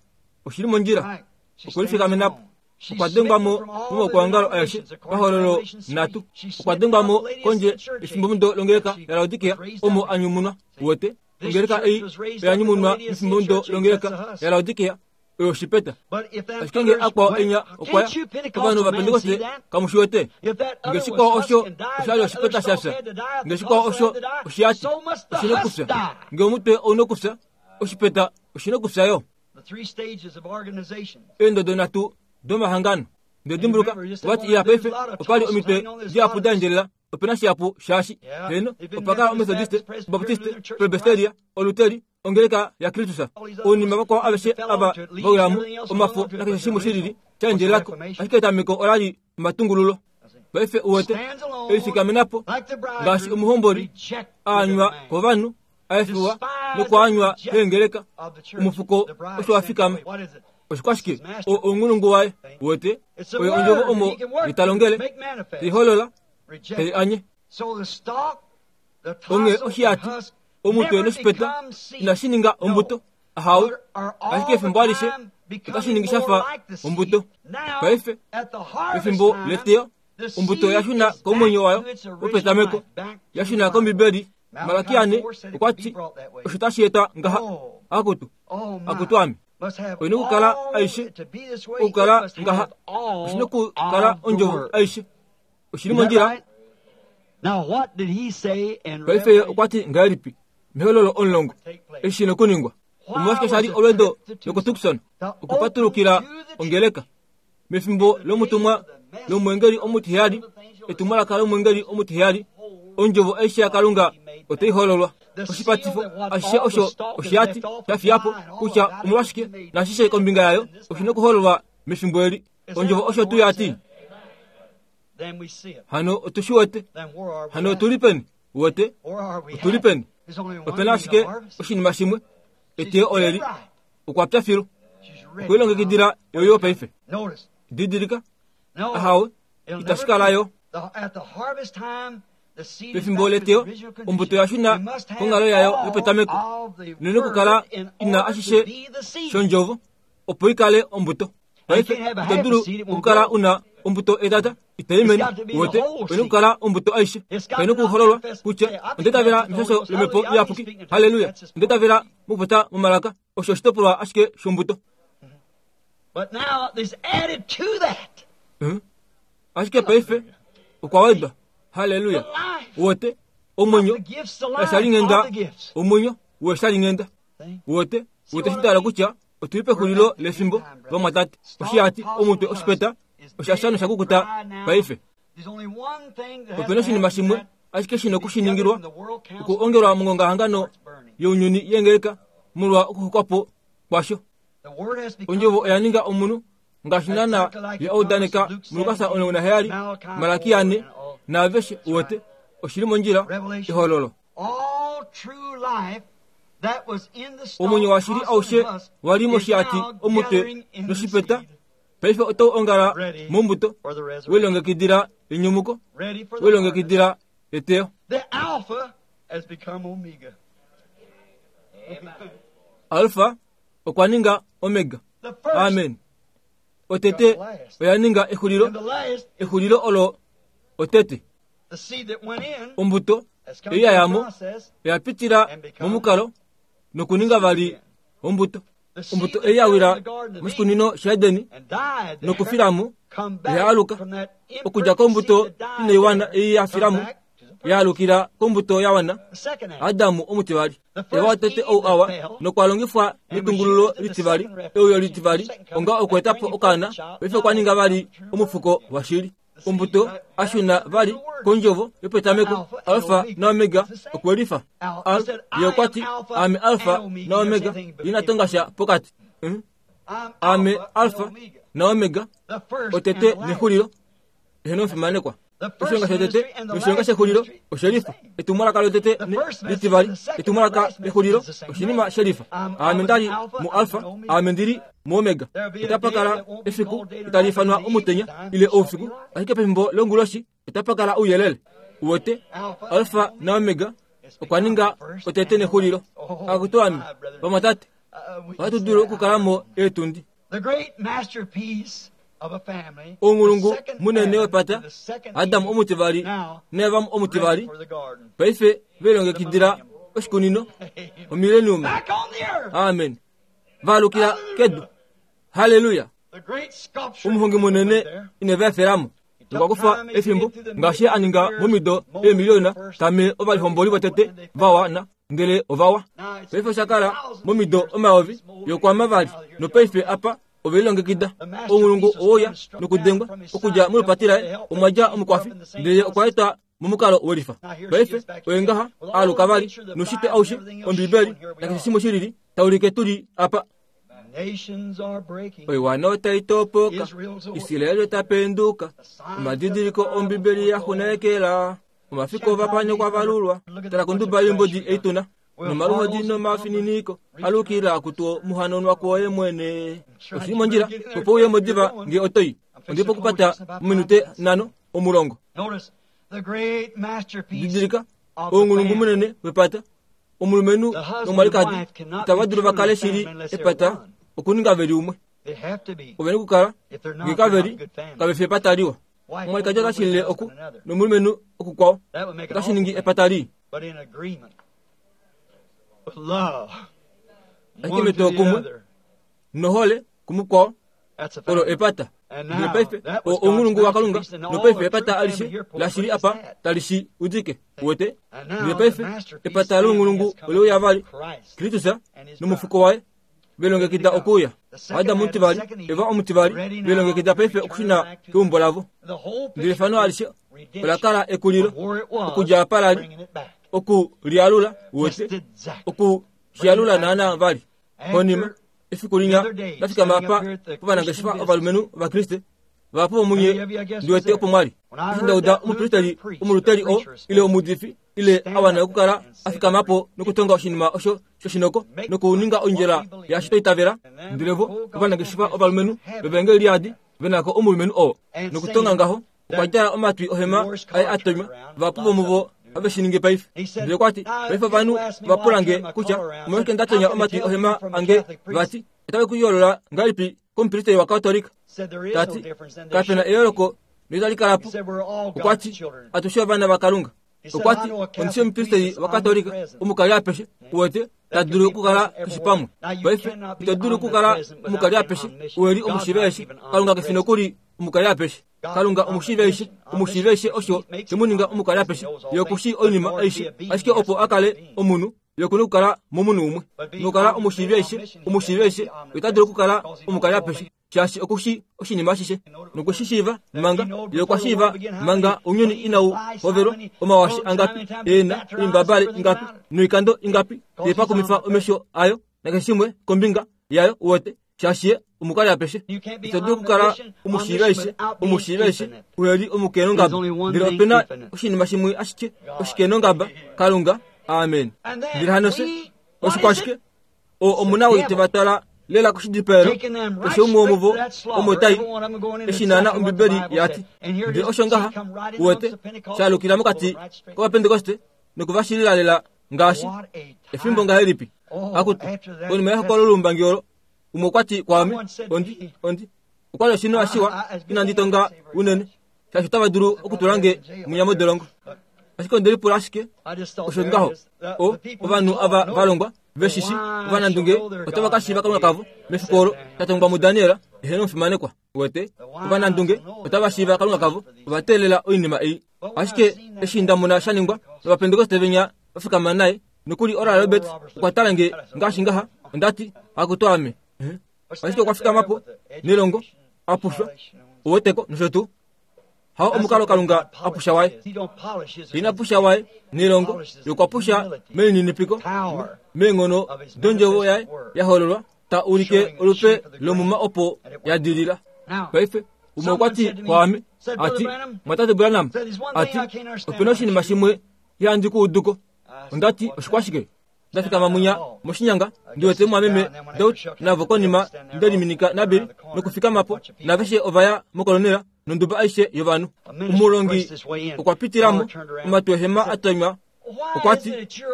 oshili mondjila, okwelifikamenapo. Okwa dengwa mo momaukwaongalo aeshe pahololo nhatu. Okwa dengwa mo kondje efimbomudo longeleka yaLaodikia omo a nyumunwa. Uwete? Ongeleka ei oya nyumunwa mefimbomudo longeleka yaLaodikia, oyo oshipeta. Ashike nge akwao enya okwaya, ovanhu vaPentekoste kamu shi wete. Nge shikwao osho oshali oshipeta shafya, nge shikwao osho oshiyati oshina okufya, nge omutwe ouna okufya, oshipeta oshina okufya yo. Eendodo nhatu domahangano. Ndedimbuluka ovati iya paife opali omitwe dihapu da endjelela, opena shihapu shaashi heno opakala omethodiste, obaptiste, presbyteria, oluteri, ongeleka yaKristus, ounima vakwao aveshe ava vawilamu omafo nakeshe shimwe shilili sha endjelelako, ashike etameko olali omatungululo. Paife uwete elifikamenapo ngaashi omuhomboli aanywa kovanhu, aefiwa nokwaanywa keengeleka, omufuko osho wa fikama. Oshikwashike? Ounghulungu waye, uwete, oyo ondjovo omo italongele, teiholola, tei anye. Onge oshiyati, omutwe noshipeta inashi ninga ombuto, ahawe, ashike efimbo alishe otashi ningi shafa ombuto. Paife efimbo leteyo, ombuto yashuna komwenyo wayo wopetameko, yashuna kOmbibeli. Malakia ne okwa ti osho tashi eta ngaha, akutu, akutu ame. Oina okukala aishe, okukala ngaha, oshina okukala ondjovo aishe. Oshili mondjila. Paife okwa ti ngahelipi mehololo omulongo eshi shina okuningwa? Omolwashike shali olweendo lokuTucson okupatulukila ongeleka mefimbo lomutumwa lomwengeli omutiheyali, etumwalaka lomwengeli omutiheyali, ondjovo aishe yaKalunga otai hololwa. Oshipatifo ashishe osho oshiyati sha fiyapo kutya omolwashike nashishe kombinga yayo oshina okuhololwa mefimbo eli. Ondjovo osho tuu yati. Hano otu shi wete. Hano otuli peni? Uwete? Otuli peni? Opena ashike oshinima shimwe, eteyo oleli. Okwa pya filu. Okwelilongekidila yoyo paife. Didilika. Ahawe, itashi kala yo. Pefimbo leteyo, ombuto yashuna konghalo yayo yopetameko, noina okukala ina ashishe shondjovo opo ikale ombuto. Paife ito dulu okukala una ombuto etata itai mene. Uwete, oina okukala ombuto aishe. Kaina okuhololwa kutya ondetavela meshasho lomhepo iyapuki. Haleluya! Ondetavela mokupota momalaka. Osho oshitopolwa ashike shombuto. Ashike paife okwa wedwa. Haleluya! Uwete, omwenyo weshalinghenda, omwenyo weshalinghenda. Uwete, uwete shitala kutya otuli pexulilo lefimbo, vamwatate. Oshiyati, omutwe, oshipeta oshasha noshakukuta paife. Opena oshinima shimwe ashike shina okushiningilwa, okuongelwa mongongahangano younyuni yengeleka molwa okuxukwapo kwasho. Ondjovo oya ninga omunhu ngaashi naana ya udaneka muLukas omulongo naheyali, Malakia ane, naaveshe. Uwete, oshili mondjila, ehololo. Omwenyo washili aushe wali moshiyati, omutwe noshipeta Paife otau ongala mombuto welongekidila enyumuko, welongekidila eteyo. Alfa okwa ninga Omega. Amen. Otete oya ninga exulilo, exulilo olo otete. Ombuto ei ya yamo oya pitila momukalo nokuninga vali ombuto. Ombuto ei ya wila moshikunino shaEdeni nokufilamo oya aluka okudja kombuto inaiwana ei ya filamo ya alukila kombuto ya wana Adamu omutivali. Eva watete ou awa nokwa longifwa metungululo litivali euyo litivali onga okuetapo okaana paife okwa ninga vali omufuko washili. Ombuto ashuna vali kondjovo yopetameko Alfa na Omega okwelifa. Al ye okwati ame Alfa na Omega inatongasha pokati. Ame Alfa na Omega otete nexulilo eheno mfimanekwa. Oshilonga shotete noshilonga shexulilo oshelifa. Etumwalaka lotete litivali etumwalaka lexulilo oshinima shelifa. Ame ndali mu Alfa, ame ndili mu Omega. Otapakala efiku itali ifanwa omutenya ile oufiku, ashike pefimbo longuloshi otapakala ouyelele. Uwete Alfa na Omega okwa ninga otete nexulilo. Akutu ame vamwatate, ohatu dulu okukalamo eetundi. Omulungu munene wepata Adamu omutivali naEva omutivali paife velongekidila oshikunino omilenium. Amen. Valukila kedu. Haleluya. Omuhongi munene ineva efelamo okwa kufa efimbo ngaashi a ninga momido eemiliona tame ovalihomboli votete vawana ndele ovawa. Paife oshakala momido omayovi yokwama vali nopaife apa ovelongekida. Omulungu owoya nokudengwa okudja molupati laye omwadja omukwafi ndele okwa eta momukalo welifa. Paife oyengaha aluka vali noshitwe aushe Ombibeli nakeshe shimwe shilili taulike tuli apa. Oiwana otai topoka, Israeli ota penduka, omadidiliko Ombibeli ya xunekela, omafiko ovapanyo kwa valulwa, tala konduba yombodi eituna nomaluhodi nomafininiko alukila kutuo muhanonwa kwoye mwene. Oshili mondjila opo uye modiva nge otoi ondipo kupata ominute nano omulongo. Didilika oungulungu munene wepata omulumenhu nomwalikadi itava dulu vakale shili epata okuninga veli umwe. Oveni kukala nge kaveli kavefi epata liwa. Omwalikadi otashilile oku nomulumenhu okukwao otashiningi epata lii. Ashike metokumwe nohole kumukwao olo epata. Ndele paife oungulungu waKalunga nopaife epata alishe lashili apa talishi udike uwete. Ndele paife epata loungulungu oleuya vali Kristus nomufuko waye velongekida okuuya. Adamu omutivali, Eva omutivali velongekida paife okushuna keumbo lavo. Ndele efano alishe olakala ekulilo okudja apa lali okulialula uwete okushialula naana vali. Konima efiku linya lafikama apa povanangeshefa ovalumenhu ovakriste vahapu vomunye ndiwete opo mwali. Eshi ndauda omupristeli omuluteli o ile omuudifi ile awana okukala afikamapo nokutonga oshinima osho shoshinoko nokuninga ondjela yaashi toitavela. Ndele vo ovanangeshefa ovalumenhu vevengeli liadi venako omulumenhu oo nokutonga ngaho okwa djala omatwi ohema aye atonywa. Vahapu vomuvo have shiningi paife. Ndele okwati paife ovanhu vapulange kutya omolwashike ndatonya omatwi ohema ange vati otave kuyoolola ngahelipi komupristeli waKatolika. Tati kapena eyooloko noitali kalapo. Okwati atushe ovana vaKalunga. Okwati ondishi omupristeli waKatolika omukali apeshe uwete tadulu okukala keshe pamwe. Paife ito dulu okukala omukali apeshe uweli omushiiva eshe. Kalunga kefi nokuli omukali apeshe. Kalunga omushiiva eshe, omushiiva eshe osho shemuninga omukali apeshe. Ye okushi oinima aishe, ashike opo akale omunhu ye okuna okukala momunhu umwe. Nokukala omushiiva eshe, omushiiva eshe ota dulu okukala omukali apeshe shaashi okushi oshinima ashishe nokushishiiva manga ye okwa shiiva manga ounyuni inau hovelwa omawashi angapi ena oimbabale ingapi noikando ingapi yepakumifa omesho ayo nakeshe shimwe kombinga yayo uwete shaashi ye omukali apeshe. Ito dulu okukala omushiiva eshe, omushiiva eshe uheli omukenongaba. Ndele opena oshinima shimwe ashike oshikenongaba Kalunga. Amen. Ndele hano se oshikwashike o omuna woitevatala lela koshidipaelo keshe umwe womuvo omo tai eshi naana ombibeli yati ndele osho ngaha uwete shalukila mokati kovapentekoste nokuvashilila lela ngaashi efimbo ngahelipi akutu konima yehokololo lolumbangi olo umwe okwati kwaame ondi ondi okwali oshino ashiwa inandi tonga unene shaashi otava dulu okutulange munya modolongo ashike ondelipula ashike osho ngaho o ovanhu ava valongwa veshishi ovanandunge otava ka shiiva Kalunga kavo mefiku olo tatongwa muDaniel eheno omufimanekwa wete ovanandunge otava shiiva Kalunga kavo ovateelela oinima ei ashike eshi ndamona shaningwa novapentekoste venya vafikama naye nokuli Oral Roberts okwa tala nge ngaashi ngaha ondati akutu ame ashike okwa fikamapo nelongo apushwa oweteko nosho tuu hao omukalo Kalunga apusha waye ina pusha waye nelongo yokwapusha melininipiko meenghono dondjovo yaye yahololwa ta ulike olupe lomuma opo yadilila paife umwe okwati kwaame ati mwatate Branham ati opena oshinima shimwe ihandi kuuduko ondati oshikwashike ndafikama munya moshinyanga ndiwete mwameme Daud navo konima ndeliminika nabili nokufikamapo naveshe ovaya mokolonela nonduba aishe yovanhu omulongi okwapitilamo omatwehema atonywa okwati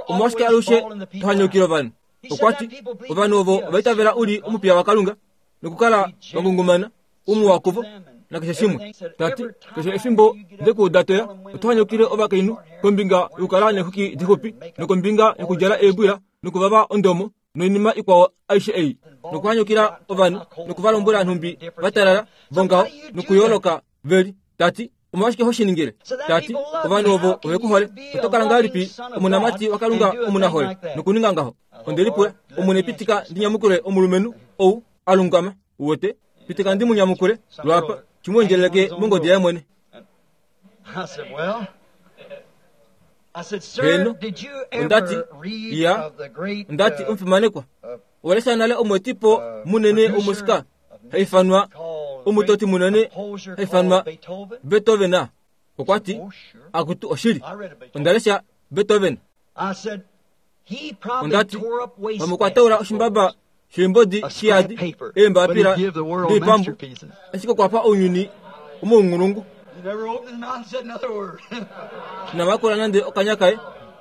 omwashike alushe tohanyukila ovanhu okwati ovanhu ovo ovaitavela uli omupiya waKalunga nokukala vangungumana umwe wakuvo nakeshe shimwe tati keshe efimbo ndekuudatoya otohanyukile ovakainhu kombinga yokukala neexwiki dixupi nokombinga yokudjala eebwila nokuvava ondomo noinima ikwao aishe ei nokuhanyukila ovanhu nokuvalombwela nhumbi vatalala vongaho nokuyooloka veli tati omolwashike hoshiningile tati ovanhu ovo ovekuhole otokala ngahelipi omunamati waKalunga omunahole nokuninga ngaho ondelipula omwene pitika ndinyamukule omulumenhu ou alungama uwete pitika ndimunyamukule lwapa chimwendjeleleke mongodi yaye mwene heno ondati ya ondati omufimanekwa owalesha nale omwetipo munene omusika haifanwa omutoti munene haifanwa Beethoven okwati akutu oshili ondalesha Beethoven ondati vamukwataula oshimbaba shimbodi shiyadi eembapila diipambu ashike okwapa ounyuni omounghulungu inamakula nande okanya kaye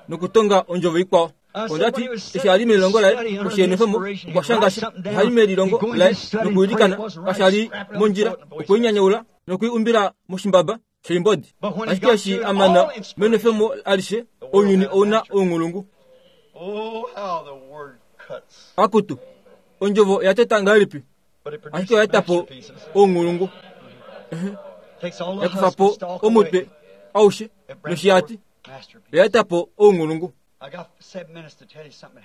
nokutonga ondjovo ikwao ondati eshi ali melilongo laye oshienefemo okwashangasha ohali melilongo laye nokuilikana kashali mondjila okwiinyanyaula nokwiumbila moshimbaba sheimbodi ashike eshi amana menefemo alishe ounyuni ouna ounghulungu akutu ondjovo yateta ngahelipi ashike oyatapo ounghulungu yakufapo omutwe aushe noshiyati oyatapo ounghulungu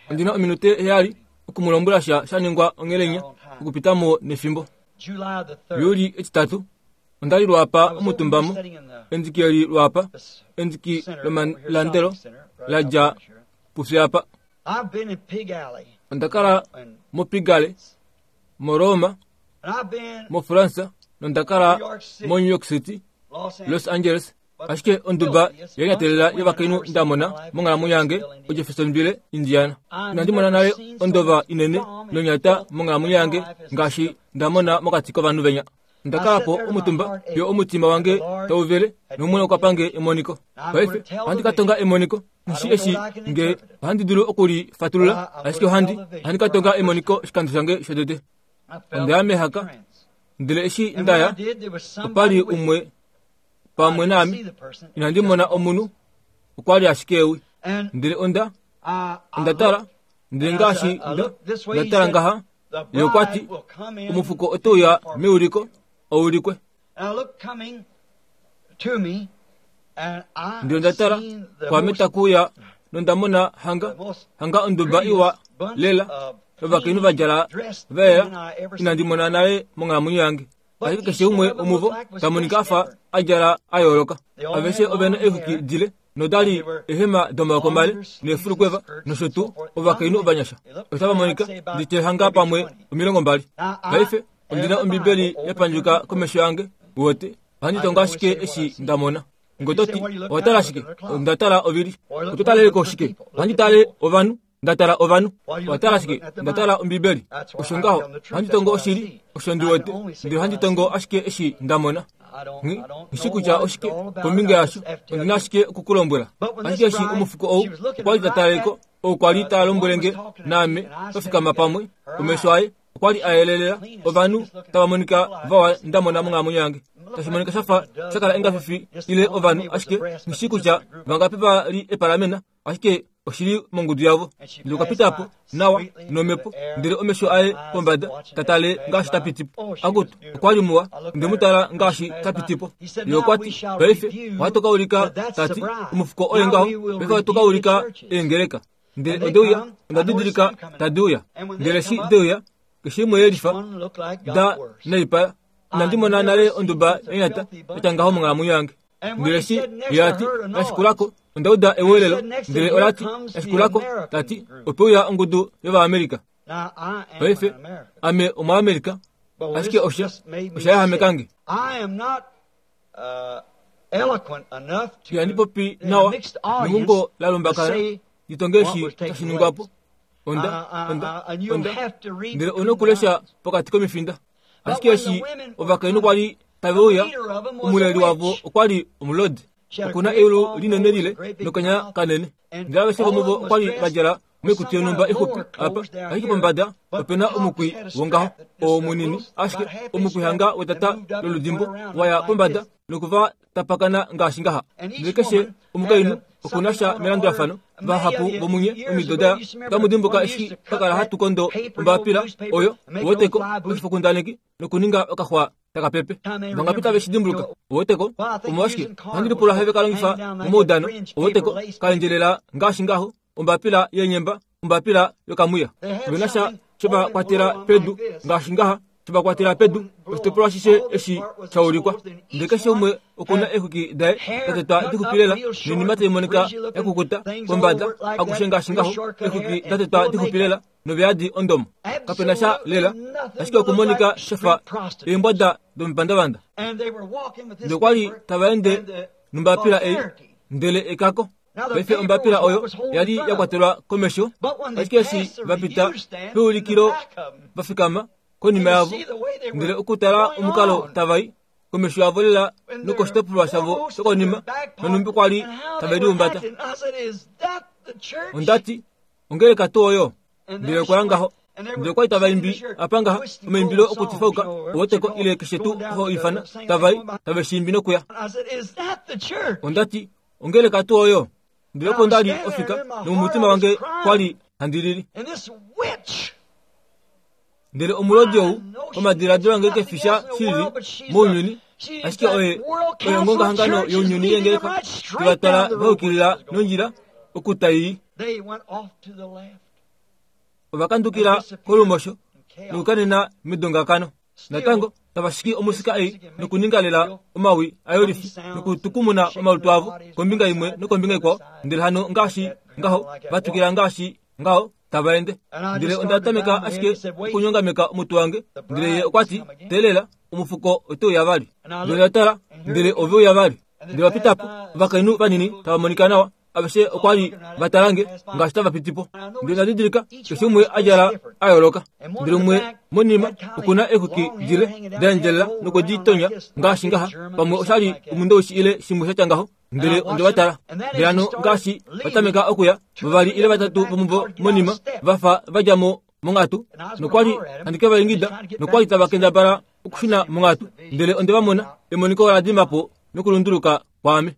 ondina ominute heyali okumulombwela sha shaningwa onghelenya okupitamo nefimbo Yuli etitatu ondali lwapa omutumbamo endiki eli lwapa endiki lomalandelo ladja pufyapa ondakala moPigalle moRoma moFransa nondakala mo New York City Los Angeles ashike onduba yalinyatelela yovakainhu ndamona monghalamwenyo yange oJeffersonville Indiana inandimona nale ondova inene nonyata monghalamwenyo yange ngaashi ndamona mokati kovanhu venya ndakalapo omutumba yo omutima wange tauvele nomwene okwapange emoniko paife ohandi katonga emoniko nshi eshi nge ohandi dulu okulifatulula ashike ohandi ohandi katonga emoniko oshikando shange shotete ondaya mehaka ndele eshi ndaya opali umwe pamwe naame inandi mona omunhu okwali ashike ewi ndele onda ondatala ndele ngaashi ndatala ngaha ye okwati omufuko otouya meuliko oulikwe ndele ondatala kwame takuuya nondamona hanga hanga onduba iwa lela ovakainhu vadjala vaela inandi mona nale monghalamwenyo yange ashike keshe umwe omuvo tamonika afa adjala ayooloka aveshe ovena eexwiki dile nodali ehema domaoko male neefulukweva nosho tuu ovakainhu ovanyasha otava monika nditehanga pamwe omilongo mbali paife ondina ombibeli yapandjuka komesho yange wote ohandi tonga ashike eshi ndamona ngototi owatala ashike ondatala ovili ototaleleko shike ohandi tale ovanhu Nda tala ovanhu. Owa tala ashike, nda tala Ombibeli. Osho ngaho, ohandi tongo oshili, osho ndi wete, ndele ohandi tongo ashike eshi nda mona. Nghishi kutya oshike kombinga yasho, ondi na ashike okukulombwela. Ashike eshi omufuko ou okwa li ta taleko, ou kwa li ta lombwele nge naame twa fikama pamwe, omesho aye okwa li a yelelela, ovanhu tava monika vawa nda mona monghalamwenyo yange. Tashi monika shafa sha kala engafifi ile ovanhu, ashike nghishi kutya vangapi va li epalamena, ashike oshili mongudu yavo. Ndele okwa pita po nawa nomhepo, ndele omesho aye pombada ta tale ngaashi ta piti po. Akutu, okwa li muwa, nde mu tala ngaashi ta piti po. Ye okwa ti, paife ohatu ka ulika, ta ti, omufuko oye ngaho, paife ohatu ka ulika eengeleka. Ndele ode uya, onda didilika tadi uya. Ndele shi de uya, keshe imwe yelifa da naipala. Inandi mona nale onduba yanyata yatya ngaho monghalamwenyo yange. Ndele shi ye ati, nashikulako, onda uda ewelelo, ndele ola ti, nashikulako, tati, ope uya ongudu yOvaamerika. Paife, ame Omuamerika, ashike osha, osha yahameka nge. Ihandi popi nawa nengungo la lumbakana, litonge eshi tashi ningwa po. Onda, onda, onda, ndele ouna okulesha pokati komifinda. Ashike eshi ovakainhu kwa li tave uya, omuleli wavo okwa li omulodi. Okuna eulu linene lile nokanya kanene. Ndele aveshe vomuvo okwa li va djala moikutu yonhumba ixupi apa, ashike pombada opena omukwi wongaho oo munini, ashike omukwi hanga wetata loludimbo waya pombada nokuva tapakana ngaashi ngaha. Ndele keshe omukainhu okuna sha melandulafano, vahapu vomunye omido daya otamu dimbuka eshi twa kala hatu kondo ombapila oyo oweteko oshifokundaneki nokuninga okaxwa taka pepe. Vangapi tave shi dimbuluka? Oweteko omolwashike ohandi lipula have ka longifa momaudano. Oweteko kaendjelela ngaashi ngaho ombapila yenyemba, ombapila yokamwiya. Ovena sha sheva kwatela pedu ngaashi ngaha, sheva kwatela pedu oshitopolwa ashishe eshi sha ulikwa. Ndele keshe umwe okuna eexwiki daye da tetwa dixupi lela noinima tai monika ya kukuta pombada akushe ngaashi ngaho, eexwiki da tetwa dixupi lela noveyadi ondomo. Kapena sha lela, ashike okumonika shafa eembwada domipandavanda. Ndele okwa li tava ende nombapila ei, ndele ekako. Paife ombapila oyo yali ya kwatelwa komesho, ashike eshi va pita peulikilo va fikama konima yavo, ndele okutala omukalo tava i komesho yavo lela nokoshitopolwa shavo shokonima, nonumbi kwa li tave liumbata. Ondati, ongeleka tuu oyo? Ndele okwa ya ngaho. Ndele okwa li tava imbi apa ngaha omaimbilo okutifauka, oweteko ile keshe tuu ho ifana, tava i tave shi imbi nokuya. Ondati, ongeleka tuu oyo? Ndele opo nda li ofika, nomomutima wange kwa li handi lili. Ndele omulodi ou, omadiladilo ange kefisha shili mounyuni, ashike oye oye ongongahangano younyuni yengeleka, tevatala vaukilila nondjila okutai. Ovakandukila kolumosho nokukanena medongakano. Natango tava shiki omusika ei nokuninga lela omawi ayolifi nokutukumuna omalutu avo kombinga imwe nokombinga ikwao. Ndele hano ngaashi ngaho vatukila ngaashi ngaho tava ende. Ndele onda tameka ashike okunyongameka omutwe wange. Ndele ye okwa ti, teelela, omufuko ote uya vali. Ndele nda tala, ndele ove uya vali. Ndele va pita po, ovakainhu vanini tava monika nawa, aveshe okwa li va tala nge ngaashi tava piti po. Ndele nda didilika keshe umwe a djala a yooloka. Ndele umwe monima okuna eexwiki dile da endjelela nokwe di tonya ngaashi ngaha, pamwe osha li omundoushi ile shimwe sha tya ngaho. Ndele onde va tala. Ndele hano ngaashi va tameka okuya, vavali ile vatatu vomuvo monima va fa va dja mo monghatu, nokwa li handi ke va ingida, nokwa li tava kendabala okushuna monghatu. Ndele onde va mona, emoniko ola dima po nokulunduluka kwaame.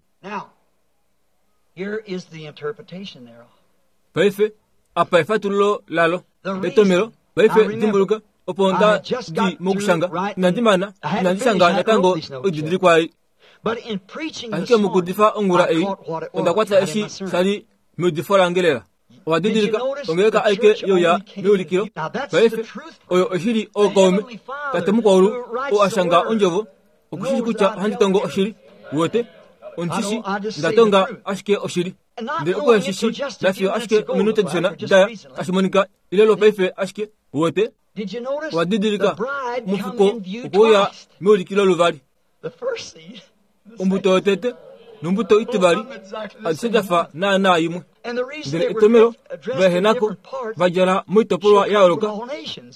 Paife apa efatululo lalo etomelo. Paife dimbuluka, opo nda di mokushanga, inandi mana, inandi shanga natango oididilikwa ei. Ashike mokuudifa ongula ei, onda kwata eshi sha li meudifo lange lela. Owa didilika ongeleka aike youya meulikilo. Paife oyo oshili ookaume, tate mukwaulu oo a shanga ondjovo, okushili kutya ohandi tongo oshili. Uwete, ondishi ndatonga ashike oshili. Ndele okuheshishi nafiyo ashike ominute dishona daya tashi monika ile lwopaife ashike. Uwete, owa didilika omufuko okwa uya meulikilo luvali. Ombuto yotete Nombuto itivali adishe dafa naanaa imwe. Ndele etomelo vaehenako vadjala moitopolwa ya yooloka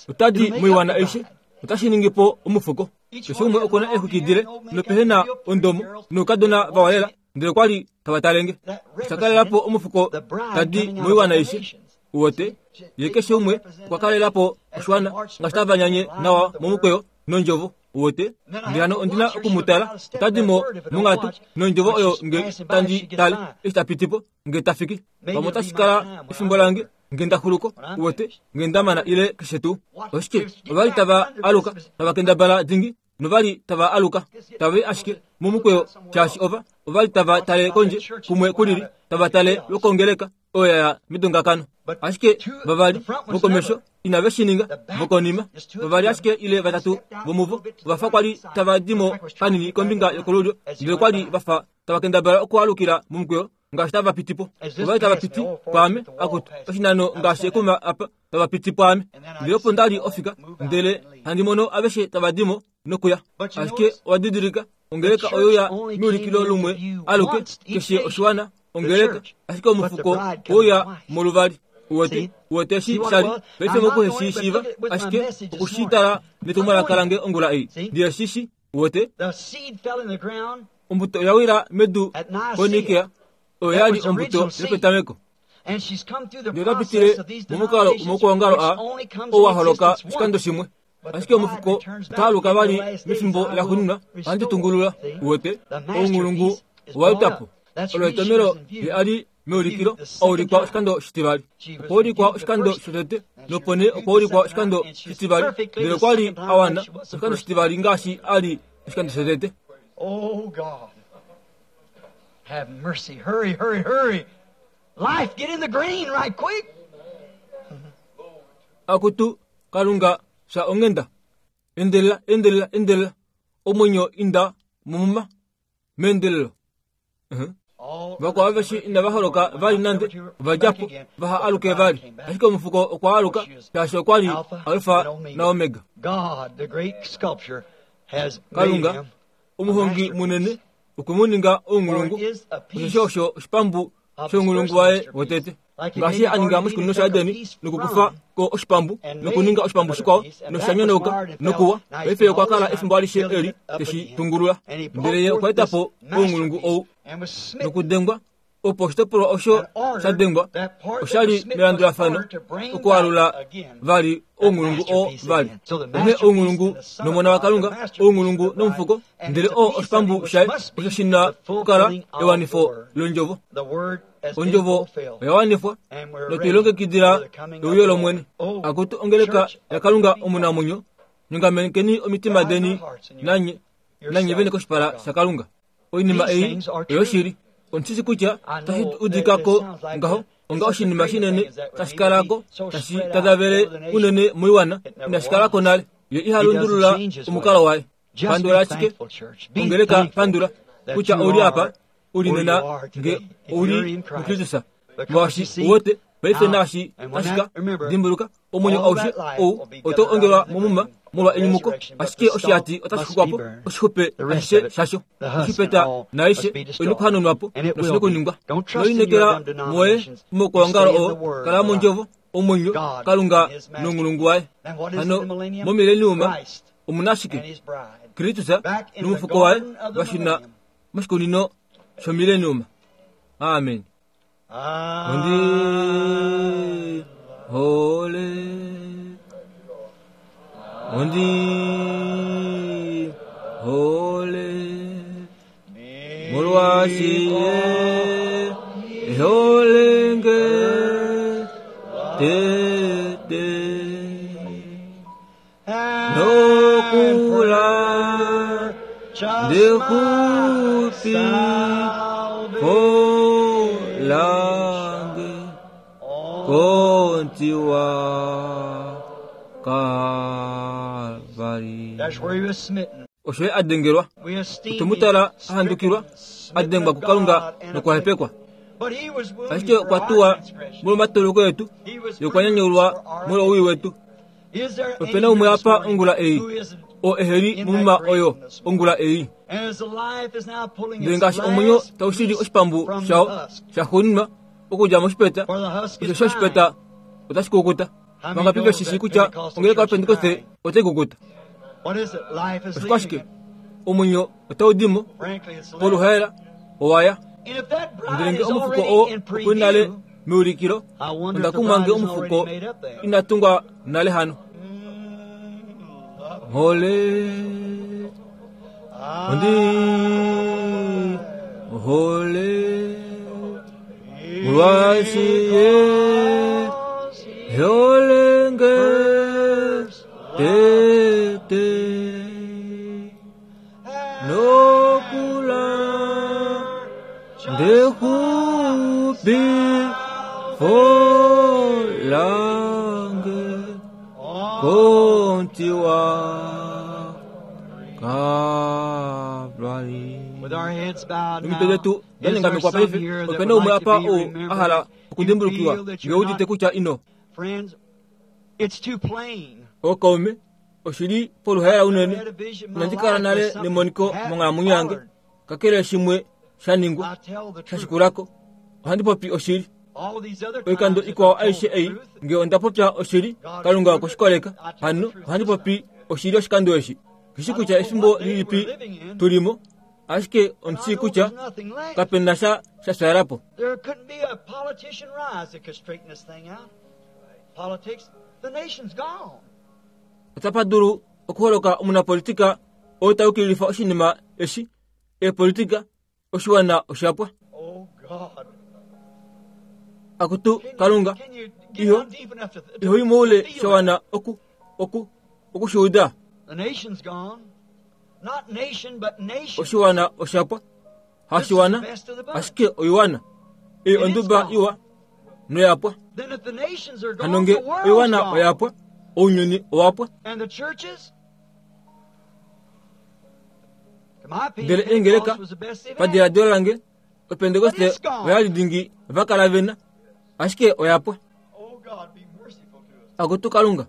otadi moiwana aishe otashi ningi po omufuko. Keshe umwe okuna exwikidile nopehena ondomo noukadona vawalela ndele kwali tava talenge. Oshakalelapo omufuko tadi moiwana aishe uwote ye keshe umwe okwa kalelapo oshiwana ngaashi tava nyanye nawa momukweyo nondjovo uwote. Ndele hano ondina okumutala otadi mo mongatu nondjovo oyo nge tandi tale eshi tapitipo nge tafiki pamwe otashi kala efimbo lange nge ndaxuluko uwote nge ndamana ile keshe tuu. Oshike ovali tava aluka tava kendabala dingi novali tava aluka tave ashike momukweyo shaashi ova ovali tava tale kondje kumwe kulili tava tale lokongeleka oyo ya midongakano. Ashike vavali vokomesho inave shininga vokonima vavali ashike ile vatatu vomuvo vafa kwali tava dimo kanini kombinga yokolulyo ndele kwali vafa tava kendabala okualukila momukweyo ngaashi tava pitipo. Ovali tava piti pwaame akutu oshinano ngaashi ekuma apa tava piti pwaame. Ndele opo ndali ofika ndele handi mono aveshe tava dimo nokuya. Ashike owadidilika ongeleka oyo ya miulikilo lumwe aluke keshe oshiwana ongeleka ashike omufuko oya moluvali uwete uwete shi shali paife mokuheshishiva ashike okushitala netumwalaka lange ongula ei ndiye shishi uwete. Ombuto oyawila medu konikea oyo yali ombuto yopetameko. Ndele otapitile momukalo omokuongalo a owaholoka oshikando shimwe. Ashike omufuko otaaluka vali mefimbo laxuuninwa ohandi tungulula uwete. Oungulungu owautapo olo etomelo ye ali meulikilo oulikwa oshikando shitivali. Okwaulikwa oshikando shotete nopo nee okwaulikwa oshikando shitivali ndele okwali awana oshikando shitivali ngaashi ali oshikando shotete. Oh God, have mercy. Hurry, hurry, hurry. Life, get in the green right quick. Akutu kalunga sha ongenda endelela endelela endelela omwenyo inda mumuma mendelelo. Uh-huh. Vakwao aveshe inava holoka vali nande vadjapo vaha aluke vali. Ashike omufuko okwa aluka shaashi okwali Alfa na Omega. Kalunga omuhongi munene okwe oungulungu osho osho oshipambu shongulungu waye wotete. Ngaashi aninga moshikunino shaEdeni nokukufa ko oshipambu nokuninga oshipambu shikwao noshanyonauka nokuwa. Paife okwa kala efimbo alishe eli teshi tungulula. Ndele ye okwa etapo oungulungu ou nokudengwa opo oshitopolwa osho shadengwa oshali melandulafano okualula vali oungulungu oo vali. Onghee oungulungu nomona waKalunga, oungulungu nomufuko, ndele oo oshipambu shaye osho shina okukala ewanifo londjovo. Ondjovo oya wanifwa notwilongekidila euyo lOmwene. Akutu ongeleka yaKalunga omunamwenyo, nyongamenekeni omitima deni nanye nanye vene koshipala shaKalunga. Oinima ei oyoshili. Ondishi kutya tashi udikako ngaho onga oshinima shinene tashi kalako tashi tadavele unene moiwana inashi kalako nale. Ye ihalundulula omukalo waye. Pandula ashike ongeleka pandula kutya ouli apa uli nena nge ouli muKristus. Molwaashi uwete paife naashi tashika dimbuluka omwenyo aushe ou oto ongelwa momuma molwa enyumuko. Ashike oshihati otashi xukwapo oshixupe ashishe shasho. Oshipeta naishe oyina okuhanunwapo noshina okuningwa. Noinekela moye mokuongalo oo kala mondjovo omwenyo Kalunga nongulungu waye. Hano momileniuma omuna ashike Kristus nomufuko waye vashina moshikunino shomileniuma. Amen. Ondi hole ondi hole molwaashi ye eholenge tete nokula ndekupi kolange kontiwa Kalvari. That's where he was smitten. Osho ye adengelwa We esteem otomutala him ahandukilwa smitten adengwa of kuKalunga God and nokwahepekwa. But he was wounded Ashike for okwa our tuwa transgressions. molwomatoloko yetu He was ye okwa nyanyulwa bruised for our molwowii wetu. Is there Opena umwe any apa ongula ei who isn't oo eheli mumuma oyo ongula ei. Ndele ngaashi omwenyo taushili oshipambu shawo shaxuuninwa okudja moshipeta, osho oshipeta otashi kukuta. Vangapi veshishi kutya ongeleka yaPentekoste otai kukuta? Oshikwashike? Omwenyo otau dimo poluhaela owaya. Ndele nge omufuko oo okuli nale meulikilo, onda kumwa nge omufuko inatungwa nale hano. Hole ondi hole molwaashi ye holenge tete nokula ndexupi folange kontiwa Kalvari. Nomitwe detu dalengamekwa paife, opena umwe apa oo a hala okudimbulukiwa nge udite kutya ino. Ookaume, oshili poluhaela unene. Inandi kala nale nemoniko monghalamwenyo yange, kakele shimwe sha ningwa shashikulako. Ohandi popi oshili. Oikando ikwao aishe ei nge onda popya oshili, Kalunga okweshikoleka. Hano ohandi popi oshili oshikando eshi. Kishi kutya efimbo lilipi tulimo, ashike omushii kutya kapena sha shashaalapo. There couldn't be a politician rise that could straighten this thing out. Politics, the nation's gone. Otapa dulu okuholoka omunapolitika oo taukililifa oshinima eshi, eepolitika, oshiwana oshapwa. Oh God. Akutu Can you, Kalunga, can you get iho down deep enough to, to, iho moule to feel that? shawana oku oku okushuuda. The nation's gone. Not nation, but nation. Oshiwana oshapwa, This is the hashiwana, best of the bunch. ashike oiwana ei And it's onduba gone. iwa noyapwa. Then if the nations are Hano gone, nge the world's oiwana gone. oyapwa, ounyuni owapwa. And the churches? To my opinion, Ndele eengeleka Pentecost was the best they've had. padiladilo lange opentekoste But it's gone. oyali dingi vakala vena, ashike oyapwa. Oh God, be merciful to us. Akutu Kalunga,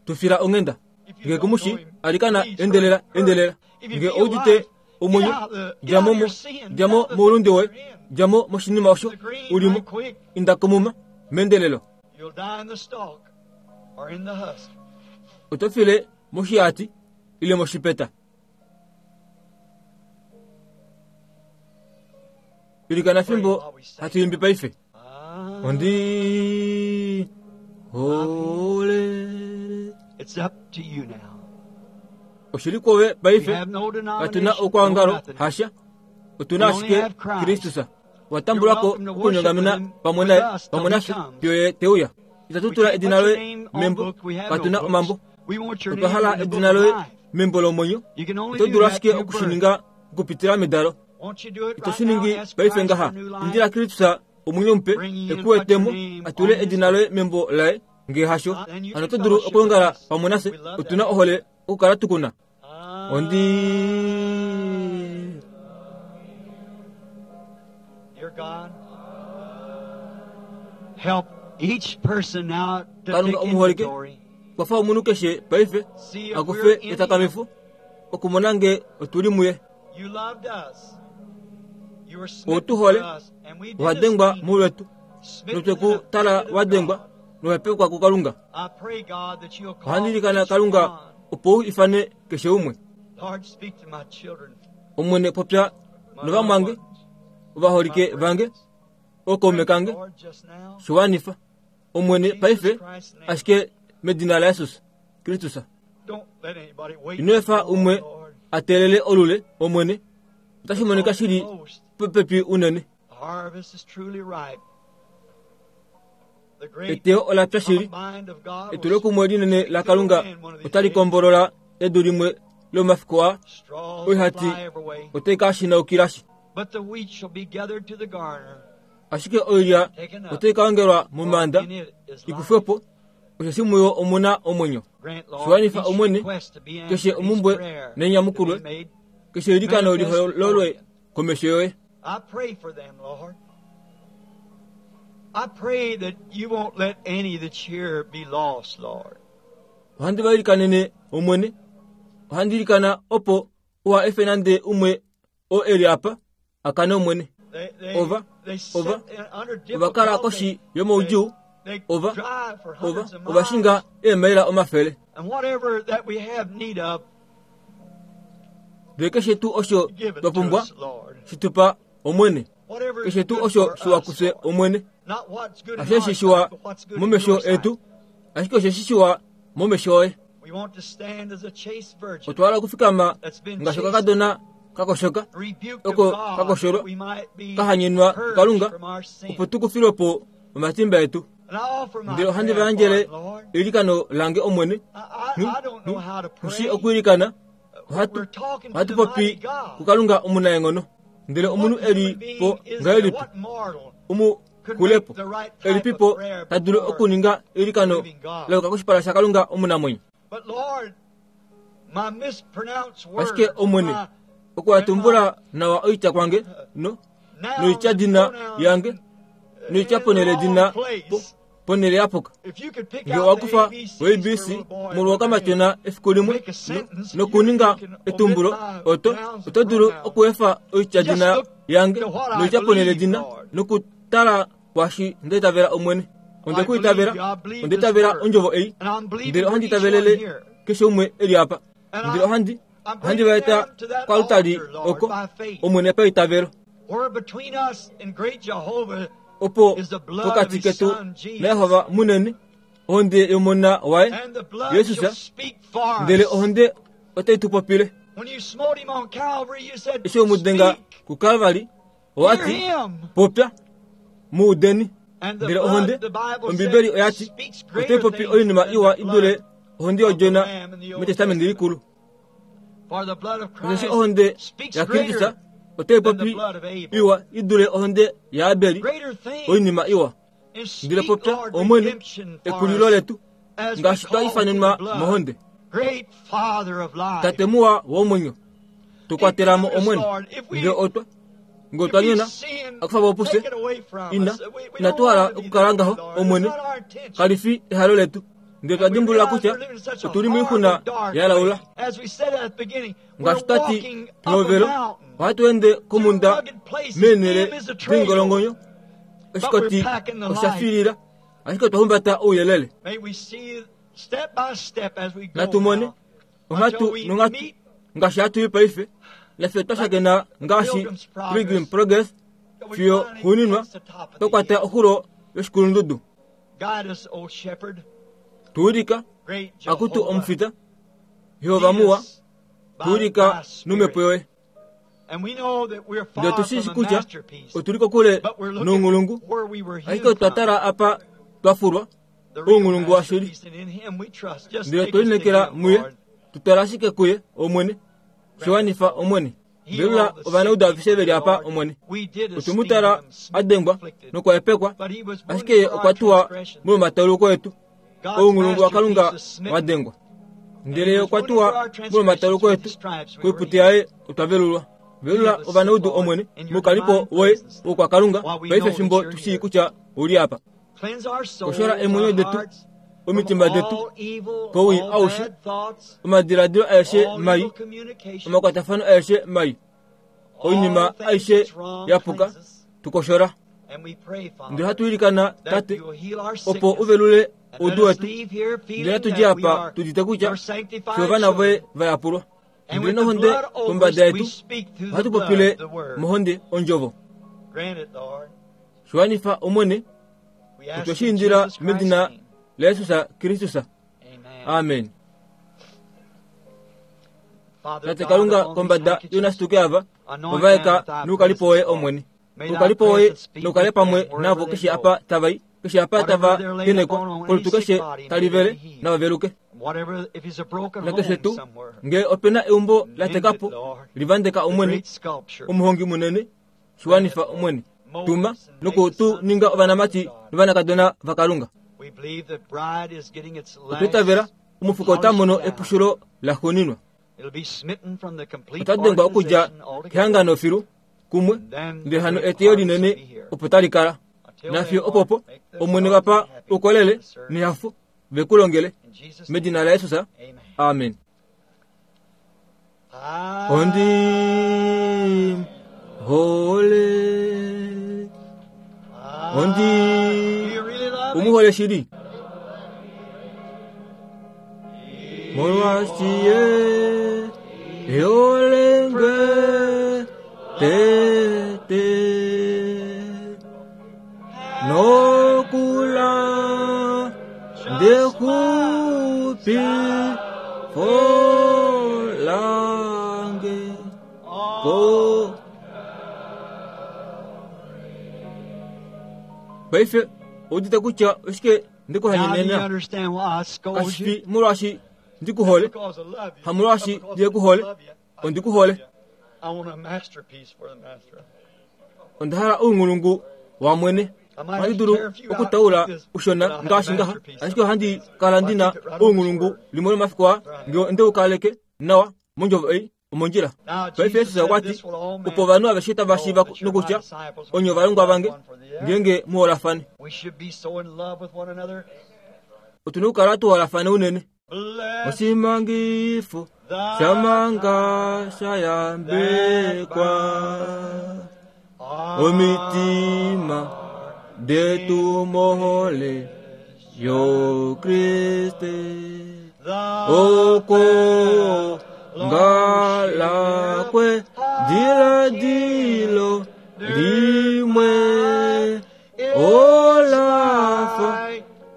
tufila onghenda. If you Nge don't know kumushi him, alikana please endelela hurry, endelela. hurry. If you Nge feel oudite life, get omwenyo, out of the, get out djamo of mo your sin, get djamo out of the moulunde things woye, you're in. djamo moshinima osho The green ulimo, right quick. inda komuma mendelelo. You'll die in the stalk or in the husk. Oto file moshiati ile moshipeta. Ilikana Pray fimbo while we sing. hatuimbi paife. Ah, Ondi hole it's up to you now. oshili kwowe We paife have no katuna denomination, no okwangalo nothing. hasha otuna We only ashike have Christ. Kristus. You're Watambulako welcome to worship with okunyongamena him pamwe with naye us till pamwe he nafye comes. fiyo ye teuya. Itatu We tula can't edina put your loye name on membo, book. We have no katuna books. omambo. We want your Otwa name hala in the book edina of loye life. membo lomwenyo. You can only Oto do dulu that ashike through birth. okushininga okupitila medalo. Won't you do it Ito right now? shiningi Ask paife Christ ngaha for new life. indila Kristus omwenyo mupe Bring in and put your ekuwetemo name atule on his edina book. loye membo laye nge hasho. Uh, then you Hano can oto dulu fellowship with okulongala us. pamwe nafye. We love Otuna that. ohole okukala tukuna. Ah, Ondi Dear God, help each person now to Kalunga take omuholike inventory. kwafa omunhu keshe paife See if akufe we're in him. etakamifo okumona nge otuli muye. You loved us. You were smitten Otu hole, for us, and we did wadengwa esteem you. mulwetu Smitten notwe and ku tala afflicted of wadengwa God. nowapekwa kuKalunga. I pray, God, that you'll call Ohandilikana each Kalunga one. opo u ifane keshe umwe. Lord, speak to my children, Omwene popya my loved novamwange ones, my ovaholike vange friends. ookaume Pray, kange Lord, just now. shiwanifa Omwene Jesus paife Christ's name. ashike medina laYesus Kristus. Don't let anybody wait Ino too efa long, umwe Lord. atelele olule Omwene otashi We're monika shili almost. popepi unene. The harvest is truly ripe. The great Eteyo ola pya shili. combine of God will Etulokumwe linene la fill Kalunga in one of these otali days. kombolola edu limwe lomafiku aa Straws will oihati fly every way, otai ka shinaukilashi. but the wheat shall be gathered to the garner, Ashike oilya taken up, otai ka ongelwa for momanda in it is life. ikufwepo osheshi muyo omuna omwenyo. Grant, Lord, Shiwanifa each Omwene request to be keshe answered, each omumbwe prayer to be nenyamukulwe made. keshe eilikano Manifest before lihololwe you. komesho yoye. I pray for them, Lord. I pray that you won't let any that's here be lost, Lord. Ohandi va ilikanene Omwene. Ohandi ilikana opo uha efe nande umwe oo eli apa akane Omwene. Ova ova ova kala koshi yomaudjuu, ova ova ova shinga eemaila omafele. Ndele keshe tuu osho twa pumbwa shi tu pa Omwene, keshe tuu osho shiwa kufye Omwene, hasheshi shiwa momesho etu, ashike osheshi shiwa momesho oye. Otwa hala okufikama ngaashi okakadona kakoshoka, oko kakosholwa, kahanyenwa kuKalunga, opo tukufilwe po omatimba etu. Ndele ohandi va yandjele eilikano lange Omwene. Nghi okwiilikana, ohatu ohatu popi kuKalunga omunaenghono. Ndele omunhu eli po ngahelipi omu kulepo elipipo ta dulu okuninga eilikano la koshipala shaKalunga omunamwenyo. Ashike Omwene, okuhatumbula nawa oitya kwange no noitya dina yange noitya ponele dina ponele yapuka. Nge owakufa o A B C molwokamatena efiku limwe nokuninga etumbulo, oto oto dulu okuefa oitya dina yange noitya ponele dina nokutala kwashi ndeitavela Omwene. Onde kuitavela, ondeitavela ondjovo ei, ndele ohandi itavelele keshe umwe eli apa. Ndele ohandi ohandi vaeta kwalutali oko Omwene paitavelo. Opo pokati ketu naYehova munene ohonde yomona waye Yesus, ndele ohonde otai tu popile. Eshi omudenga kuKalvari owati popya muudeni, ndele ohonde Ombibeli oyati otai popi oinima iwa idule ohonde yodjona metestamenti likulu. Osheshi ohonde yaKristus otai popi iwa idule ohonde yaAbeli, oinima iwa. Ndele popya Omwene ekulilo letu ngaashi twa ifanenwa mohonde. Tate muwa womwenyo, tukwatelamo Omwene. Nge otwa nge otwa nyona akufa popuse ina inatu hala okukala ngaho Omwene, kalifi ehalo letu. Ndele twa dimbulula kutya otuli moixuna yalaula. Ngaashi twati pehovelo, ohatu ende komunda meenhele dingolongonyo, oshikoti osha filila, ashike otwa humbata ouyelele. Natu mone onghatu nonghatu ngaashi hatu i paife, nafye twa shakena ngaashi Pilgrim Progress fiyo xuuninwa twa kwata oxulo yoshikulundudu. Tuulika akutu omufita Yehova muwa, tuulika nomhepo yoye. Ndele tushishi kutya otuli kokule nounghulungu, ashike otwa tala apa twafulwa ounghulungu washili. Ndele otwe lineekela muye, tutala ashike kuye Omwene, shiwanifa Omwene. Velula ovanaudu aveshe veli apa Omwene. Otwemutala adengwa nokwahepekwa, ashike ye okwa tuwa molwomatauluko etu, ounghulungu waKalunga wadengwa. Ndele ye okwa tuwa molwomatauluko etu, koiputi yaye otwa velulwa. Velula ovanaudu Omwene, mukalipo woye wokwaKalunga paife fimbo tushii kutya ouli apa. Koshola eemwenyo detu, omitima detu kowii aushe, omadiladilo aeshe mai, omakwatafano aeshe mai, oinima aishe yapuka, tukoshola. Ndele hatu ilikana Tate opo uvelule oudu wetu, ndele hatu dje apa tudite kutya fye ovana voye vayapulwa. Ndele nohonde kombada yetu ohatu popile mohonde ondjovo. Shiwanifa Omwene, otwe shi indila medina laJesus Kristus. Amen. Tate Kalunga kombada yonasituke ava ovaeka noukalipo woye Omwene. Oukalipo woye noukale pamwe navo keshe apa tavai, keshe apa tava kenekwa, kolutu keshe talivele navaveluke. Nakeshe tuu nge opena eumbo latekapo livandeka Omwene, omuhongi munene, shiwanifa Omwene. Tuma noku tu ninga ovanamati novanakadona vaKalunga. Otwitavela omufuko ota mono epushulo laxuuninwa. Ota dengwa okudja kehangano filu kumwe, ndele hano eteyo linene opo tali kala. Nafiyo opopo Omwene vapa ukolele nehafo vekulongele medina laJesus. Amen. Ondi hole. Ondi umuhole shili. Molwashiye yolenge tete nokula ndekupi folange ko. Paife udite kutya oshike ndikuhanyenena kashifi molwashi ndikuhole hamolwashi ndiyekuhole ondikuhole ondahala uungulungu wamwene ohandi dulu okutaula ushona ngaashi ngaha ashike ohandi kala ndina uungulungu limwe lomafiku aa ngee ndeukaleke nawa mondjovo ei omondjila. Paife Yesus okwati opo ovanhu aveshe tava shiiva nokutya onye ovalongwa vange ngeenge muholafane. Otuna okukala tuholafane unene. Oshimangifo shamanga shayambekwa omitima detu mohole yo Kriste oko ngalakwe diladilo limwe olafa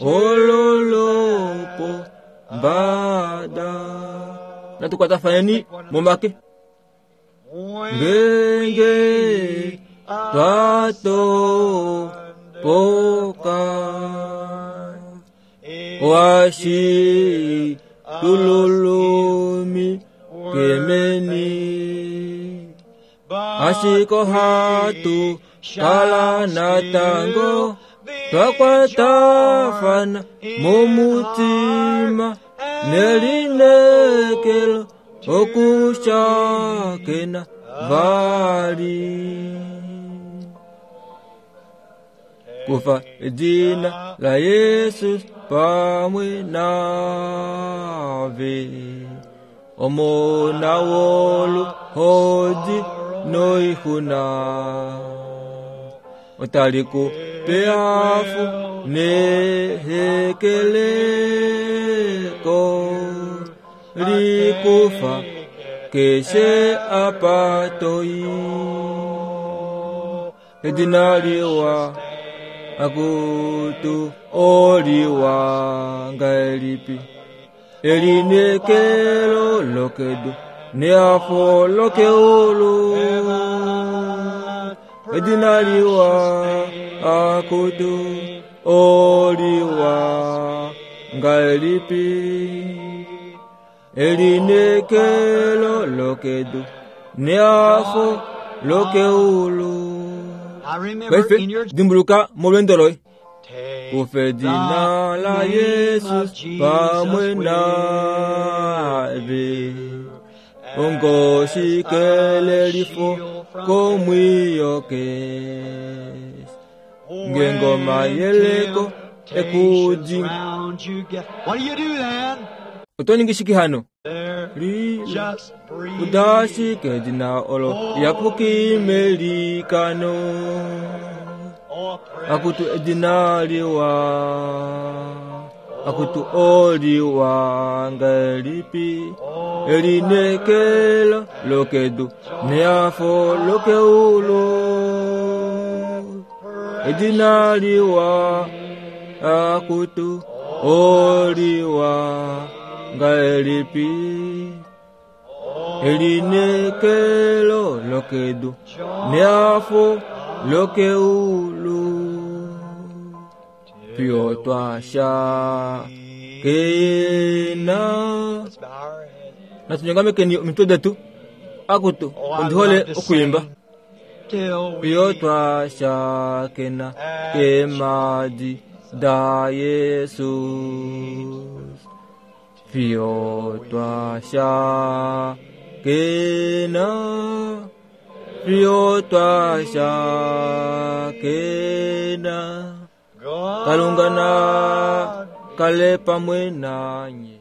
ololopo mbada. Natukwatafaneni momake ngenge twatopoka washi tululumi kemeni ashiko hatu kala natango twakwatafana mumutima nelinekelo okushakena vali kufa edina la Yesus pamwe nave omona wolu hodi noihuna otaliku peafu nehekeleko likufa keshe apatoi edina liwa akutu oliwa ngaelipi elinekelo lokedu neafo lokeulu edina liwa akutu oliwa ngaelipi elinekelo lokedu neafo lokeulu. Paife dimbuluka molwendo loye kufa edina la Yesus pamwe nave ongoshikelelifo komwiyoke ngengoma yeleko ekudi. Otoningi shiki hano lila udashike edina olo yapukimelikano akutu edina liwa akutu oliwa ngelipi elinekelo lokedu neafo lokeulu edina liwa akutu oliwa ngelipi elinekelo lokedu neafo lokeulu pio twasha kena. Natunyongamekeni omitwe detu akutu ondihole okuyimba pio twasha kena kemadi da Yesus pio twasha kena pio twasha kena kalunga na kale pamwe nanye.